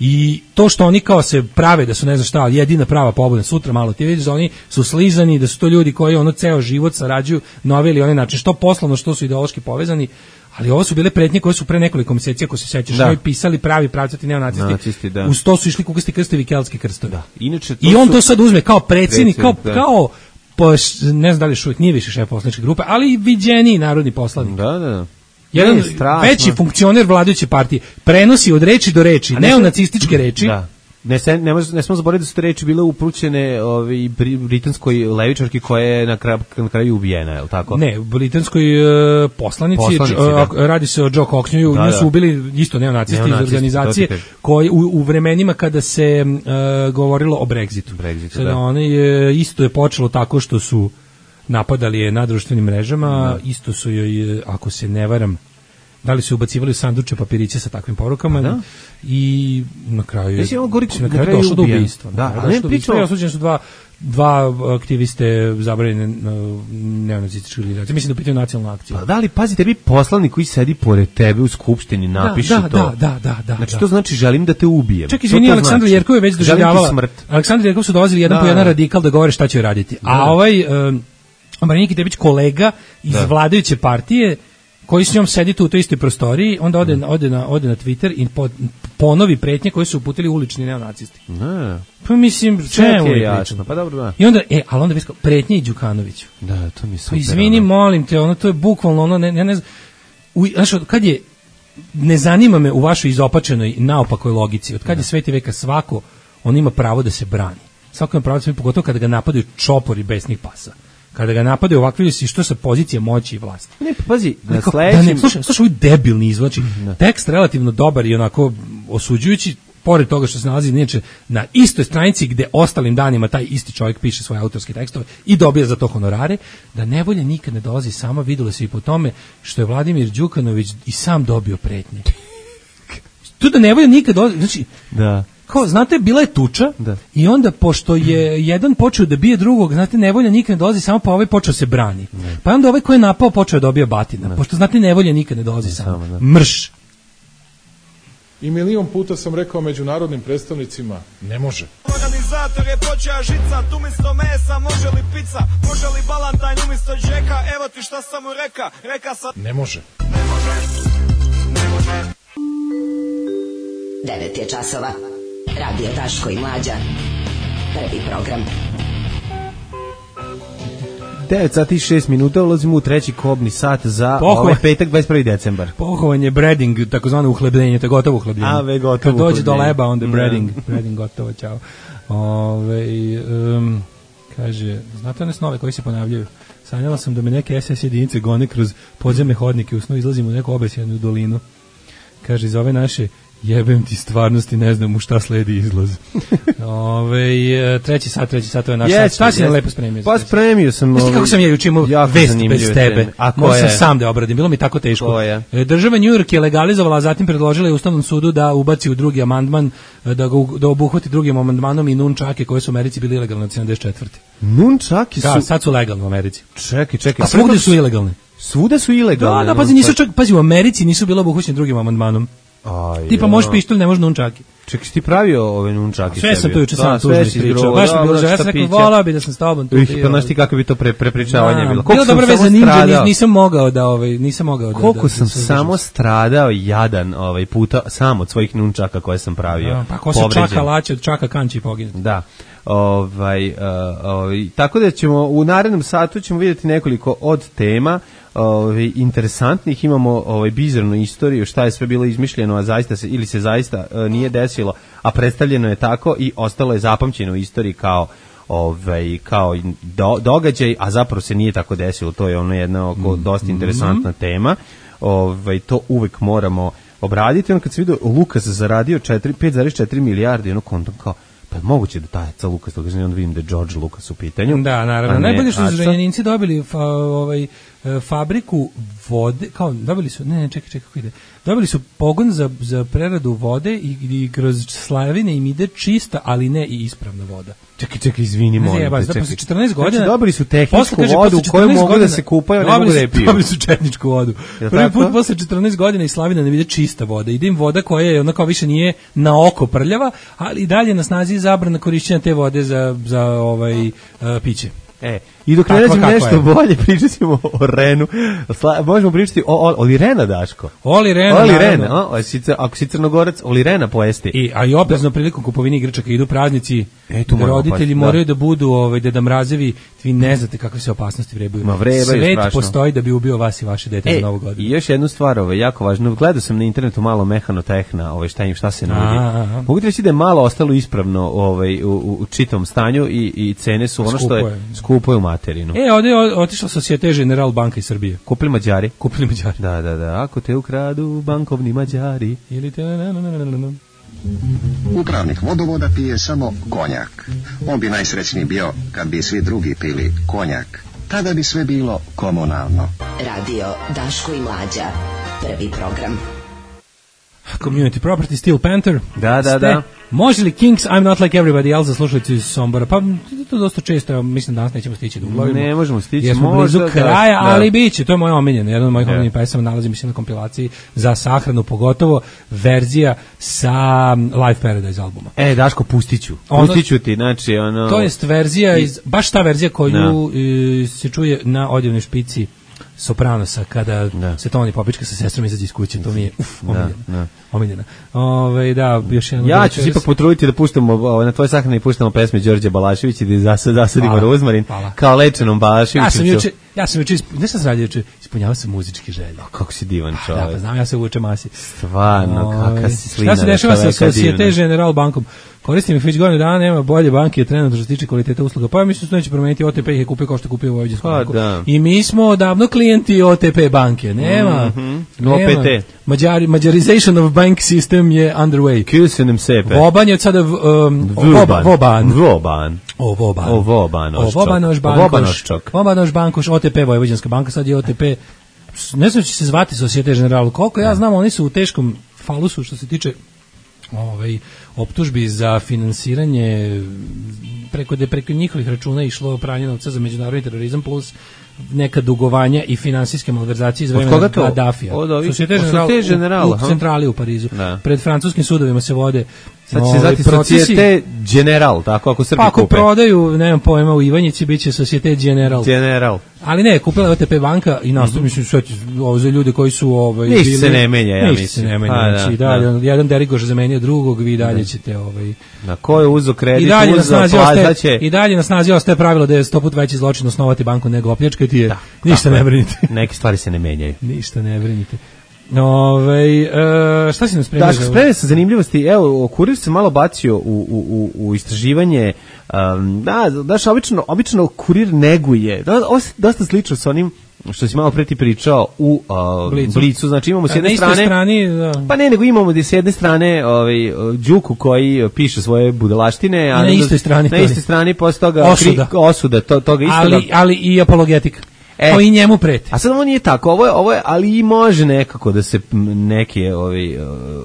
I to što oni kao se prave da su ne znam šta, ali jedina prava pobuda, sutra malo ti vidiš da oni su slizani, da su to ljudi koji ono ceo život sarađuju na ovaj ili onaj način, što poslovno, što su ideološki povezani, ali ovo su bile pretnje koje su pre nekoliko meseci, ako se sećaš, Da. oni pisali pravi pravcati neonacisti. Nacisti, da. Uz to su išli kukasti krstovi i keltski krstovi. Da. Inače, to I on su- to sad uzme kao predsjednik, kao, Predsjednik, da. kao po, ne znam da li još uvijek nije više šef poslaničke grupe, ali i viđeniji narodni poslanik. Da, da, da. Jedan Ne, strašno. veći funkcioner vladajuće partije prenosi od reči do reči, A ne neonacističke reči, Da. Ne, se, ne, može, ne smo zaboraviti da su te reči bile uprućene ovaj, britanskoj levičarki koja je na kraju, na kraju ubijena, je li tako? Ne, britanskoj uh, poslanici, Poslanici, uh, da. radi se o Joe Cockneyu, Da, nju da. su ubili isto neonacisti iz Neonacisti, organizacije to ti kažem. koji u, u vremenima kada se uh, govorilo o Brexitu. Brexitu, Sada da. one je, isto je počelo tako što su napadali je na društvenim mrežama, isto su joj, ako se ne varam, da li su ubacivali u sanduče papiriće sa takvim porukama Da. i na kraju Mislim, on govori na na kraju kraju došlo do ubijen. ubistva. Da, Na kraju a ne došlo do ubistva pričamo- i osuđeni su dva dva aktiviste zabranjene uh, neonacističke organizacije. Mislim da je u pitanju nacionalna akcija. Pa da li, pazi, tebi poslanik koji sedi pored tebe u skupštini napiše da, to. da, da, da, da, Znači, da. to znači želim da te ubijem. Čak To izvini, to Aleksandra znači. Jerkov je već Želim ti doživljavala. smrt. Aleksandra Jerkov su dolazili jedan Da, po jedan da. radikal da govore šta će raditi. A Da. ovaj um, Marinika Tepić, kolega iz Da. vladajuće partije, koji s njom sedi tu u toj istoj prostoriji, onda ode, na, ode, na, ode na Twitter i po, ponovi pretnje koje su uputili ulični neonacisti. Ne. Pa mislim, Čemu čemu je je jasno? pričamo? Pa dobro, da. I onda, e, ali onda visko, pretnje i Đukanoviću. Da, to mi je super. Pa izvini, ono. molim te, ono, to je bukvalno ono, ne, ne, ne znam, u, znaš, od kad je, ne zanima me u vašoj izopačenoj, naopakoj logici, od kad je sveti veka svako, on ima pravo da se brani. Svako ima pravo da se brani, pogotovo kada ga napadaju čopori besnih pasa. Kada ga napadaju ovakvi si što sa pozicije moći i vlasti. Ne, pa pazi, na Kao, sledećem... da ne, slušaj, slušaj, ovaj debilni izvod, znači, tekst relativno dobar i onako osuđujući, pored toga što se nalazi inače na istoj stranici gde ostalim danima taj isti čovjek piše svoje autorske tekstove i dobija za to honorare, da nevolja nikad ne dolazi sama, videlo se i po tome što je Vladimir Đukanović i sam dobio pretnje. Tu da nevolja nikad dolazi, znači, Da. kao, znate, bila je tuča Da. i onda, pošto je jedan počeo da bije drugog, znate, nevolja nikad ne dolazi samo, pa ovaj počeo se brani. Pa onda ovaj ko je napao počeo da dobija batina. Pošto, znate, nevolja nikad ne dolazi samo. samo, da. Mrš. I milion puta sam rekao međunarodnim predstavnicima, ne može. Organizator je počeo žicat, umjesto mesa može li pizza, može li balantajn umjesto džeka, evo ti šta sam mu reka, reka sam... Ne može. devet je časova. Radio Daško i Mlađa. Prvi program. devet sati i šest minuta, ulazimo u treći kobni sat za Pohvala. ovaj petak, dvadeset prvi decembar. Pohovanje, breading, takozvano uhlebljenje, to je gotovo uhlebljenje. A, ve, gotovo Kad dođe do uhlebljenje. leba, onda je Da. breading, breading gotovo, čao. Ove, um, kaže, znate one snove koji se ponavljaju? Sanjala sam da me neke es es jedinice gone kroz podzemne hodnike, u snu izlazim u neku obesjenu dolinu. Kaže, iz ove naše jebem ti stvarnosti, ne znam u šta sledi izlaz. Ove, treći sat, treći sat, to je naš sat. Šta si nam lepo spremio? Pa spremio sam... Znaš ti kako ovaj, sam ja juče imao jako vest zanimljive bez tebe? teme. A Morao sam koje? sam da obradim, bilo mi tako teško. Koje? E, Država New York je legalizovala, a zatim predložila je Ustavnom sudu da ubaci u drugi amandman, e, da, ga, u- da obuhvati drugim amandmanom i nunčake koje su u Americi bili ilegalne od sedamdeset četvrte. Nunčaki su... Da, sad su legalne u Americi. Čekaj, čekaj. A svugde su ilegalne. Svuda su ilegalne. Da, da, pazi, nisu čak, pazi, u Americi nisu bile obuhvaćene drugim amandmanom. Aj, Tipa ja. možeš pištolj, ne možeš nunčaki. Čekaj, si ti pravio ove nunčaki? Sve sam sebi? to juče Da, sam sve tužno si ispričao. izgrovao, Baš mi je bilo dobro, žao, ja šta sam rekao, piće? volao bi da sam s tobom tu Ih, bio. pa znaš ti kako bi to pre, prepričavanje Da, bilo. bilo sam dobro samo veze ninja, stradao. nis- nisam mogao da, ovaj, nisam mogao da... Koliko da, sam da se samo uzdržim. stradao jadan ovaj puta sam od svojih nunčaka koje sam pravio. Da, pa ko se povređen. čaka laće od čaka kanči pogine. Da. Ovaj, uh, ovaj, tako da ćemo u narednom satu ćemo vidjeti nekoliko od tema ovaj, interesantnih. Imamo ovaj, bizarnu istoriju, šta je sve bilo izmišljeno, a zaista se, ili se zaista uh, nije desilo, a predstavljeno je tako i ostalo je zapamćeno u istoriji kao ovaj kao i do, događaj, a zapravo se nije tako desilo. To je ono jedna oko dosta interesantna tema. Ovaj to uvek moramo obraditi. On kad se vidio Lukas zaradio pet zarez četiri milijarde, ono kontom kao pa je moguće da taj ca Lukas, tako onda vidim da je George Lucas u pitanju. Da, naravno. A ne Najbolje što su Aca. Zrenjaninci dobili fa, ovaj, e, fabriku vode, kao dobili su, ne, ne, čekaj, čekaj, kako ide. Dobili su pogon za, za preradu vode i, i kroz Slavine im ide čista, ali ne i ispravna voda. Čekaj, čekaj, izvini, Ne molim zajebam, te, da, čekaj. posle četrnaest godina. Znači, dobili su tehničku posle, kaže, vodu posle u kojoj četrnaest mogu da godina- se kupaju, a ne dobili mogu da je su- piju. Dobili su četničku vodu. Jel Prvi tako? put posle četrnaest godina iz Slavina ne vide čista voda. Ide im voda koja je ona kao više nije na oko prljava, ali i dalje na snazi je zabrana korišćenja te vode za, za ovaj, uh, piće. E, I dok ne Takva nađem kakva nešto je. bolje, pričat ćemo o Renu. Sla, možemo pričati o, o Oli Rena, Daško. Oli Rena, Oli naravno. Rena, a, si, cr- ako si crnogorac, Oli Rena pojesti. I, a i oprezno prilikom kupovine igračaka idu praznici, E, tu moramo roditelji paziti, da. moraju da budu ovaj, deda mrazevi, vi ne znate kakve se opasnosti vrebaju. Ma, vrebaju Svet strašno. postoji da bi ubio vas i vaše dete E, za Novu godinu. i još jednu stvar, ovaj, jako važno, gledao sam na internetu malo mehanotehna, ovaj, šta im, šta se nudi. Aha. Mogu ti reći da je malo ostalo ispravno ovaj, u, u, u čitom stanju i, i cene su ono što Skupo je, je. skupo je u materinu. E, ovdje je o- otišla Societe General banka iz Srbije. Kupili Mađari? Kupili Mađari. Da, da, da, ako te ukradu bankovni Mađari. Ili te... na, na, na, na, na, na. Upravnik vodovoda pije samo konjak. On bi najsrećniji bio kad bi svi drugi pili konjak. Tada bi sve bilo komunalno. Radio Daško i Mlađa. Prvi program. Community Property, Steel Panther. Da, da, Ste, da. Može li Kings, I'm Not Like Everybody Else, zaslušati iz Sombora? Pa to dosta često, ja mislim danas nećemo stići da uglavimo. Ne možemo stići, jer smo možda, blizu da, kraja, da. ali bit će, to je moja omiljena, jedan od mojih Da. omiljenih pesama, nalazi mi se na kompilaciji za sahranu, pogotovo verzija sa Live Paradise albuma. E, Daško, pustit ću. Ono- Pustit ću ti, znači, ono... To jest verzija, iz, baš ta verzija koju Da. e, se čuje na odjevnoj špici Sopranosa, kada Da. se Toni Popička sa sestrom izađe iz kuće, to mi je uf, Da, omiljena. da. Omiljena. Ove, da, još jedan Ja ću se ipak potruditi da puštamo ovaj, na tvoj sahrani puštamo pesme Đorđe Balaševića i da zasad, zasadimo Hvala, rozmarin hvala. kao lečenom Balaševiću. Ja sam juče, ja sam juče, isp- ne sam se radio juče, ispunjavao sam muzičke želje. Kako si divan Da, čovjek. pa znam, ja se uvučem masi. Stvarno, Ove, kakav si slina. Šta se dešava sa čoveka Societe divna. General bankom? Koristim ih već godinu dana, nema bolje banke trenutno što se tiče kvaliteta usluga. Pa ja mislim da to neće promeniti, O T P ih je kupio kao što je kupio u Vojvođansku Pa banku. da. I mi smo odavno klijenti O T P banke. Nema. Mhm. nema. O P T. Mađari, Mađarization of bank system je underway. Kusenem sepe. Voban je od sada um, Voban. Voban. Voban. O Voban. O Vobanoščok. O Vobanoš O bankoš. Vobanoščok. Vobanoš bankoš, O T P Vojvođanska banka, sad je O T P. Ne znam će se zvati Societe General. Koliko ja znam, oni su u teškom falusu što se tiče ovaj optužbi za finansiranje preko de preko njihovih računa išlo pranje novca za međunarodni terorizam plus neka dugovanja i finansijske malverzacije iz Od vremena koga to? Gaddafija. Od ovih- Societe od General Societe General, u, u aha. centrali u Parizu. Da. Pred francuskim sudovima se vode Sad će se ovaj, zvati procesi. Societe General, tako ako Srbi Pa ako kupe. prodaju, nemam pojma, u Ivanjici biće Societe General. General. Ali ne, kupila je O T P banka i nastup, mislim, sve ti- ovo za ljude koji su ovaj, Ništa bili... se ne menja, ja Ništa mislim. se ne menja, Pa, da, znači, i dalje, da. ono, jedan derigoš zamenio drugog, vi dalje ćete... Ovaj, Na ko je uzo kredit, I dalje na uzo snazi ostaje, plaćaće. i dalje na snazi ostaje pravilo da je sto put veći zločin osnovati banku nego opljačkati je. Ništa Tako ne je. brinite. Neke stvari se ne menjaju. Ništa ne brinite. Ove, e, šta si nam spremio? Daško, za ovo? spremio sam zanimljivosti. Evo, Kurir se malo bacio u, u, u, u istraživanje. Um, da, daš, obično, obično Kurir neguje. Da, ovo je dosta slično sa onim što si malo pre ti pričao u uh, Blicu. Blicu. Znači imamo s A jedne na istoj strane... strani, da. Pa ne, nego imamo da s jedne strane ovaj, Đuku koji piše svoje budalaštine. a na onda- istoj strani Na to je. istoj strani posle toga... Osuda. Kri, osuda, to, toga istoga. ali, ali i apologetika. E. Koji njemu preti. A sad ovo nije tako, ovo je, ovo je, ali i može nekako da se m, neke ovi,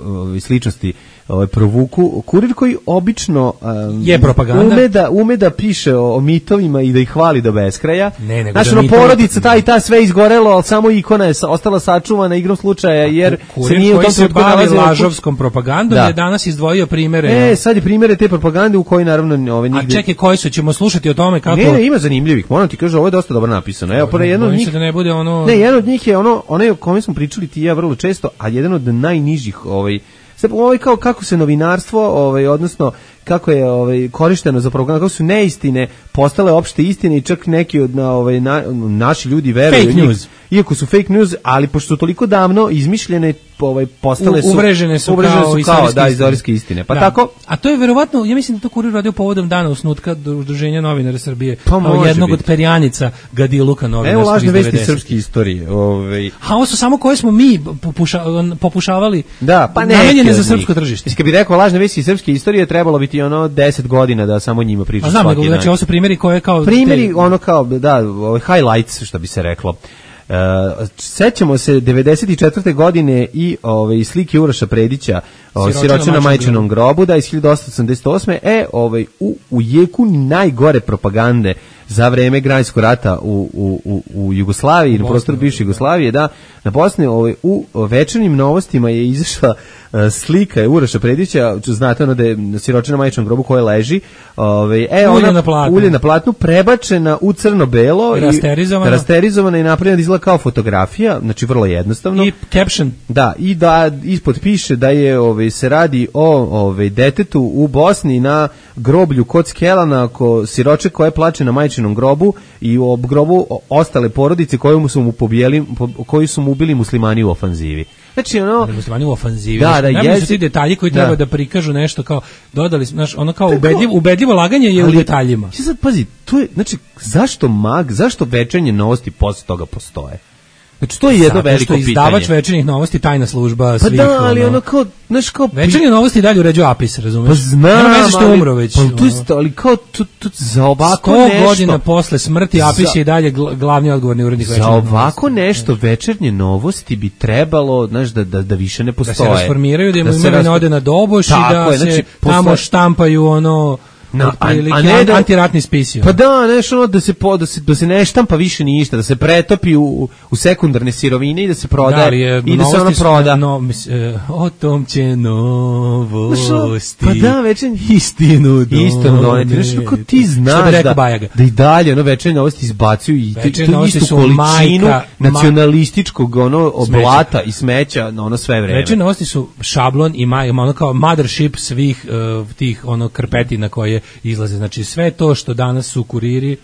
ovi sličnosti ovaj, provuku. Kurir koji obično um, Je propaganda. ume da, ume da piše o, o mitovima i da ih hvali do beskraja. Ne, nego Znači, da ono, mitovi- porodica, ta i ta sve izgorelo, ali samo ikona je sa- ostala sačuvana igrom slučaja, jer se Kurir nije u koji tom se trenutku bavi nalazila u kući. lažovskom propagandom Da. je danas izdvojio primere. E, sad je primjere te propagande u kojoj naravno ove A nigde... čekaj, koji su, ćemo slušati o tome kako... Ne, ne, ima zanimljivih, moram ti kažem, ovo je dosta dobro napisano. Evo, pored jedno od Bojim njih... se da ne bude ono... Ne, jedan od njih je ono, onaj o kome smo pričali ti i ja vrlo često, a jedan od najnižih, ovaj, sad ovaj kao kako se novinarstvo, ovaj, odnosno kako je ovaj korišteno za propaganda, kako su neistine postale opšte istine i čak neki od na, ovaj na, naši ljudi veruju Fake u njih. news. Iako su fake news, ali pošto su toliko davno izmišljene, ovaj postale su U- uvrežene su uvrežene kao su kao istorijske da istine. istorijske istine. Pa Da. tako A to je verovatno, ja mislim da to Kurir radio povodom dana osnutka Udruženja novinara Srbije, Pa kao može jednog biti. od perjanica Gadiluka novinarstva. evo lažne iz vesti devedesetih. srpske istorije. Ovaj A ovo su samo koje smo mi popuša, popušavali, Da, pa ne. namenjene za srpsko tržište. Kad bi rekao lažne vesti iz srpske istorije, trebalo bi ti ono deset godina da samo njima pričaš. A znam, svaki nego, dan. znači ovo su primjeri koje kao... Primjeri, te- ono kao, da, ovaj, highlights, što bi se reklo. Uh, sećamo se devedeset četvrte godine i ovaj slike Uroša Predića, ovaj, Siroče na Siroče na majčinom majčinom grobu, da iz hiljadu osamsto osamdeset osme. E, ovaj u u jeku najgore propagande za vreme Građanskog rata u, u, u, u Jugoslaviji, na prostoru bivše Jugoslavije, da, na Bosni ovaj, u večernjim novostima je izašla uh, slika Uroša Predića, znate ono da je siroče na majčinom grobu koja leži, ovaj, e, ulje ona, na platnu. ulje na platnu, prebačena u crno-belo, rasterizovana, i, rasterizovana i napravljena da izgleda kao fotografija, znači vrlo jednostavno. I caption. Da, i da ispod piše da je ovaj, se radi o ovaj, detetu u Bosni na groblju kod Skelana, ko siroče koje plače na majčinom grobu i u grobu ostale porodice koje su mu pobijeli, po, koji su mu ubili muslimani u ofanzivi. Znači ono muslimani u ofanzivi. Da, da, jesu ti detalji koji treba da, da prikažu nešto kao dodali, znaš, ono kao ubedljivo, ubedljivo laganje je ali, u detaljima. Sad pazi, to je, znači zašto mag, zašto večernje novosti posle toga postoje? Znači to je jedno zato veliko pitanje. Zato što izdavač večernjih novosti tajna služba svih. Pa da, ali ono kao, znaš kao večernje novosti dalje uređuje Apis, razumeš? Pa znam, nema veze što je umro već. Pa tu isto, ali kao tu, tu, za ovako sto nešto. godina posle smrti Apis za, je i dalje glavni odgovorni urednik večernjih novosti. Za ovako nešto večernje novosti bi trebalo, znaš, da, da, da više ne postoje. Da se rasformiraju, da im imovina ode na doboš i da je, znači, se tamo posle... štampaju ono... No, a, a ne da, antiratni spisi. Pa da, nešto ono da se po, da se da se ne štampa više ništa, da se pretopi u, u sekundarne sirovine i da se prodaje da, i da se ono proda. No, mis, uh, o tom će novosti. Pa da, večernje istinu doneti. Istinu doneti. Znači, kako ti znaš da, da i dalje ono večernje novosti izbacuju i tu istu količinu majka, nacionalističkog ono oblata smeća. I smeća na ono sve vreme. Večernje novosti su šablon i maj, ono kao mothership svih uh, tih ono krpetina koje izlaze. Znači sve to što danas su kuriri,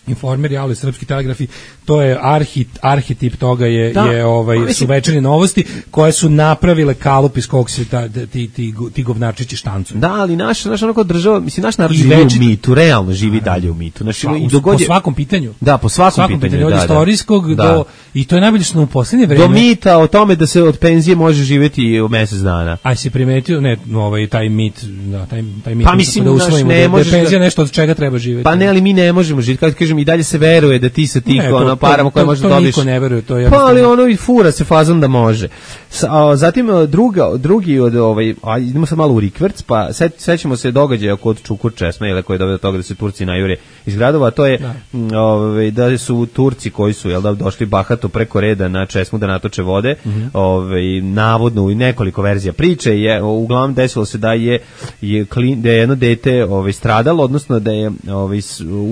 Informer, Javli, Srpski telegrafi, to je arhit, arhetip toga je, da. je ovaj, mislim, su večernje novosti koje su napravile kalup iz kog se ta, ti, ti, ti govnarčići štancu. Da, ali naš, naš onako država, mislim, naš narod živi več... u mitu, realno živi a, dalje u mitu. Naš, pa, i po svakom pitanju. Da, po svakom, svakom pitanju. pitanju od da, istorijskog da. do, i to je najbolje što u posljednje vreme. Do mita o tome da se od penzije može živjeti u mjesec dana. A si primetio, ne, ovaj, taj mit, da, taj, taj mit, pa mislim, da usvojimo, ne da, da penzija nešto od čega treba živjeti. Pa ne, ali mi ne možemo živjeti, kako kažem, i dalje se veruje da ti sa tih ne, ono, parama koje možeš dobiti. To niko ne veruje, to je pa ali ono i fura se fazom da može. Sa, a, zatim druga, drugi od ovaj, a idemo sad malo u rikverc, pa set, sećamo se događaja kod Čukur Česme, ili koji je doveo do toga da se Turci najure iz gradova, to je da. M, ovaj, da su Turci koji su jel da došli bahato preko reda na Česmu da natoče vode, mm-hmm. ovaj, navodno i nekoliko verzija priče je uglavnom desilo se da je, je klin, da je jedno dete ovaj stradalo, odnosno da je ovaj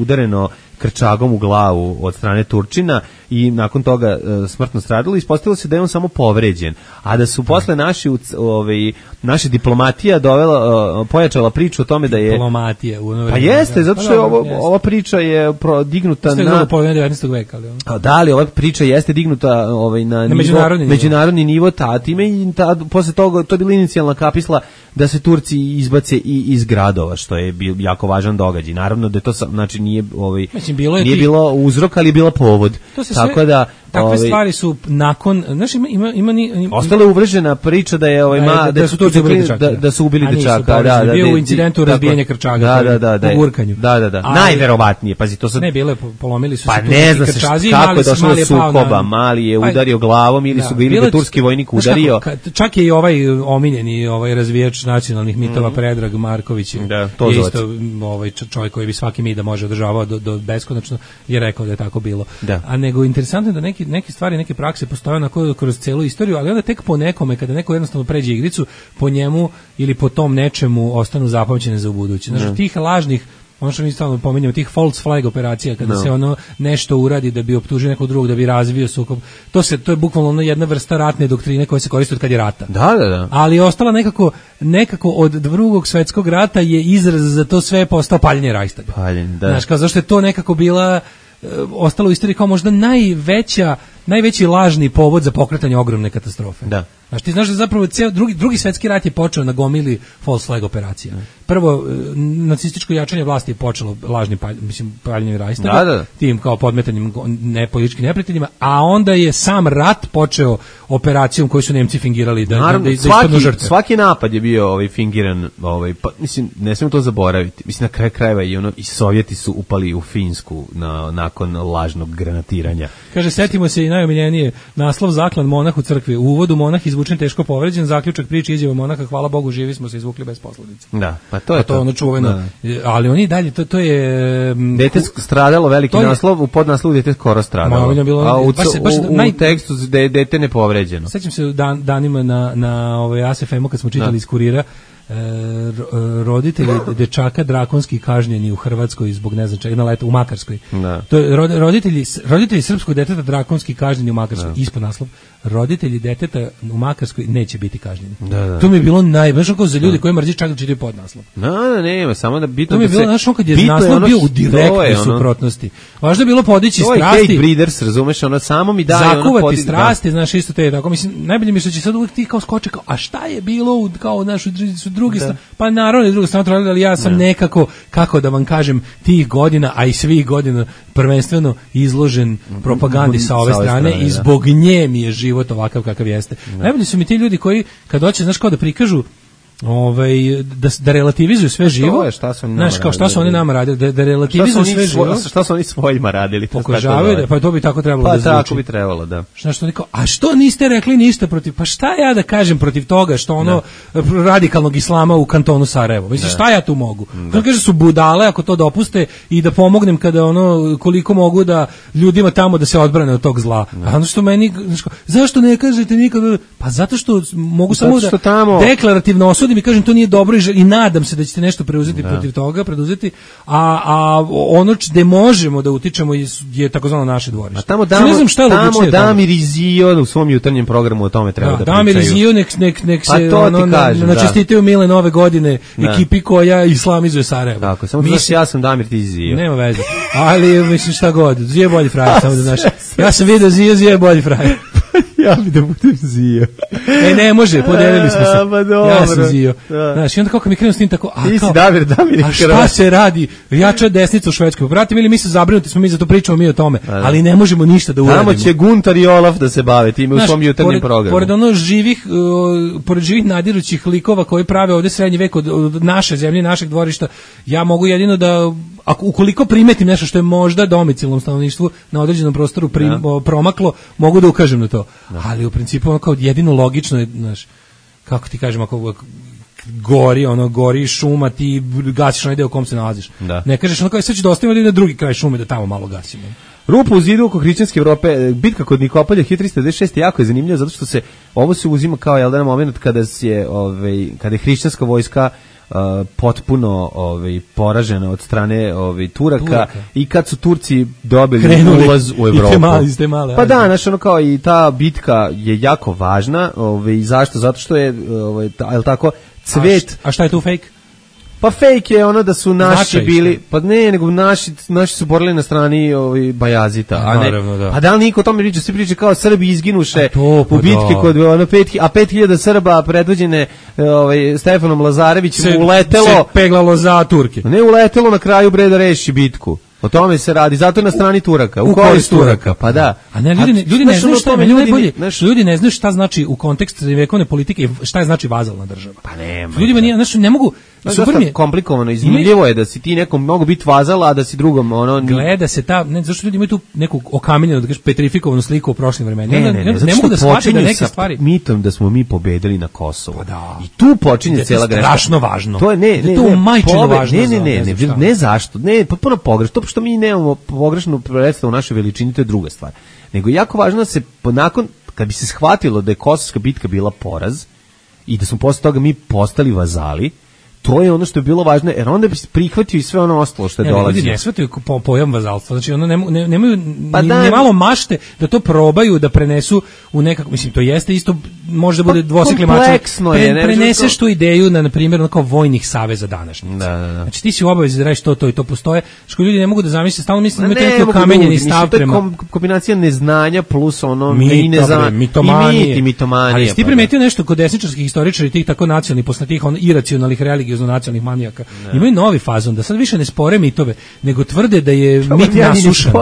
udareno krčagom u glavu od strane Turčina i nakon toga e, smrtno stradalo. Ispostavilo se da je on samo povređen, a da su posle naši ovaj naša diplomatija dovela, e, pojačala priču o tome da je diplomatija u ono vreme. Pa jeste, zato što je ovo, ova priča je dignuta na na polovinu devetnaestog veka, ali a da li ova priča jeste dignuta ovaj na, na nivo, međunarodni, međunarodni nivo, ta time i ta, posle toga to je bila inicijalna kapisla da se Turci izbace i iz gradova, što je bio jako važan događaj. Naravno da je to znači nije ovaj Mislim, bilo je nije ti... bilo uzrok, ali je bila povod. Tako sve, da takve ovaj, stvari su nakon, znaš, ima ima ima, ima ostala uvržena priča da je ovaj ma da, da, da su Turci ubili dečaka. Da, da su ubili dečaka, da, da, bio u incidentu razbijanja krčaga, da, da, da, da, u gurkanju. Da, da, da. Najverovatnije, pazi, to sad ne bile polomili su pa se ne zna krčazi, kako je došlo do sukoba, na... mali je udario glavom ili da, su ga ili turski vojnik udario. Čak je i ovaj omiljeni ovaj razvijač nacionalnih mitova Predrag Marković, da, to je isto ovaj čovjek koji bi svaki mit da može održavao do, do beskonačno je rekao da je tako bilo. Da. A nego interesantno je da neki neke stvari, neke prakse postoje onako kroz celu istoriju, ali onda tek po nekome kada neko jednostavno pređe igricu, po njemu ili po tom nečemu ostanu zapamćene za ubuduće. Znači tih lažnih, ono što mi stalno pominjamo, tih false flag operacija, kada no. se ono nešto uradi da bi optužio nekog drugog, da bi razvio sukob, to se to je bukvalno ono jedna vrsta ratne doktrine koja se koristi od kad je rata. Da, da, da. Ali je ostala nekako, nekako od drugog svetskog rata je izraz za to sve postao paljenje Rajstaga. Paljenje, da. Znaš, kao zašto je to nekako bila ostalo u istoriji kao možda najveća, najveći lažni povod za pokretanje ogromne katastrofe. Da. Znaš, ti znaš da zapravo ceo drugi, drugi svetski rat je počeo na gomili false flag operacija. Prvo, nacističko jačanje vlasti je počelo lažnim palj, mislim, paljenjem Rajstaga, da, da. tim kao podmetanjem nepolitičkim neprijateljima, a onda je sam rat počeo operacijom koju su Nemci fingirali da, naravno, da, da, da svaki, žrtve. Svaki napad je bio ovaj fingiran, ovaj, pa, mislim, ne smemo to zaboraviti. Mislim, na kraju krajeva i, ono, i Sovjeti su upali u Finsku na, nakon lažnog granatiranja. Kaže, setimo se najomiljenije, naslov zaklan monah u crkvi. U uvodu monah izvučen teško povređen, zaključak priče izjava monaha, hvala Bogu, živi smo se izvukli bez posledica. Da, pa to je pa to. to. Ono čuveno. Ali oni dalje, to, to je... Dete stradalo, veliki je, naslov, u podnaslovu dete skoro stradalo. Ma, bilo, a u, baš se, baš u, u naj... tekstu de, dete nepovređeno. Sećam se dan, danima na, na ovaj A S F M-u kad smo čitali iz Kurira, roditelji dečaka drakonski kažnjeni u Hrvatskoj zbog ne znam čega, na letu u Makarskoj. Da. To je roditelji roditelji srpskog deteta drakonski kažnjeni u Makarskoj. Da. Ispod naslov roditelji deteta u Makarskoj neće biti kažnjeni. Da, da. To mi je bilo najvažnije kao za ljude koji mrzi čak da čitaju podnaslov. No, no, nema, samo da bitno to mi je da bilo se znaš, kad je naslov ono, bio u direktnoj ono, suprotnosti. Važno je bilo podići to strasti. To je Breeders, razumeš, ono samo mi daje zakuvati ono podi... strasti, da. znaš, isto te tako mislim najbolje mi je što će sad uvijek ti kao skoče kao a šta je bilo u, kao našu su drugi da. Pa naravno je druga strana, ali ja sam ne. nekako, kako da vam kažem, tih godina, a i svih godina prvenstveno izložen propagandi sa ove, sa ove strane, strane i zbog da. nje mi je život ovakav kakav jeste. Da. Najbolji su mi ti ljudi koji, kad hoće, znaš, kao da prikažu ovaj da da relativizuju sve živo. Je, šta su oni znaš kao šta su oni nama radili, da, da relativizuju sve živo. Šta su oni svojima radili? Pokušavaju da, pa to bi tako trebalo pa, da zvuči. Pa tako bi trebalo, da. Šta što niko, a što niste rekli ništa protiv, pa šta ja da kažem protiv toga što ono da. radikalnog islama u kantonu Sarajevo. Mislim šta ja tu mogu? Da. Kaže su budale ako to dopuste i da pomognem kada ono koliko mogu da ljudima tamo da se odbrane od tog zla. Da. A ono što meni znaš, zašto ne kažete nikad? Pa zato što mogu zato samo da tamo... deklarativno osudim i kažem to nije dobro i, i nadam se da ćete nešto preuzeti da. protiv toga, preduzeti, a, a ono gde možemo da utičemo je, je takozvano naše dvorište. A tamo Damo, ne znam šta je tamo Damir Izio u svom jutarnjem programu o tome treba da, da pričaju. Damir Izio nek, nek, nek se pa ono, kažem, na, načestitaju mile nove godine da. ekipi koja islamizuje Sarajevo. Tako, samo znaš ja sam Damir ti Izio. Nema veze, ali mislim šta god, Zio je bolji frajer, samo da znaš. Ja sam vidio Zio, Zio je bolji frajer. Ja bi da budem Zio. E, ne može, podelili smo se. A, pa dobro. Ja sam Zio. Da. Znaš, i onda kako mi krenu s tim tako, a, ti kao, si Damir, Damir, a šta se radi? Jača desnica u Švedskoj. Bratim, ili mi se zabrinuti smo mi za to pričamo mi o tome, a, ali ne možemo ništa da uradimo. Tamo će Guntar i Olaf da se bave time u svom jutarnjem programu. Pored ono živih, uh, pored živih nadirućih likova koji prave ovde srednji vek od, od naše zemlje, našeg dvorišta, ja mogu jedino da ako ukoliko primetim nešto što je možda domicilnom stanovništvu na određenom prostoru prim, ja. promaklo, mogu da ukažem na to. Da. Ali u principu ono kao jedino logično je, znaš, kako ti kažem, ako gori, ono, gori šuma, ti gasiš onaj deo u kom se nalaziš. Da. Ne kažeš, ono kao, sad ću da ostavimo na drugi kraj šume da tamo malo gasimo. Rupa u zidu oko hrišćanske Evrope, bitka kod Nikopolja hiljadu trista devedeset šeste jako je zanimljiva zato što se, ovo se uzima kao jedan moment kada se, ovaj, kada je hrišćanska vojska Uh, potpuno ovaj poražena od strane ovaj Turaka, Turaka i kad su Turci dobili Krenuli ulaz u Evropu. Mali, ste male, pa da, znači ono kao i ta bitka je jako važna, ovaj zašto? Zato što je ovaj al tako cvet. A, a šta je tu fake? Pa fake je ono da su naši Značaj, bili, pa ne, nego naši, naši su borili na strani ovaj Bajazita, a ne, naravno, da. Pa da li niko o tome priča, svi priča kao Srbi izginuše to, pa u bitki da. kod ono pet, a pet hiljada Srba predvođene ovaj Stefanom Lazarevićem se, uletelo, se peglalo za Turke. Ne uletelo na kraju bre da reši bitku. O tome se radi, zato je na strani Turaka, u, u korist Turaka, pa da. A ne, ljudi, ne, ljudi ne znaju šta, ljudi, najbolje, naš... ljudi ne znaju šta znači u kontekstu srednjevekovne politike, šta je znači vazalna država. Pa nema. Ljudima nije, znači ne mogu, super mi je komplikovano, izmiljivo je da si ti nekom mogu biti vazal, a da si drugom ono gleda se ta, ne, zašto ljudi imaju tu neku okamenjenu, da kažeš petrifikovanu sliku u prošlim vremenima. Ne, ne, ne, ne, ne mogu da shvate da neke stvari mitom da smo mi pobedili na Kosovu. Pa da. I tu počinje cela greška. Strašno važno. To je ne, ne, to je majčino važno. Ne, ne, ne, ne, ne zašto? Ne, potpuno pogrešno, to što mi nemamo pogrešnu predstavu naše veličine, to je druga stvar. Nego je jako važno da se nakon kad bi se shvatilo da je Kosovska bitka bila poraz i da smo posle toga mi postali vazali, to je ono što je bilo važno, jer onda bi prihvatio i sve ono ostalo što je ne, dolazilo. Ljudi ne shvataju po, pojam vazalstva, znači ono ne, ne, nemaju pa ni, da, ni malo mašte da to probaju da prenesu u nekako, mislim, to jeste isto, može da bude dvosekli mač. Kompleksno je. Pre, preneseš tu ideju na, na primjer, kao vojnih saveza današnjice. Da, da, da. Znači ti si u obavezi da radiš to, to i to postoje, što ljudi ne mogu da zamisle, stalno mislim da imate neki okamenjeni stav prema. To je kombinacija neznanja plus ono i neznanja. Mitomanije. I mitomanije. Ali ti primetio nešto kod desničarskih istoričara i tih tako nacionalnih, posle tih on iracionalnih religiozno nacionalnih manijaka. Ne. Imaju novi fazon da sad više ne spore mitove, nego tvrde da je to mit nasušan.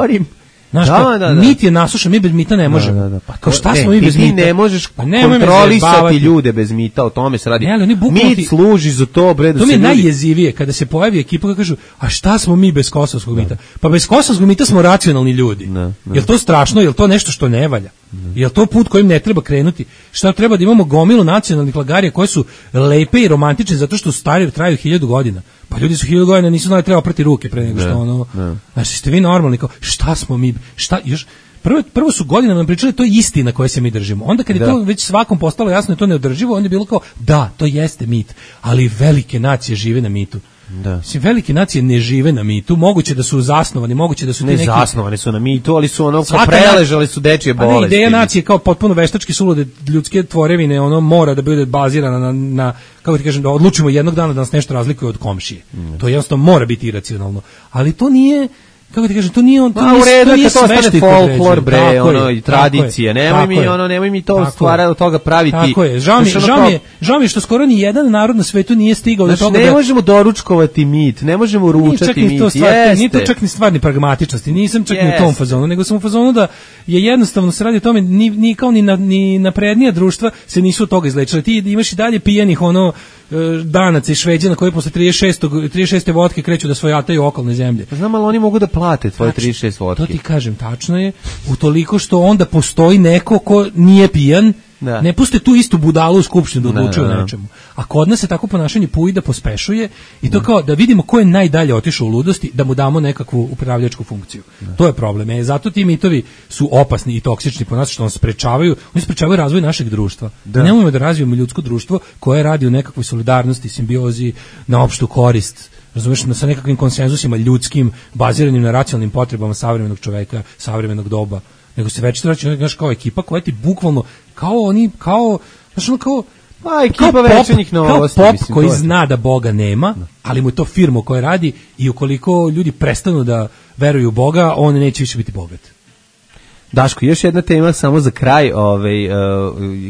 Znaš, Da, kao, da, da. mit je nasušan, mi bez mita ne možemo. Da, da, da. Pa Kao to- šta ne, smo mi ti- bez ti mita? ne možeš Pa nemoj me kontrolisati zajebavati. ljude bez mita, o tome se radi. Ne, ali oni bukvalno ti- Mit služi za to, bre, da To mi se je ljudi... najjezivije kada se pojavi ekipa koja kažu, a šta smo mi bez kosovskog mita? Pa bez kosovskog mita smo racionalni ljudi. Ne, ne. Jel to strašno? Jel to nešto što ne valja? Jel to put kojim ne treba krenuti? Šta treba da imamo gomilu nacionalnih lagarija koje su lepe i romantične zato što stari traju hiljadu godina? Pa ljudi su hiljadu godina nisu znali treba oprati ruke pre nego što Ne, ono... ne. Znači, ste vi normalni? Kao, šta smo mi? Šta, još, prvo, prvo su godine nam pričali to je istina koje se mi držimo. Onda kad je Da. to već svakom postalo jasno da je to neodrživo, onda je bilo kao, da, to jeste mit, ali velike nacije žive na mitu. Da. Mislim, velike nacije ne žive na mitu, moguće da su zasnovani, moguće da su ti Ne neki... zasnovani su na mitu, ali su ono, kao Svaka preležali su dečije Pa ne, bolesti. ideja nacije kao potpuno veštački sulude ljudske tvorevine, ono mora da bude bazirana na, na kako ti kažem, da odlučimo jednog dana da nas nešto razlikuje od komšije. To jednostavno mora biti iracionalno. Ali to nije, kako ti kažem, to nije on, to Ma, nije, u redu to je nije kad to ostane svešti koji folklor, određuje. bre, Tako ono, je, i tako tradicija. je, Nemoj tako mi, je. ono, nemoj mi to Tako stvara je. od toga praviti. Tako je, žao mi, Znaš, ono žao kao- mi je, žao mi je što skoro ni jedan narod na svetu nije stigao do Znaš, toga ne da... možemo doručkovati mit, ne možemo Nije čak ručati ni mit. to stvar, to- nije to Jeste. čak ni stvar ni pragmatičnosti, nisam čak ni u tom Jeste. fazonu, nego sam u fazonu da je jednostavno se radi o tome, ni, ni kao ni, na, ni naprednija društva se nisu od toga izlečili. Ti imaš i dalje pijanih ono e, Danaca i Šveđana koji posle trideset šeste trideset šeste vodke kreću da svojataju okolne zemlje. Pa znam, ali oni mogu da plate tvoje Tačno. trideset šest vodke. To ti kažem, tačno je, utoliko što onda postoji neko ko nije pijan, Da. ne puste tu istu budalu u skupštinu da Da, odlučuje da, da. o nečemu. A kod nas se tako ponašanje puji da pospešuje i to kao da vidimo ko je najdalje otišao u ludosti, da mu damo nekakvu upravljačku funkciju. To je problem. E, zato ti mitovi su opasni i toksični po nas što nas sprečavaju, oni sprečavaju razvoj našeg društva. Da. Nemojmo da razvijemo ljudsko društvo koje radi u nekakvoj solidarnosti, simbiozi, na opštu korist. Razumeš, sa nekakvim konsenzusima ljudskim, baziranim na racionalnim potrebama savremenog čoveka, savremenog doba, nego se već vraća, znaš, kao ekipa koja ti bukvalno, kao oni, kao, znaš, ono kao, Pa, ekipa kao večernjih novosti, kao pop mislim, koji to je. zna da Boga nema, ali mu je to firma koja radi i ukoliko ljudi prestanu da veruju u Boga, on neće više biti bogat. Daško, još jedna tema samo za kraj, ovaj, uh,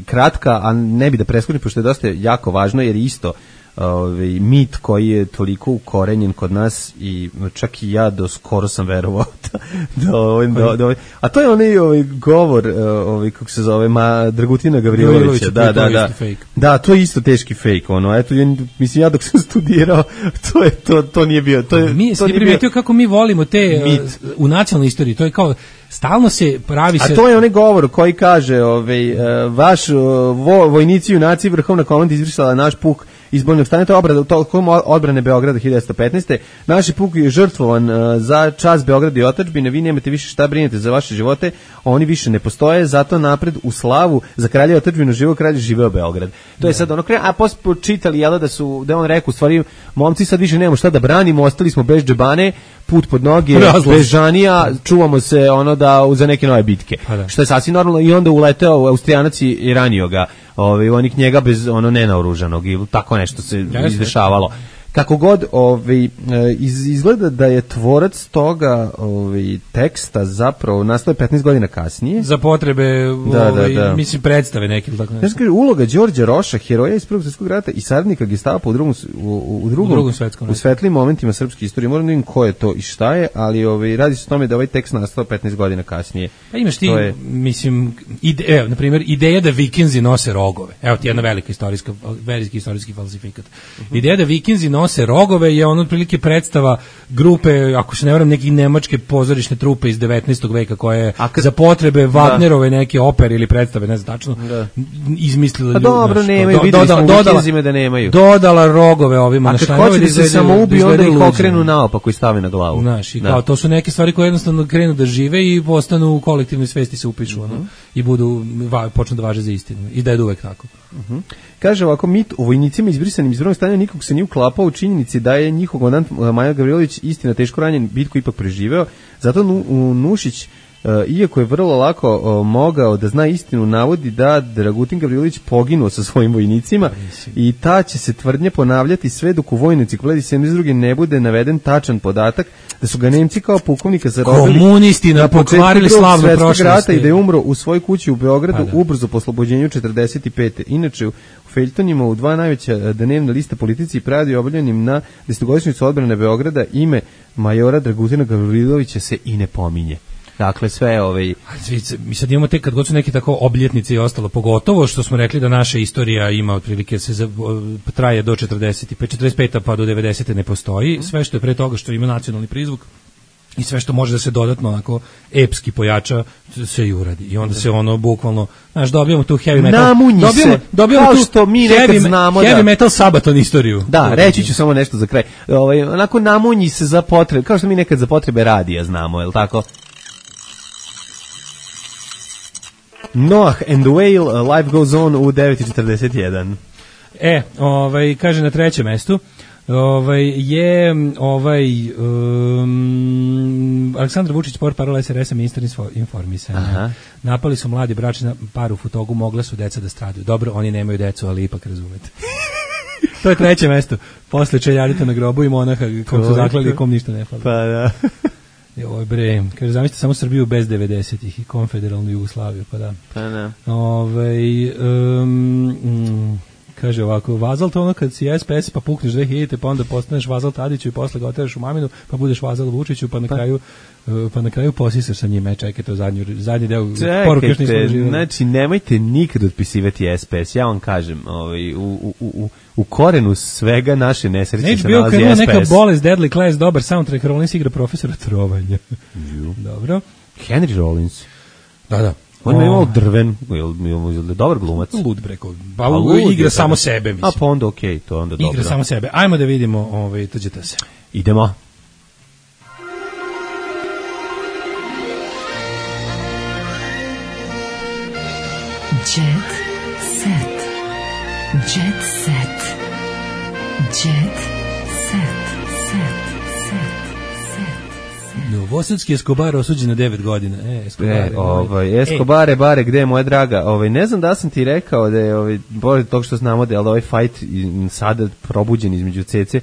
kratka, a ne bi da preskočim, pošto je dosta jako važno, jer isto ovaj, mit koji je toliko ukorenjen kod nas i čak i ja do skoro sam verovao da, da, ovaj, da, da, ovaj, a to je onaj ovaj, govor, uh, ovaj, kako se zove, ma, Dragutina Gavrilovića, Gavrilovića, da, to je da, da, isto fake. da, to je isto teški fake, ono, eto, ja, mislim, ja dok sam studirao, to je, to, to nije bio, to je, Mi to si nije bio, primetio kako mi volimo te mit. uh, u nacionalnoj istoriji, to je kao stalno se pravi se A to je onaj govor koji kaže, ovaj, uh, vaš uh, vo, vojnici junaci vrhovna komanda izvršila naš puk izbornog stanja, to je obrada, tokom odbrane Beograda hiljadu devetsto petnaeste. Naš puk je žrtvovan uh, za čast Beograda i otadžbine, vi nemate više šta brinete za vaše živote, oni više ne postoje, zato napred u slavu za kralja i otadžbinu živo kralj živeo Beograd. To je sad ono kraj, a posle počitali jel da su da je on rekao u stvari momci sad više nemamo šta da branimo, ostali smo bez džebane, put pod noge, Razlaz. bez žanija, čuvamo se ono da za neke nove bitke. Pa da. Što je sasvim normalno i onda uleteo Austrijanac i i ranio ga, ovaj onik njega bez ono nenaoružanog ili tako nešto se Jeste. izdešavalo. Kako god, ovaj e, iz, izgleda da je tvorac toga ovaj teksta zapravo nastao je petnaest godina kasnije. za potrebe Da, da, ovaj, da. mislim predstave neke ili tako Znaš, nešto. kaže, uloga Đorđa Roša, heroja iz Prvog svjetskog rata i saradnika Gestapa u drugom, s- u, u drugom, U drugom svetskom u ratu. svetlim momentima srpske istorije. Moram da vidim ko je to i šta je, ali ovaj, radi se o tome da ovaj tekst nastao petnaest godina kasnije. Pa imaš ti, To je- mislim, ide, evo, na primjer, ideja da Vikinzi nose rogove. Evo ti jedna velika istorijska, veliki istorijski falsifikat. Ideja da Vikinzi nose rogove je ono otprilike predstava grupe, ako se ne varam, neke nemačke pozorišne trupe iz devetnaestog veka koje A kad- za potrebe Wagnerove neke opere ili predstave, ne znam tačno, Da. izmislila Pa ljudi, dobro, znaš, nemaju, do- videli smo u dodala- Vikinzima da nemaju. Dodala rogove ovima A na kad šajnove hoće da se izgledaju- samo ubiju, onda izgledaju ih luđe. okrenu naopako i stave na glavu. Znaš, i Da. kao to su neke stvari koje jednostavno krenu da žive i postanu u kolektivnoj svesti se upišu, ono, i budu, va, počnu da važe za istinu. I da je uvek tako. Kaže ovako, mit o vojnicima izbrisanim iz drugog stanja nikog se nije uklapao u činjenici da je njihov komandant uh, Maja Gavrilović istina teško ranjen, bitku ipak preživeo. Zato Nu- u Nušić, uh, iako je vrlo lako uh, mogao da zna istinu, navodi da Dragutin Gavrilović poginuo sa svojim vojnicima i ta će se tvrdnja ponavljati sve dok u vojnoj enciklopediji sedamdeset druge ne bude naveden tačan podatak da su ga Nemci kao pukovnika zarobili Komunisti nam na početku pokvarili Drugog slavnu svjetskog prošlost. rata i da je umro u svojoj kući u Beogradu Pa da. ubrzo po oslobođenju četrdeset pete. Inače, u feljtonima u dva najveća e, dnevna lista politici i pradi objavljenim na desetogodišnjicu odbrane Beograda ime majora Dragutina Gavrilovića se i ne pominje. Dakle, sve ovaj... Mi sad imamo tek kad god su neke tako obljetnice i ostalo, pogotovo što smo rekli da naša istorija ima otprilike se za, traje do četrdeset pet, četrdeset pet pa do devedeset ne postoji. Sve što je pre toga što ima nacionalni prizvuk i sve što može da se dodatno onako epski pojača se i uradi. I onda se ono bukvalno, znaš, dobijamo tu heavy metal. Namunji dobijamo, se, dobijamo kao tu što mi nekad heavy, znamo heavy da... metal Sabaton istoriju. Da, reći ću samo nešto za kraj. Ovaj, onako namunji se za potrebe, kao što mi nekad za potrebe radija znamo, je li tako? Noah and the Whale, Life Goes On u devet i četrdeset jedan. E, ovaj, kaže na trećem mestu, ovaj, je ovaj um, Aleksandar Vučić, sport parola S R S-a, ministar informisanja. Aha. Napali su mladi bračni par u Futogu, mogla su deca da stradaju. Dobro, oni nemaju decu, ali ipak razumete. To je treće mesto. Posle čeljarita na grobu i monaha kom su zaklali, kom ništa ne fali. Pa da. Joj bre, kaže, zamislite samo Srbiju bez devedesetih i konfederalnu Jugoslaviju, pa da. Pa da. Ovaj um, mm, kaže ovako, vazal to ono kad si S P S pa pukneš dve hiljade pa onda postaneš vazal Tadiću i posle ga oteraš u maminu pa budeš vazal Vučiću pa na kraju uh, pa na kraju posisaš sa njime. Čekajte, zadnji, zadnji deo poruke još nismo doživjeli. Znači, nemojte nikad otpisivati S P S, ja vam kažem, ovaj, u, u, u, u korenu svega naše nesreće se nalazi S P S. Neka bolest, Deadly Class, dobar soundtrack, Rollins igra profesora trovanja. Dobro. Henry Rollins. Da, da. On je imao drven, je dobar glumac. Lud breko. Pa igra samo sebe, mislim. A pa onda okej, okay, to je onda dobro. Igra samo sebe. Ajmo da vidimo, ovaj, tuđete se. Idemo. Jet set. Jet set. Jet set. Set. Novosadski Escobar osuđen na devet godina. E, Escobar. E, ovaj, Escobare, bare, gde je moja draga? Ovaj, ne znam da sam ti rekao da je, ovaj, bolje tog što znamo da je ovaj fight sada probuđen između Cece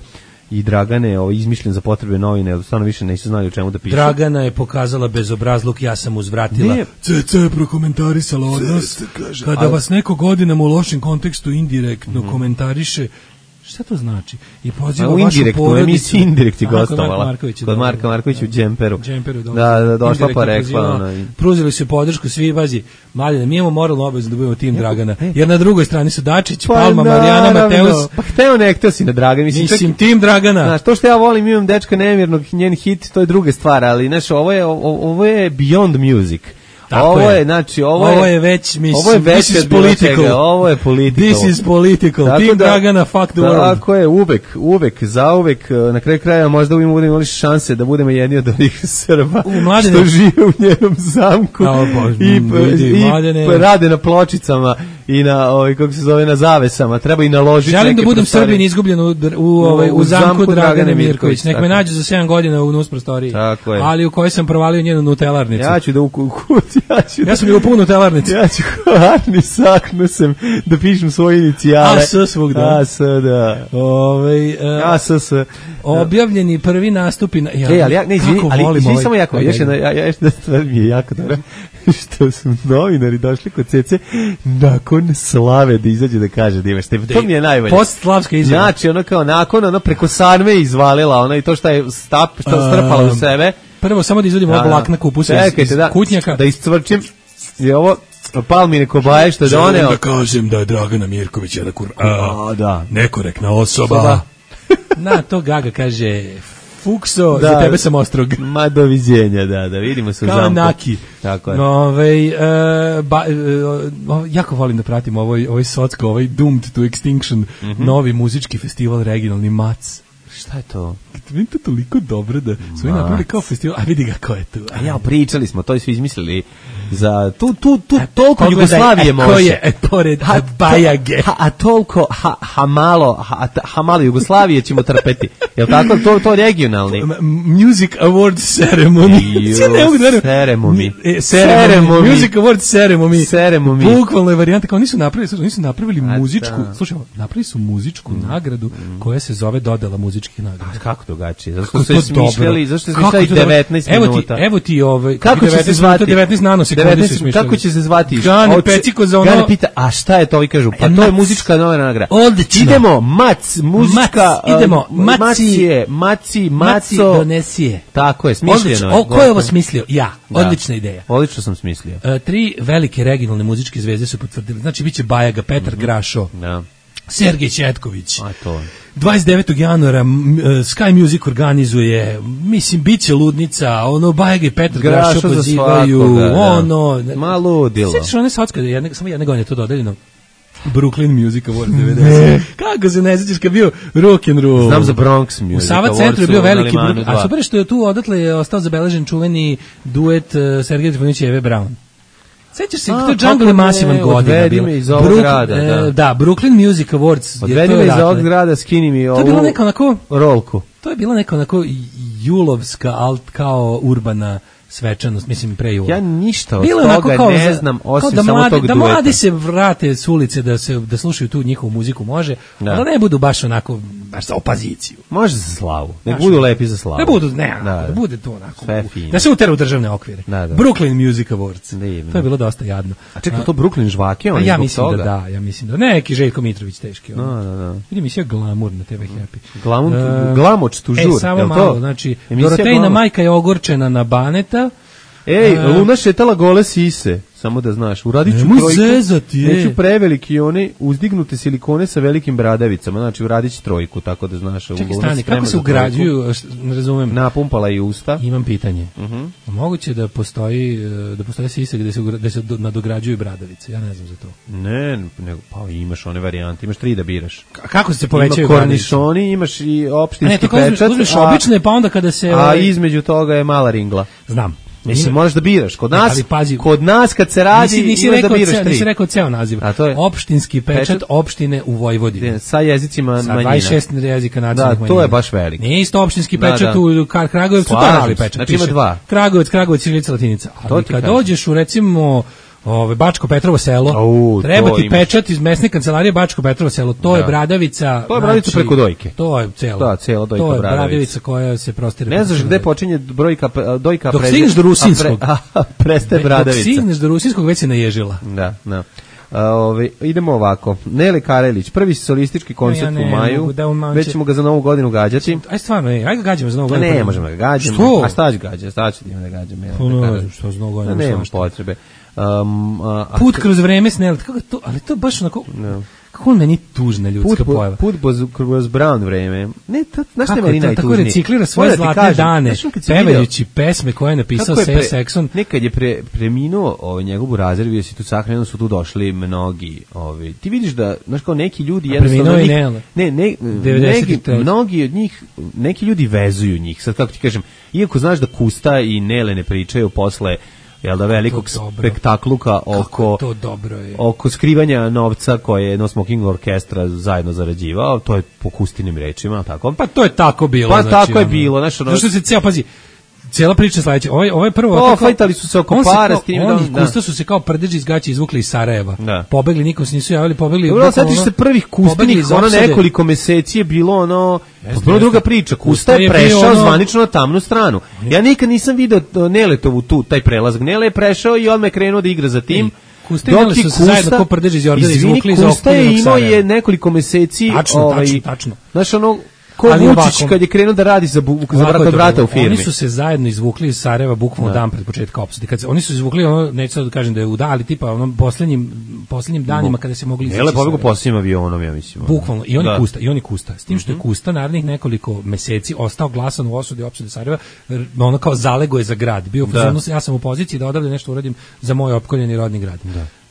i Dragane, ovaj, izmišljen za potrebe novine, stvarno više nisu znali o čemu da pišu. Dragana je pokazala bezobrazluk, ja sam uzvratila. Ne. Cece je prokomentarisala odnos. Kada ali... vas neko godinama u lošem kontekstu indirektno mm-hmm. komentariše, šta to znači? I poziva vašu indirektno, porodicu. Emisiji Indirekt je gostovala. Marka Kod Marka Markovića u džemperu. Džemperu, da, da, došla pa rekla. Ona. Pruzeli su podršku svi, bazi, Mladine, mi imamo moralnu obavezu da budemo tim Dragana. Jer na drugoj strani su Dačić, pa, Palma, Marijana, Mateus. Pa hteo ne, hteo si na Dragan. Mislim, mislim čak, tim Dragana. Znaš, to što ja volim, imam dečka nemirnog, njen hit, to je druga stvar, ali, znaš, ovo je, ovo je beyond music. Tako ovo je, je, znači, ovo, ovo je već, mislim, ovo je već this is political. Ovo je political. This is political. Tako Team da, Dragana, fuck the world. Tako je, uvek, uvek, zauvek, na kraju kraja možda budemo imali šanse da budemo jedni od onih Srba U, što žive u njenom zamku o, bož, i, vidi, i mladene. rade na pločicama i na, ovaj, kako se zove, na zavesama. Treba i naložiti. Želim da budem prostorije. Srbin izgubljen u, u, ovaj, u, u zamku, zamku Dragane, Dragane Mirković. Nek me nađu za sedam godina u nus prostoriji. Tako je. Ali u kojoj sam provalio njenu nutelarnicu. Ja ću da u kući, ja ću da... Ja sam u punu nutelarnicu. Ja ću Arni saknu sam da pišem svoje inicijale. A S svugda. A S, da. Ovaj uh, A S S. Objavljeni prvi nastupi na... Ja, e, ali ja, ne, izvini, ali izvini samo jako, još jedna, ja, ja, jedna stvar mi je jako dobro, što su novinari došli kod Cece nakon slave da izađe da kaže da imaš tebe. To mi je najbolje. Post-slavska izjava. Znači, ono kao nakon, ono preko sarme izvalila, ono i to što je stap, što strpala u sebe. Prvo samo da izvadim ovog vlakna kupusa iz, iz da, kutnjaka. Da iscvrčim je ovo Palmine Kobaje što je doneo. Želim da kažem da je Dragana Mirković jedna kur... A, da. Nekorektna osoba. osoba. Na to Gaga kaže... Fukso, da, za tebe sam ostrog. Ma doviđenja, da, da vidimo se u zamku. Kao Naki. Tako je. Ove, uh, ba, uh, jako volim da pratim ovaj, ovaj socko, ovaj Doomed to Extinction, mm-hmm. novi muzički festival regionalni Mac. Šta je to? Meni to toliko dobro da su oni napravili kao festival, a vidi ga ko je tu. A ja, pričali smo, to su izmislili za tu, tu, tu, toliko Jugoslavije može. Ko je, e, pored ha, Bajage. Ha, a toliko, ha, ha malo, ha, ha malo Jugoslavije ćemo trpeti. Jel tako? To, to regionalni. Music Awards Ceremony. Ceremony. Ceremony. Music Awards Ceremony. Ceremony. Bukvalno je varijanta, kao oni su napravili, oni su napravili muzičku, slušaj, napravili su muzičku mm. nagradu mm. koja se zove dodela muzičkih nagrada. A kako drugačije? Zašto su smišljali, zašto su smišljali devetnaest evo minuta? Ti, evo ti ovaj, kako će se zvati? devetnaest nanosekundi. sekundi su devetnaest smišljali. Kako će se zvati? Gane Oči- Peciko za ono... Gane pita, a šta je to? Ovi kažu, pa E, to je mac. muzička nova nagrada. Odlično. Idemo, mac, muzička... Mac, idemo, uh, maci. macije, maci, Maci maco. donesije. Tako je, smišljeno. Odlično. je. O, ko je ovo smislio? Ja. Da. Odlična ideja. Odlično sam smislio. E, tri velike regionalne muzičke zvezde su potvrdili. Znači, biće Bajaga, Petar Grašo, Da. Sergej Četković. A to je. dvadeset devetog januara m, e, Sky Music organizuje, mislim, biće ludnica, ono, Bajaga i Petar Grašo Grašo za pozivaju, svakoga, da. ono... Ma ludilo. Sjetiš one svatska, jedne, samo jedne godine to dodeljeno? Brooklyn Music Awards devedeset. Kako se ne sjećaš kad bio rock and roll? Znam za Bronx Music U Sava Awards centru je bio su na veliki, Limanu Brook- dva. a super je što je tu odatle je ostao zabeležen čuveni duet uh, Sergeja Trifonjevića i Eve Brown. Sećaš se, A, to je kako Jungle ne, masivan godina odvedi bila. me iz ovog Brook- grada, da. e, da, Brooklyn Music Awards. je- Odvedi to me je iz odatle. ovog grada, skini mi To ovu je bila neka onako, rolku. to je bila neka onako julovska, alt kao urbana svečanost, mislim pre jula. Ja ništa od Bilo je onako toga kao ne za- znam, kao osim da samo mladi, tog da dueta. mladi se vrate s ulice da se da slušaju tu njihovu muziku može, Da. ali da ne budu baš onako baš za opoziciju. Može za slavu. Nek Znaš, budu lepi za slavu. Da budu, ne, Da, da, da. bude to onako. Sve u- fino. Da se utera u državne okvire. Da, da. Brooklyn Music Awards. Divno. To je bilo dosta jadno. A čekaj, to Brooklyn žvake, A on ja zbog mislim toga? da da, ja mislim da. Neki Željko Mitrović teški. Da, ono. da, da. Vidi emisija Glamour na te ve Happy. Glamour- E, Glamoč tu žur, E, samo jel to? malo, znači, Emisija Dorotejna Glamour. majka je ogorčena na Baneta. Ej, E, Luna šetala gole sise, samo da znaš. Uradit ću Nemoj trojku. zezati, je. Neću preveliki one uzdignute silikone sa velikim bradavicama, znači uradit ću trojku, tako da znaš. Čekaj, Luna stani, sprema kako se za ugrađuju, š- ne razumem. trojku. Napumpala i usta. Imam pitanje. Mhm. Moguće da postoji e, da postoji sisa gde se ugra- gde se do- nadograđuju bradavice. Ja ne znam za to. Ne, nego, pa imaš one varijante, imaš tri da biraš. A kako se povećaju Ima bradavice? kornišoni, imaš i A opštinski ne, to kao uzmeš, pečat. uzmeš a- obične, pa onda kada se... A ovaj, između toga je mala ringla. Znam. Mislim, Ima- moraš da biraš. Kod nas, Ali pazi, kod nas kad se radi, nisi, nisi imaš da rekao, biraš ceo, tri. nisi rekao ceo naziv. A to je- Opštinski pečat, Pečat- opštine u Vojvodini. Sa jezicima Sa manjina. dvadeset šest jezika nacionalnih Da, manjina. to je baš veliko. Nije isto opštinski Da, pečat da. u Kar Kragujevcu, to je Slažem mali se. pečat. Znači ima piše dva. Kragujevac, Kragujevac, Ćirilica, Latinica. To Ali ti kad kažem. dođeš u recimo Ove, Bačko Petrovo selo, Au, treba to ti imaš. pečat iz mesne kancelarije Bačko Petrovo selo, to Da. je bradavica. To je bradavica znači, preko dojke. To je celo. Da, cela dojka To je bradavica. bradavica koja se prostire. Ne preko znaš cele gde dojke. počinje brojka, pe- dojka Dok preze- stigneš do a pre- Rusinskog. a, prestaje Dok bradavica. stigneš do Rusinskog, već se naježila. Da, da. A, ove, idemo ovako. Nele Karelić, prvi solistički koncert Ja ne u maju. mogu da umam- Već ćemo ga za novu godinu gađati. Aj stvarno, ej, aj ga gađamo za novu A godinu. ne, možemo da ga gađamo. Što? A šta ću gađati? Šta ću da gađam? Ja, Pa ne znam, što za novu godinu, Da, nema svašta. potrebe. Um, a, a- Put kroz vreme s Nelet, kako to, ali to baš onako, No. kako on meni tužna ljudska Put, pojava. put kroz, kroz brown vreme. Ne, to, znaš šta je Kako meni je to, tako najtužnije? reciklira svoje Moram da ti zlatne kažem, dane, znaš, kad si video- pevajući pesme koje je napisao Kako je Seja pre- Saxon. Nekad je pre, preminuo ovaj, njegov burazer, vidio si tu sahranu, su tu došli mnogi. Ovaj. Ti vidiš da, znaš kao neki ljudi... A jednostavno preminuo i njih- Nele. Ne, ne, devedeset neki, treće. mnogi od njih, neki ljudi vezuju njih. Sad kako ti kažem, iako znaš da Kusta i Nele ne pričaju posle jel da velikog to dobro. spektakluka oko To dobro je. oko skrivanja novca koje je No Smoking Orkestra zajedno zarađivao, to je po Kustinim rečima, tako? Pa to je tako bilo. Pa znači, tako je ono. bilo, znaš, ono- Zašto se ceo, pazi, cijela priča sledeća. Ovo je, ovo je prvo... O, tako- fajtali su se oko on para kao- s tim, Oni da, Kusta da. su se kao prdeži iz gaća izvukli iz Sarajeva. Da. Pobegli, nikom se nisu javili, pobegli... Dobro, bukvalno setiš ono- se prvih pobegli Kustinih, iz ono opsade. nekoliko meseci je bilo ono, Jeste, potpuno druga jeste. priča. Kusta Kusta je je bio prešao ono- zvanično na tamnu stranu. Ja nikad nisam video uh, Neletovu tu, taj prelazak. Nele je prešao i odmah je krenuo da igra za tim. Kusta i Nele su se zajedno ko prdeži iz Jordana izvini, izvukli iz Kusta je opkoljenog imao Sarajeva. je nekoliko meseci, Tačno, ovaj, tačno, tačno. znaš ono, ko Ali Vučić ovako- kad je krenuo da radi za, bu, za Ovako brata je od to brata bilo. u firmi. Oni su se zajedno izvukli iz Sarajeva bukvalno Da. dan pred početka opsade. Kad se, oni su izvukli ono, neću sad da kažem da je u da, ali tipa onom poslednjim, poslednjim danima kada se mogli izaći Nele iz pobegu Sarajeva. posljednjim avionom, ja mislim. ono. Bukvalno, i on je Da. Kusta, i on je Kusta. S tim što je Kusta narednih nekoliko meseci ostao glasan u osudi opštine Sarajeva, r- ono kao zalego je za grad. Bio u Da. fazonu, ja sam u poziciji da odavde nešto uradim za moj opkoljeni rodni grad.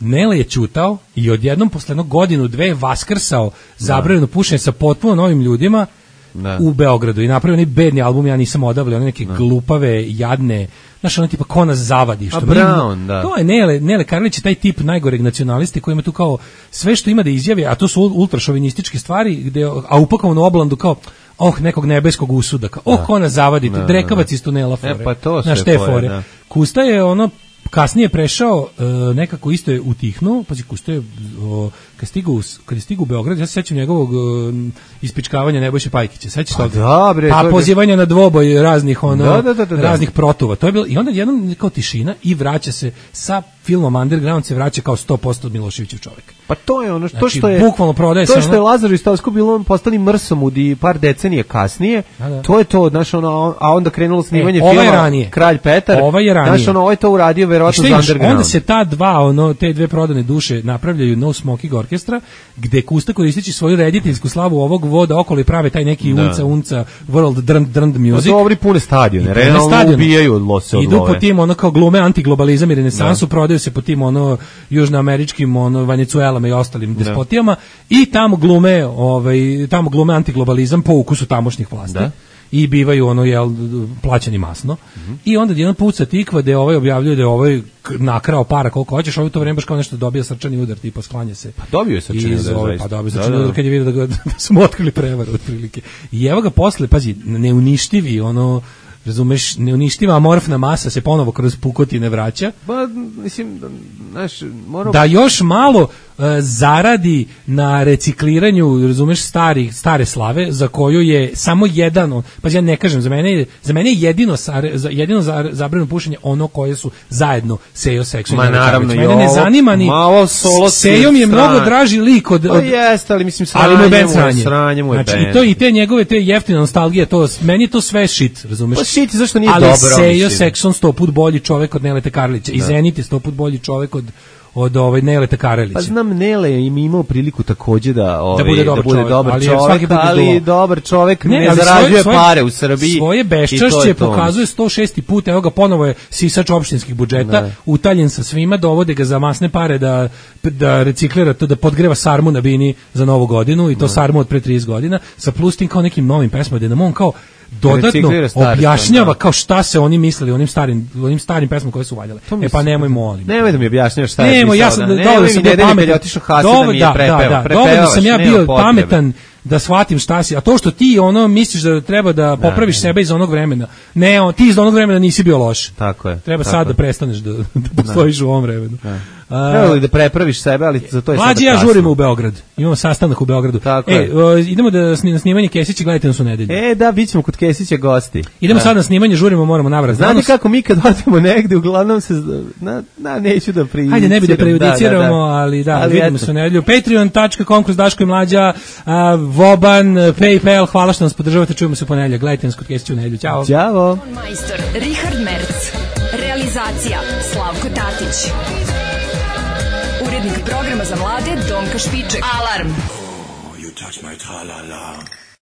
Nele je ćutao i odjednom posle jednog godinu, dve vaskrsao zabranjeno pušenje sa potpuno novim ljudima Da. u Beogradu i napravio onaj bedni album Ja nisam odavlja, one neke glupave, jadne, znaš, ono tipa ko nas zavadi. Što A mi- Brown, da. To je Nele, Nele Karlić je taj tip najgoreg nacionaliste koji ima tu kao sve što ima da izjavi, a to su ultrašovinističke stvari, gde, a upakovano u oblandu kao oh, nekog nebeskog usuda, kao, oh, ko nas zavadi, Da, drekavac da. iz tunela fore. E, pa to Znaš, sve te fore, fore. da. Kusta je ono kasnije prešao e, nekako isto je utihnuo, pazi, Kusta je o, kad kad stigu u s- kad je stigu u Beograd, ja se sećam njegovog um, ispičkavanja Nebojše Pajkića. Sećaš Pa toga? da, bre, to Pa je- pozivanja na dvoboj raznih ono Da, da, da, da, da. raznih protuva. To je bilo i onda jednom kao tišina i vraća se sa filmom Underground se vraća kao sto posto Miloševićev čovjek. Pa to je ono što, Znači, što je bukvalno prodaje to se što ono- je Lazar Istovsko bilo on postali mrsomud i par decenije kasnije. Da, da. To je to, znaš, ono, a onda krenulo snimanje E, ovaj filma je ranije. Kralj Petar. Ovaj je ranije. Znaš, ono, ovaj to uradio I verovatno šta za imaš, Underground. onda se ta dva, ono, te dve prodane duše napravljaju No Smoking Orkestra, gde Kusta koristeći svoju rediteljsku slavu ovog voda okolo i prave taj neki Da. unca, unca, world drnd, drnd music. Pa dobri pune stadione, I realno pune stadione. ubijaju od lose od Idu love. po tim ono kao glume antiglobalizam i renesansu, prodaju se po tim ono južnoameričkim ono Venecuelama i ostalim despotijama i tamo glume, ovaj tamo glume antiglobalizam po ukusu tamošnjih vlasti. Da. I bivaju ono jel plaćani masno. I onda jedan puca tikva da ovaj objavljuje da je ovaj k- nakrao para koliko hoćeš, ovaj u to vreme baš kao nešto dobija srčani udar, tipa sklanja se. Pa dobio je srčani iz udar, ove- zaista. Pa dobio je Da, srčani da. udar kad je vidio da, ga, da su mu otkrili prevaru otprilike. I evo ga posle, pazi, neuništivi ono razumeš, neuništiva amorfna masa se ponovo kroz pukotine vraća. Pa, mislim, znaš, moram... Da još malo e, zaradi na recikliranju, razumeš, starih, stare slave, za koju je samo jedan, on- pa ja ne kažem, za mene je, za mene je jedino, sare, za, jedino za, zabranjeno pušenje ono koje su zajedno Sejo Seksu i Ma, Nele naravno, Karlić. i Mene ne ovo, zanima ni, ma, ovo solo Sejo mi je strana. mnogo draži lik od... Pa od jeste, ali mislim, ali mu je sranje band mu je, sranje. sranje mu je Znači, band. i, to, i te njegove, te jeftine nostalgije, to, meni je to sve shit, razumeš? Pa shit, zašto nije ali dobro, Sejo mislim. Sekson sto put bolji čovek od Nelete Karlića i Da. Zenit je sto put bolji čovek od od ovaj Nelete Karelića. Pa znam, Nele je im imao priliku takođe da, ovaj, bude dobar da bude čovek, dobar ali je čovek, svaki put ali izduo. dobar čovek ne, ali zarađuje svoje- svoje- pare u Srbiji. Svoje i to je beščašće to. pokazuje sto šesti put, evo ga ponovo je sisač opštinskih budžeta, Da. utaljen sa svima, dovode ga za masne pare da, da reciklira to, da podgreva sarmu na bini za novu godinu i to sarmu od pre trideset godina, sa plus tim kao nekim novim pesmama, gde nam on kao dodatno Reciklira stare objašnjava stvari, da. kao šta se oni mislili onim starim, onim starim pesmama koje su valjale. E pa nemoj molim. Nemoj da mi objašnjavaš šta je Nemo, pisao. ja sam da, da, nemoj dovoljno mi sam bio nedelje kad je pametan. otišao Hasan da Dovoljno- mi je prepeo. da, da, Prepevaš, dovoljno sam ja nema bio potrebe. pametan da shvatim šta si, a to što ti ono misliš da treba da popraviš sebe iz onog vremena. Ne, on, ti iz onog vremena nisi bio loš. Tako je. Treba tako sad je. da prestaneš da, da postojiš u ovom vremenu. A, Trebalo li da prepraviš sebe, ali za to je sada Mlađi ja kasno. žurimo u Beograd. Imamo sastanak u Beogradu. Tako e, je. o, idemo da sni- na snimanje Kesića, gledajte nas u nedelju. E, da, bit ćemo kod Kesića gosti. Idemo Da. sad na snimanje, žurimo, moramo navrat. Znate znanost. kako mi kad odemo negde, uglavnom se, na, na, neću da prejudiciramo. Hajde, ne bi da prejudiciramo, ali da, vidimo eto. se u nedelju. patreon dot com kroz Daško i Mlađa, a, Voban, PayPal, hvala što nas podržavate, čujemo se u ponedeljak. Gledajte nas kod Kesića u nedelju. Ćao. Ćao. Majstor Richard Merc. Realizacija Slavko Tatić. Urednik programa za mlade Donka Špiček. Alarm! You touch my tra-la-la.